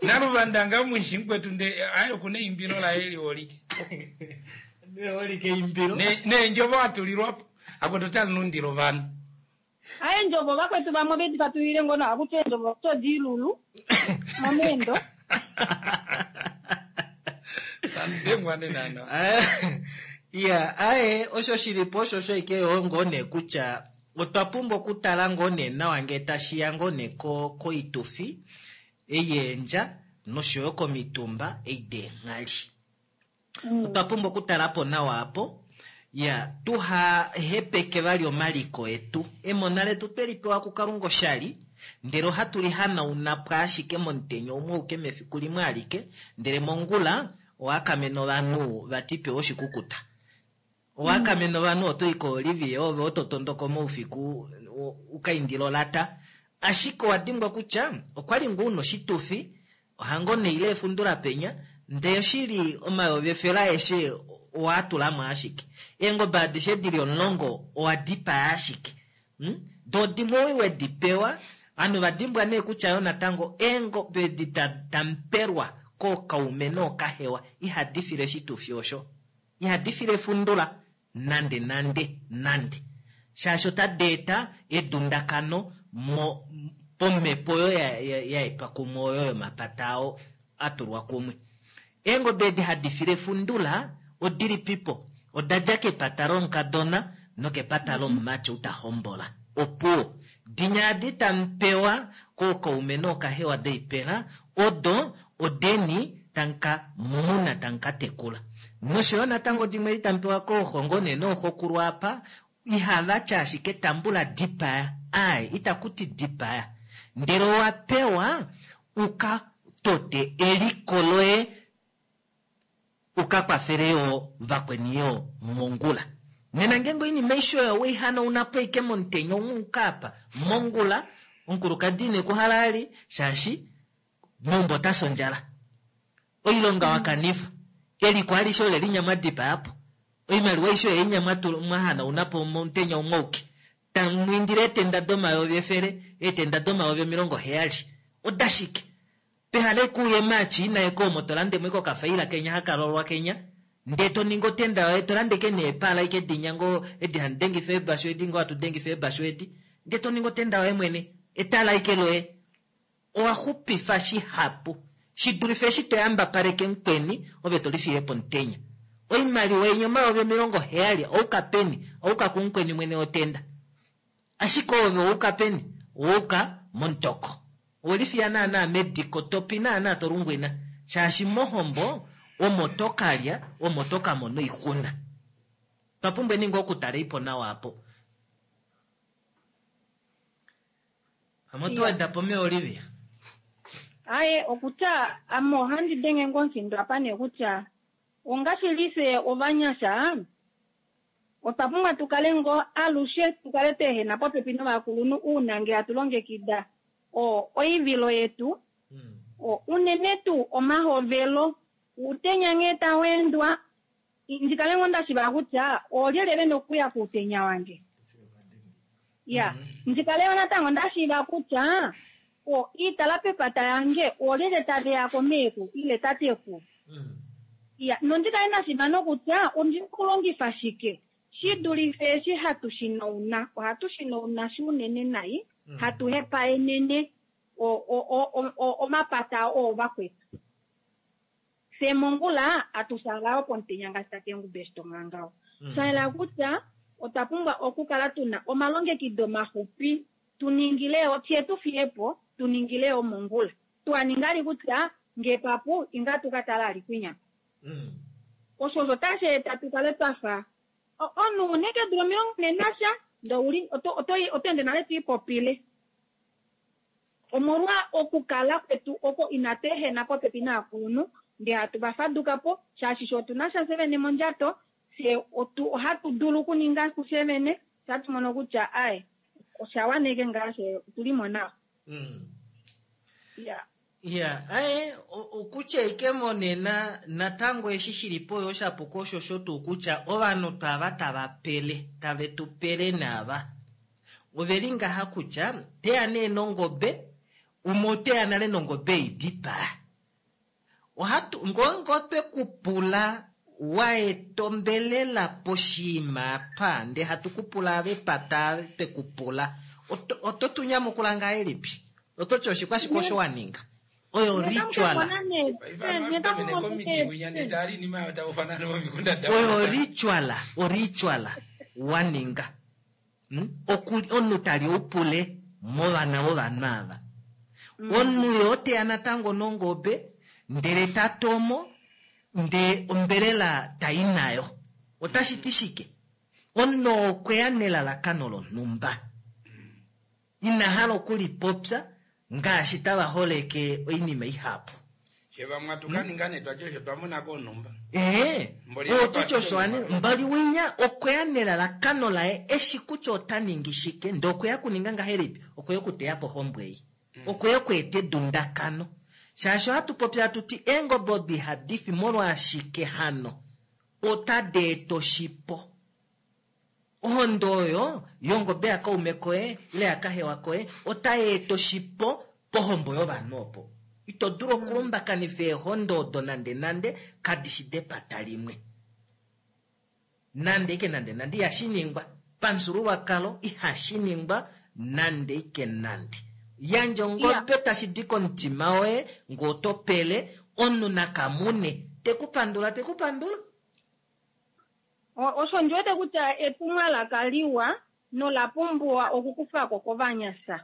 naluvanda mwishi mukwetu nde ayo kuna eimbilo laye liholike Neholike imbilo. Ne- neenjovo atulilwapo akwetu otalunundila ovanhu aye ndjovo vakwetu vamwe veti fatulile ngono akuti endjovo todilulu momendo sandengwa nenano Ah, iya aye osho shilipo osho osho ike yo ngoo nee kutya otwa pumbwa okutala ngoo nee nawa ngee tashiya ngoo nee ko- koitufi eyeendja noshoyo komitumba ei deenghali otwa pumbwa okutala po nawa apo ya tuha hepeke vali omaliko etu emona letu tweli pewa kukalunga oshali ndele ohatu li hanauna po ashike momutenya umwe auke mefiku limwe alike ndele mongula owakamena ovanhu vati pewa oshikukuta owakamena ovanhu otoyi koolivie ove oto tondoka moufiku u- ukaindila olata ashike owa dimbwa kutya okwali ngoo una oshitufi ohango neile efundula penya ndee oshili omayovi efele aeshe owaatulamo ashike eengobe adishe dili omulongo owa dipaya ashike mm? doo dimwe oi wedi pewa ovanhu vadimbwa nee kutya yo natango eengobe edi ta- tampelwa kookaume nookahewa ihadi file oshitufi osho ihadi file efundula nande nande nande shaashi otadi eta edundakano mo pomhepo oyo ya- ya- ya etwa kumwe oyo yomapata ao atulwa kumwe eengobe edi hadi file efundula odili pipo odadja kepata lomukadona nokepata lomumati ou ta hombola opuwo dinya adi tamupewa kookaume nookahewa doipela odo odeni tamuka muna tamuka tekula noshoyo natango dimwe edi tamupewa kooxongo nee nooxokulu apa ihava tya ashike tambula dipaya aye itakuti dipaya ndele owa pewa uka tote eliko loye uka kwafele yo vakweni yo mongula nena ngenge oinima aishe oyo weihanauna po ike momutenya umwe uka apa mongula omukulukadi ine kuhala ali shaashi meumbo otasi ondjala oilonga wakanifa eliko alishe ole linya mwadipayapo oimaliwa aishe oyo inya mwatu- mwahanaunapo momutenya umwe auke tamwiindile eetenda domayovi efele eetenda domayovi omilongo heyali odashike pehala ekuuye maachina ekoomo tolandemo ike okafaila kenya hakalolwa kenya ndee toningi otenda yoye tolandeke neepala ike dinya ngoo edi hamudengifa eebashu edi ngoo hatudengifa eebashu edi ndee toningi otenda yoye mwene etala ike loye owa xupifa shihapu shidulife eshi toyambapaleke mukweni ove tolifile pomutenya oimaliwa yenya omayovi omilongo heyali ouka peni ouka kumukweni mwene wotenda ashike ove ouka peni ouka momutoko owelifiya naana mediko topi naana tolungwina shaashi mohombo omo tokalya omo tokamona oixuna twapumbwa ninga okutala ipo nawa apo amo tuwedapo me Olivia aye okutya ame ohandi denge ngoo omufindo apa nee kutya ongaashi fye ovanyasha otwa pumbwa tukale ngoo alushe tukale tweehena popepi novakulunhu uuna ngee hatu longekida o oivilo yetu o unene tuu omahovelo uutenya nghee taweendwa ndikale ngoo ndashiva kutya oolyelye vena okuya kuutenya wange ya ndikale yo natango ndashiiva kutya o iitala pepata yange oolyelye taveya ko meeku ile tateku ya nondikale ndashiiva nokutya ondina okulongifa shike shi dulife eshi hatu shinauna ohatu shinauna shi unene nai hatu hepaenene o- o- o- o- o- omapata oo vakwetu Fye mongula atusala pomutenya ngaashi tate Ngube eshi tonga ngaho. Shaela kutya otwa pumbwa okukala tuna omalongekido maxupi tuningile fye tufiyepo tuningile mongula. Twaninga kutya ngee papu inga tukatala ali kwinya. Osho osho tashi eta tukale twafa omunhu une keedula omilongo nhee nasha ndee ouli oto ende nale twiipopile. Omolwa okukala kwetu oko inatu ehena popepi naakulunhu ndee hatu vafadukapo shaashi fye otuna sha fye vene mondjato fye ohatu dulu okuninga kufye vene fye ohatu mono kutya aye oshawana ashike ngaa fye otulimo nawa. Iya. Iya, aye okutya ike monena natango eshi shilipo oyo shapuka oshosho tuu kutya ovanhu twava tava pele tave tu pele naava oveli ngaha kutya teya nee nongobe umwe oteya nale nongobe idipaa ohatu ngongo twekupula waetombelela poshiima apa ndee hatu kupula avepata twekupula oto tunyamukula ngahelipi ototi oshikwashike osho waninga oyo ritual oyo ritual oritual waninga omunhu tali upule movana vovanhu ava omunhu ye oteya natango nongobe ndele tatomo ndee ombelela tai nayo otashi ti shike omunhu okweya nelalakano lonhumba ina hala okulipopya ngaashi tava holeke oinima ihapu ee ototi osho mbali winya okweya nelalakano laye eshi kutya ota ningi shike ndee okweya kuninga ngahelipi okweya okuteya po ohombo ei okweya okweeta edundakano shaashi ohatu popi hatu ti eengobe odo ihadi fi molwashike hano otadi eta oshipo ohondo oyo yongobe yakaume koye ile yakahewa koye otai eta oshipo pohombo yovanhu opo ito dulu okulumbakanifa eehondo odo nande nande kadishi depata limwe nande ike nande nande ihashi ningwa pamufyuululwakalo ihashi ningwa nande ike nande yandja ongobe tashi di komutima woye ngee oto pele omunhu nakamune tekupandula tekupandula osho ndiwete kutya etumwalaka liwa nola pumbiwa okukufako kovanyasha.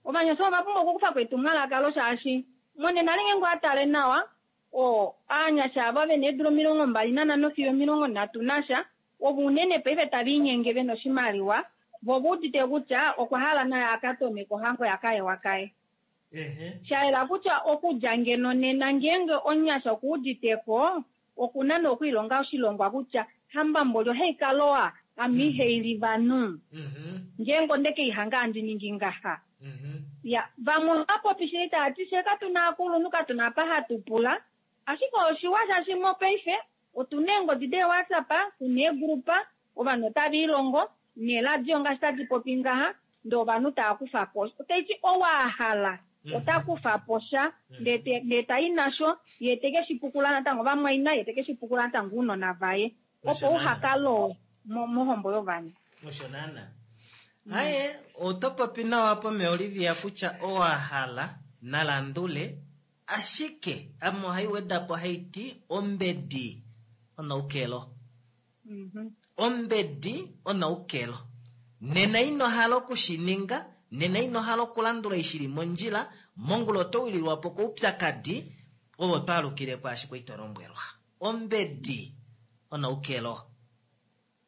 Ovanyasha ova pumbwa okukufako etumwalaka lo shaashi monena ngeenge owatale nawa o aanyasha ava vena eedula omilongo mbali nanhano fiyo omilongo nhatu nasha ovo unene paife tava inyenge vena oshimaliwa vo oveudite kutya okwa hala naye akatome kohango yakahewa kaye. Shayela kutya okudja ngeno nena ngeenge omunyasha okuuditeko okuna nokwiilonga oshilongwa kutya hambamboli ohaikalowa ame ihaili vanhu ngeenge ondekeihanga handi ningi ngaha. Ya vamwe ohava shili tavati fye katuna aakulunhu katuna apa hatu pula ashike oshiwa shaashi mopaife otuna eengodi dee-WhatsApp tuna eegrupa ovanhu otava ilongo neeradio ngaashi tadi popi ngaha ndee ovanhu tava kufapo otaiti ou ahala ota kufapo sha ndee tai nasho yee tekeshipukula natango vamwaina yee tekeshipukula natango ounona vaye opo uhakalowe mohombo yovanhu. Osho naana aye oto popi nawa po Olivia kutya owahala nalandule ashike ame ohai wedapo haiti ombedi onaukelo ombedi onaukelo nena ino hala okushininga nena ino hala okulandula ishili mondjila mongula oto wililwapo koupyakadi ovo twaalukile kwaashi kwali tolombwelwa ombedi onaukelo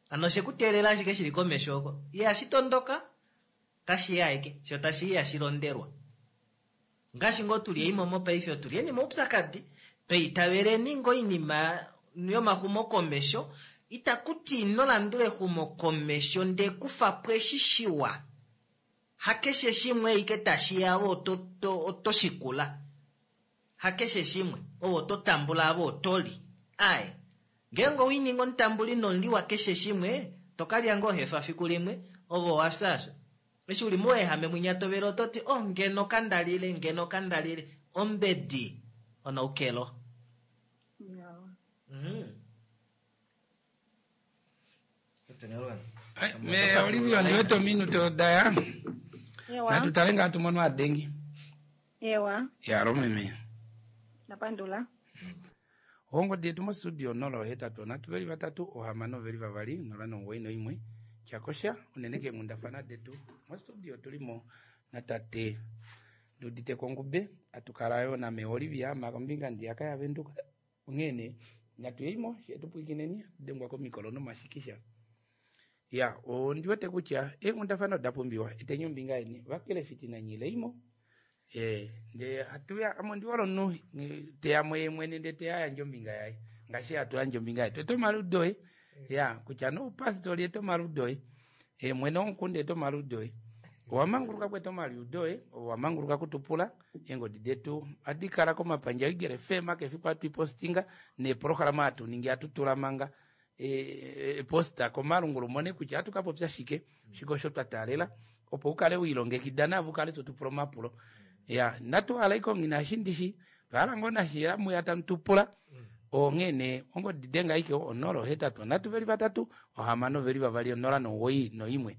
ano shekuteelela ashike shili komesho oko ihashi tondoka tashi aike sho tashi ihashi londelwa ngaashi ngoo tuli eimo mopaife otulieni moupyakadi twiitaveleni ngoo oinima yomaxumokomesho itakuti ino landula exumokomesho ndee kufapo eshi shiwa hakeshe shimwe ike tashiya ove oto shikula hakeshe shimwe ove oto tambula ove otoli aye ngeenge owininga omutambuli nomuliwa keshe shimwe tokalya ngoo hefa fiku limwe ove owafya asho eshi uli mouehame mwinya tovele ototi oh ngeno kandalile ngeno kandalile ombedi onaukelo me Olivia ndiwete ominute odaya natutale ngaa tumono adengi ewa yalo meme napandula Ongodi yetu mostudio nola ohetatu onhatu veli vatatu ohamano veli vavali nola nomuwoi noimwe tyakosha unene keenghundafana detu mostudio tulimo natate Nduudite Kongube atukala yo name Olivia makombinga ndiyaka yavenduka onghene natuyeimo shetupwikineni dengwa komikolo nomashikisha ya ondiwete kutya eenghundafana oda pumbiwa eteni ombinga yeni vakelefiti nanyileimo e ndee hatuya ame ondiwala omunhu teyamo ye mwene ndee teya yandje ombinga yaye ngaashi hatu yandje ombinga yetu eta omaludo oye ya kutya noupastori eta omaludo oye e mwene womukunda eta omaludo oye owamanguluka kweta omaliudo oye owamanguluka kutupula eengodi detu ohadi kala komapandja Eagle F M kefiku hatu ipostinga neeprograma hatu ningi hatu tula manga e, posta komalungula umone kutya ohatu kapopya shike shike osho twa taalela opo ukale wiilongekida navo ukale totupula omapulo ya natu hala ike nashi ndishi twahala ngoo nashi muya tamu tupula onghene ongodi denga ike onola ohetatu onhatu veli vatatu ohamano veli vavali onola nomuwoi noimwe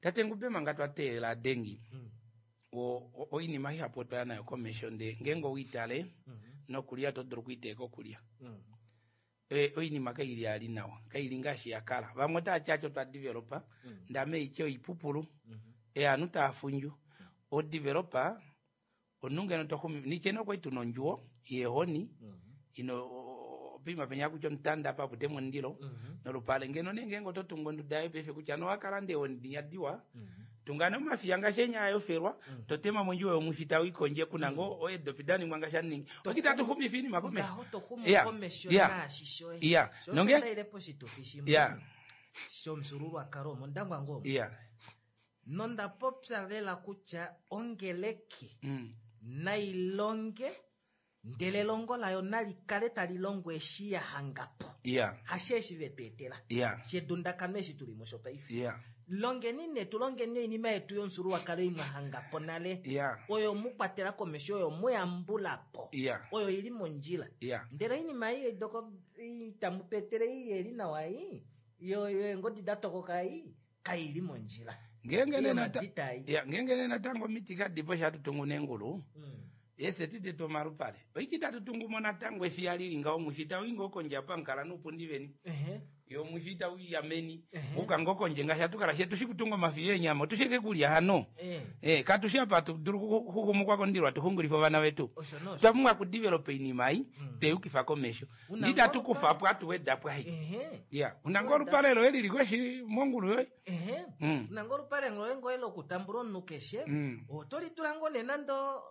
tate Ngube manga twa teelela dengi o oinima ihapu otwaya nayo komesho ndee ngeenge owiitale nokulya to dulu okwiiteeka okulya e oinima kaili ali nawa kaili ngaashi yakala vamwe otava ti otwa developa ndame itye oipupulu e ovanhu tava fundju odevelopa omunhu ngeno toxumi nitye nee okwali tuna ondjuwo yeehoni ino poima penya kutya omutanda apa apute mondilo nolupale ngeno nee ngeenge oto tungu onduda yoye paife kutya nowakalanda eehoni dinya diwa tunga nee omafiya ngaashi enya ayofelwa totema mondjuwo yomwifi tawikondje kuna ngoo eedopi daningwa ngaashi aningi okita atu xumifa oinima komesho Ngaho to xumu Ya, komesho ya, naashi shoye ya Sho nonge osho poshitufi shimwe ya shomufyuululwakalo omondangwa ngoo ya nonda popya lela kutya ongeleki mm. nailonge ndele elongo layo nali kale tali longo eshi ya hangapo ya hashi eshi vetu etela ya shedundakano eshi tuli musho paife ya longeni ne tulongeni oinima yetu yomufyuululwakalo imwe hangapo nale ya oyo mukwatela komesho oyo muyambulapo ya oyo ili mondjila ya ndele oinima ei doko itamu tu etele ei yeli nawa ei yo yo eengodi da tokoka ei kaili mondjila ngeenge Iyo nee nata- madita ei. ya ngeenge nee natango omiti kadipo shi hatu tungu neengulu Mm. eseti detu omalupale oiki tatu tungumo natango efiya lili ngaho omwifi tauyi ngoo kondje apa mukala nuupundi veni Ehe. yo omwifi tauya meni Ehe. uka ngoo kondje ngaashi hatu kala shetu shikutunga omafiya eenyama otushike kulya hano Eh. eh katushi apa hatu dulu kuxumukwa kondilo hatuxungulifa ovana vetu Osho nosho. twa pumbwa kudevelopa oinima ei teyukifa komesho Una nditatu ngoo kufa po atuwedapo ai Ehe. ya una ngoo olupale loye lili koshi mongulu yoye Ehe. Mm. Una ngoo olupale loye ngoye lokutambula omunhu keshe Mm. oto litula ngoo nee nande o-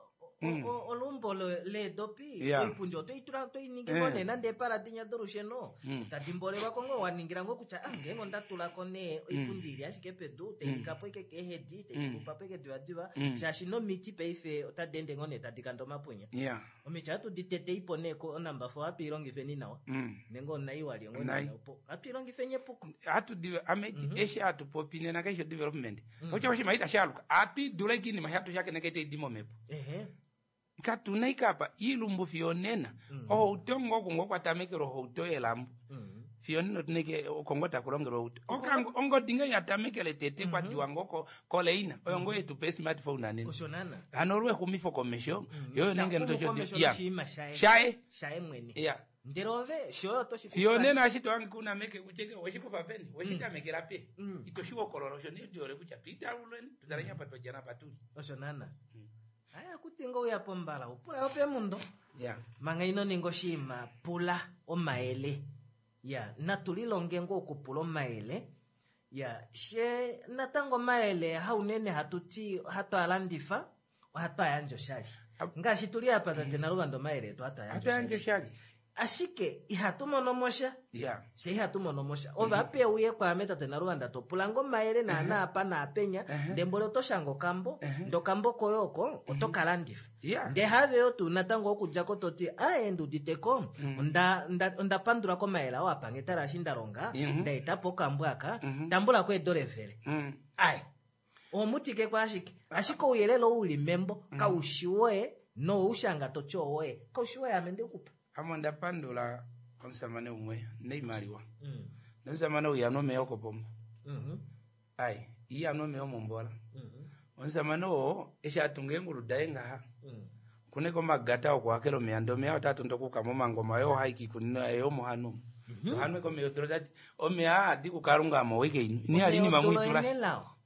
Mm. o- olumbo le- leedopi Yeah. oipundi oto itula oto iningi ngoo Eh. nee nande epala dinya dolusheno Mm. tadi mbolelwako ngoo waningila ngoo kutya ah ngeenge onda tulako nee oipundi ili ashike pedu tailikapo ike keehedi taikulupapo ike divadiva Mm. shaashi nomiti paife otadi ende ngoo nee tadi kanda omapunya ya omiti ohatu di teteipo nee ko onamba four hatu ilongifeni nawa mm. nenge onai walyo ngoo Onai. nee opo hatu ilongifeni epuko hatu dive ame eshi hatu popi nena keshe development kutya oshinima itashaluka hatu idula ike inima shatu shakeneka itaidi momepo ehe katuna ike apa iilumbu fiyo nena ohauto ngoo oku ngoo kwatamekelwa ohauto yelambo Mm. fiyo nena otuna ike oko ngoo takulongelwa ohauto Okango- ongodi ngee yatamekele tete kwadiwa ngoo ko- koleina oyo ngoo yetupa smartphone anene osho naana hano olwexumifo komesho yoyo nenge Taxumu komesho ya noshinima shaye shaye shaye mwene ya ndele ove shoye oto shi fiyo nena eshi tohange kuna meke kucheke weshikufa peni weshitamekela pe Mm. itoshiwokolola osho nee ndiole kutya piitaluleni tutalenya apa twajana apa tuli osho naana aya kuti ngo uya pombala upula ope mundo ya manga ino ninga oshinima pula omayele ya natu lilonge ngoo okupula omayele ya she natango omayele haunene hatu ti hatu alandifa ohatu ayandje oshali ngaashi tuli apa tate Naluvanda omayele etu hatu hatu ayandje yandje oshali oshali ashike ihatu mono mosha ya she ihatu mono mosha ove ape uye kwaame tate Naluvanda topula ngo omayele naana apa naapenya ndee mboli oto shanga okambo ndee okambo koye oko oto ka landifa ya ndee haveyo tuu natango okudjako toti ae nduuditeko onda onda- onda pandula komayele ao apange tala eshi nda longa Mhm. nda etapo okambo aka tambulako eedola efele Mm. ae omutikeko ashike ashike ouyelele ou uli membo kaushi woye noushanga toti owoye kaushi woye ame ndekupa ame onda pandula omusamane umwe neimaliwa nomusamane ou ihanwa omeya okopomba ai ihanwa omeya omombola omusamane oo eshi atunga eengulu daye ngaha Kuneko omagata okuhakela omeya ndee omeya otaa tondoka okuka momangoma yo ohayi kiikunino yaye omo hanu ohanwe komeya odula tati omeya aa kukalunga amo owike inu ini hali inima mwiitula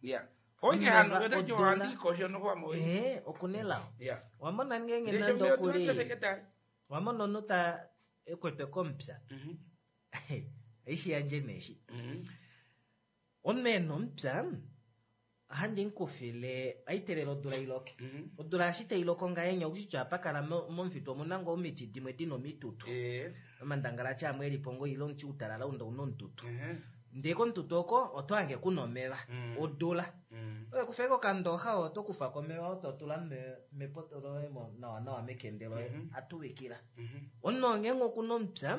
ya owike hanu Omeva yotati odula. ohandi ikosho noho amo owike ee okunelao ya wamona ngenge ndee nande shomeya odula okuli tefeke tayi wamona omunhu ta ekwetwe komupya Mhm. aishi yandje neeshi Mhm. omunhu ena omupya ohandi mukufile aitelela odula iloke Mhm. odula eshi tailoko ngahenya oushitya ohapakala mo- momufitu omuna ngoo omiti dimwe dina omitutu Eh. omandangalati amwe elipo ngoo ile omuti utalala unda una omututu Mhm. ndee komututu oko oto hange kuna omeva Mm. odula Mm. oye kufeko okandoxa oto kufa komeva oto tula me- mepoto loye mo- nawa nawa mekende loye Mhm. atuwikila Mhm. omunhu ngenge okuna omupya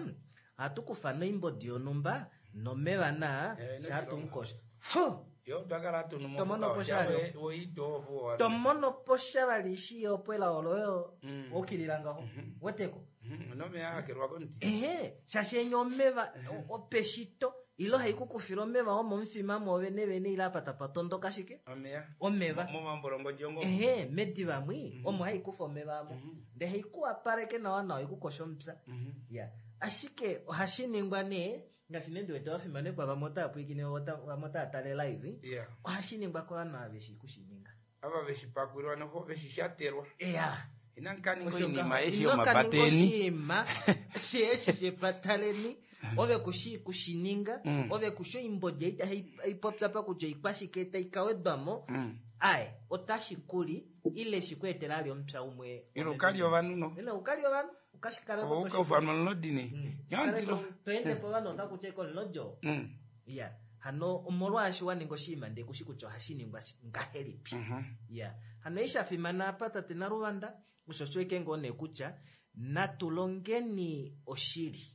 ohatu kufa noimbodi yonhumba nomeva naa Eh, shaatumukosha fu yo twakala hatunu Tomono po shali. woitovo tomono po sha vali shi opo elao loyo Mm. okilila ngaho Mhm. weteko nomeya ahakelwa komuti ehe shaashi enya omeva o- opeshito ile haikukufila omeva omomufima mwoovene vene ile apa tapa tondoka shike omeya omeva momambolongodjongo ehe mediva mwi Mhm. omo haikufa omeva amo Mhm. ndee haikuwapaleke nawa nawa ikukosha omupya Mhm. ya ashike ohashi ningwa nee ngaashi nee ndiwete wafimanekwa vamwe otava pwiikine vamwe otava tale live ya ohashi ningwa kovanhu ava veshi kushininga ava veshipakwilwa noho veshishatelwa eya inankaninga Osho oinima ngaho. eshi Ino kaninga yomapateeni oshinima sheeshi shepataleni ove kushi kushininga Mm. ove kushi oimbodi ei haipopya pa kutya oikwashike taikawedwamo Mm. aye otashi kuli ile shikweetela ali omupya umwe ilo ukali ovanhu no ile ukali ovanhu ukashikale ukaufanwa nolodini nyantilo toende po ovanhu otakutya ikolinodjo Mm. ya hano omolwaashi waninga oshinima ndee kushi kutya ohashi ningwa shi- ngahelipi Mhm. ya hano eshi shafimana apa tate Naluvanda osho shiweke ngoo nee kutya natu longeni oshili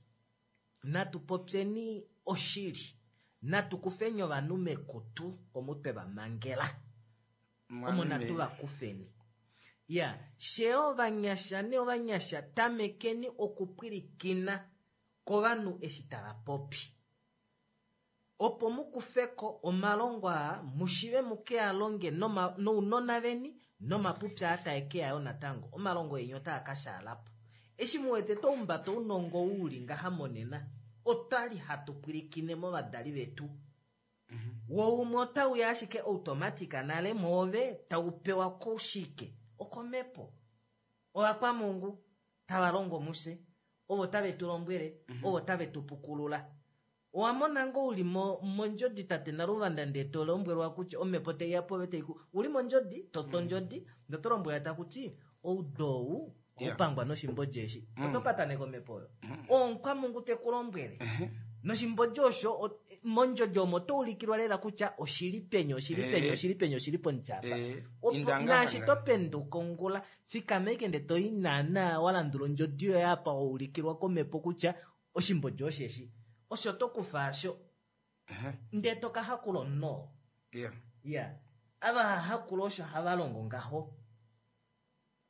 natu popyeni oshili natu kufeni ovanhu mekutu omu twe vamangela omo natu vakufeni ya she ovanyasha ne ovanyasha tamekeni okupwilikina kovanhu eshi tava popi opo mukufeko omalongo aa mushive muke a longe noma- nounona veni nomapupya aa tae ke yayo natango omalongo eni otaa ka shaalapo eshi muwete toumbata ounongo uli ngaha monena otwali hatu pwilikine movadali vetu wo umwe otauya ashike automatic nale mwoove tau pewa koshike okomepo ovakwamungu tava longo muse ovo tave tu lombwele ovo tave tu pukulula owamona ngoo uli mo- mondjodi tate Naluvanda ndee to lombwelwa kutya omhepo taiya pove taiku uli mondjodi toto ondjodi ndee oto lombwelwa takuti oudou Yeah. oupangwa noshimbodi eshi Mm. oto pataneka omhepo oyo omukwamунgu teku lombwele noshimbodi osho o- mondjodi omo oto ulikilwa lela kutya oshili peni oshili peni Eh. oshili peni oshili pomutyapa Eh, Opo- indanga naashi hanga. to penduka ongula fikama ike nde toi naana walandula ondjodi yoye apa waulikilwa komhepo kutya oshimbodi osheshi osho to kufa asho Mhm. ndee toka hakula omunhu Ya. ya ava hahakula osho hava longo ngaho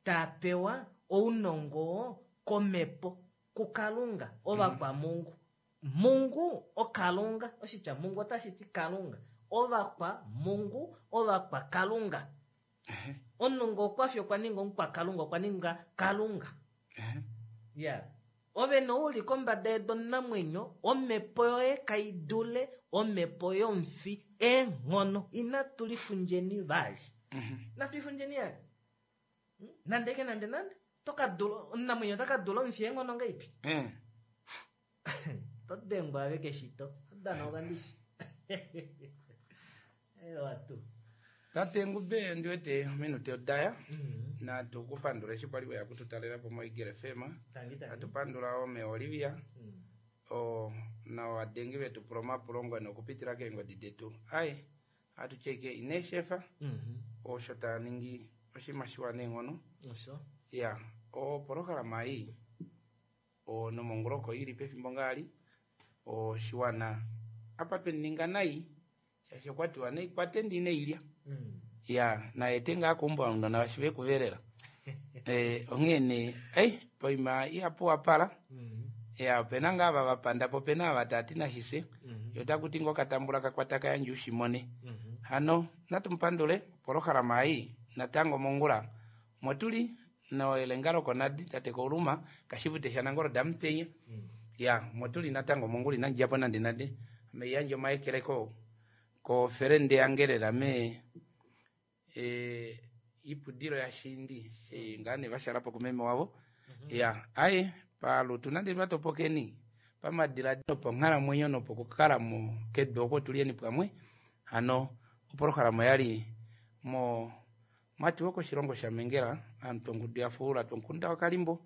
taa pewa ounongo komhepo kukalunga ovakwamungu mungu okalunga oshitya mungu otashi ti kalunga ovakwamungu ovakwakalunga omunhu ngee okwafi okwa ninga omukwakalunga okwa ninga kalunga Mhm. ya ove nouli kombada yedu omunamwenyo omhepo yoye kai dule omhepo yomufi eenghono inatu lifundjeni vali Mhm. natu ifundjeni yali Hmm? nande ke nande nande tokadula omunamwenyo otaka dula omufi eenghono ngaipi Eh. todengwa ave keshito odana okandishi ewa tu tate Ngube ndiwete ominute odaya Mhm. natu kupandula eshi kwali weya kututalelapo moEagle F M Tangi, tangi. atu pandula ome Olivia Mm. o novadengi vetu pula omapulo ngwene okupitila keengodi detu ai atu tyeke ineshefa Mhm. osho taningi oshinima shiwa neenghono osho ya opolohalama ei o nomongoloko ili pefimbo ngaali oshiwana apa tweninga nai shaashi okwatiwa neikwate ndi neilya Mm. ya naete ngaa kuumba omunona washive kuvelela e, onghee nee ei poima ihapu wapala Mhm. ya opena ngaa ava vapanda po opena ava tati nashise Mhm. yo takuti ngoo katambula kakwata kayandje ushimone Mhm. hano natumupandule polohalama ei natango mongula motuli Noelenga lokonadi tate Kouluma kashivute shanangolo damutenya ya motuli natango mongula inandidjapo nande nande ame yandje omaekeleko kofelende yange lela mee e, ipudilo yashindi shi ngaa nee vashalapo kumeme wavo ya aye palutu nande twatopokeni pamadiladilo ponghalamwenyo nopokukala mo kedu oko tulieni pamwe hano opolohalama oyali mo mwatiwa koshilongo shamengela aantu ongudu ya fuula twomukunda wakalimbo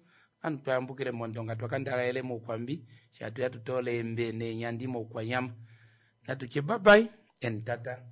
aantu twayambukile mondonga twakandalaele moukwambi shatuya tutoole eembe neenyandi moukwanyama natutye bye bye and tata.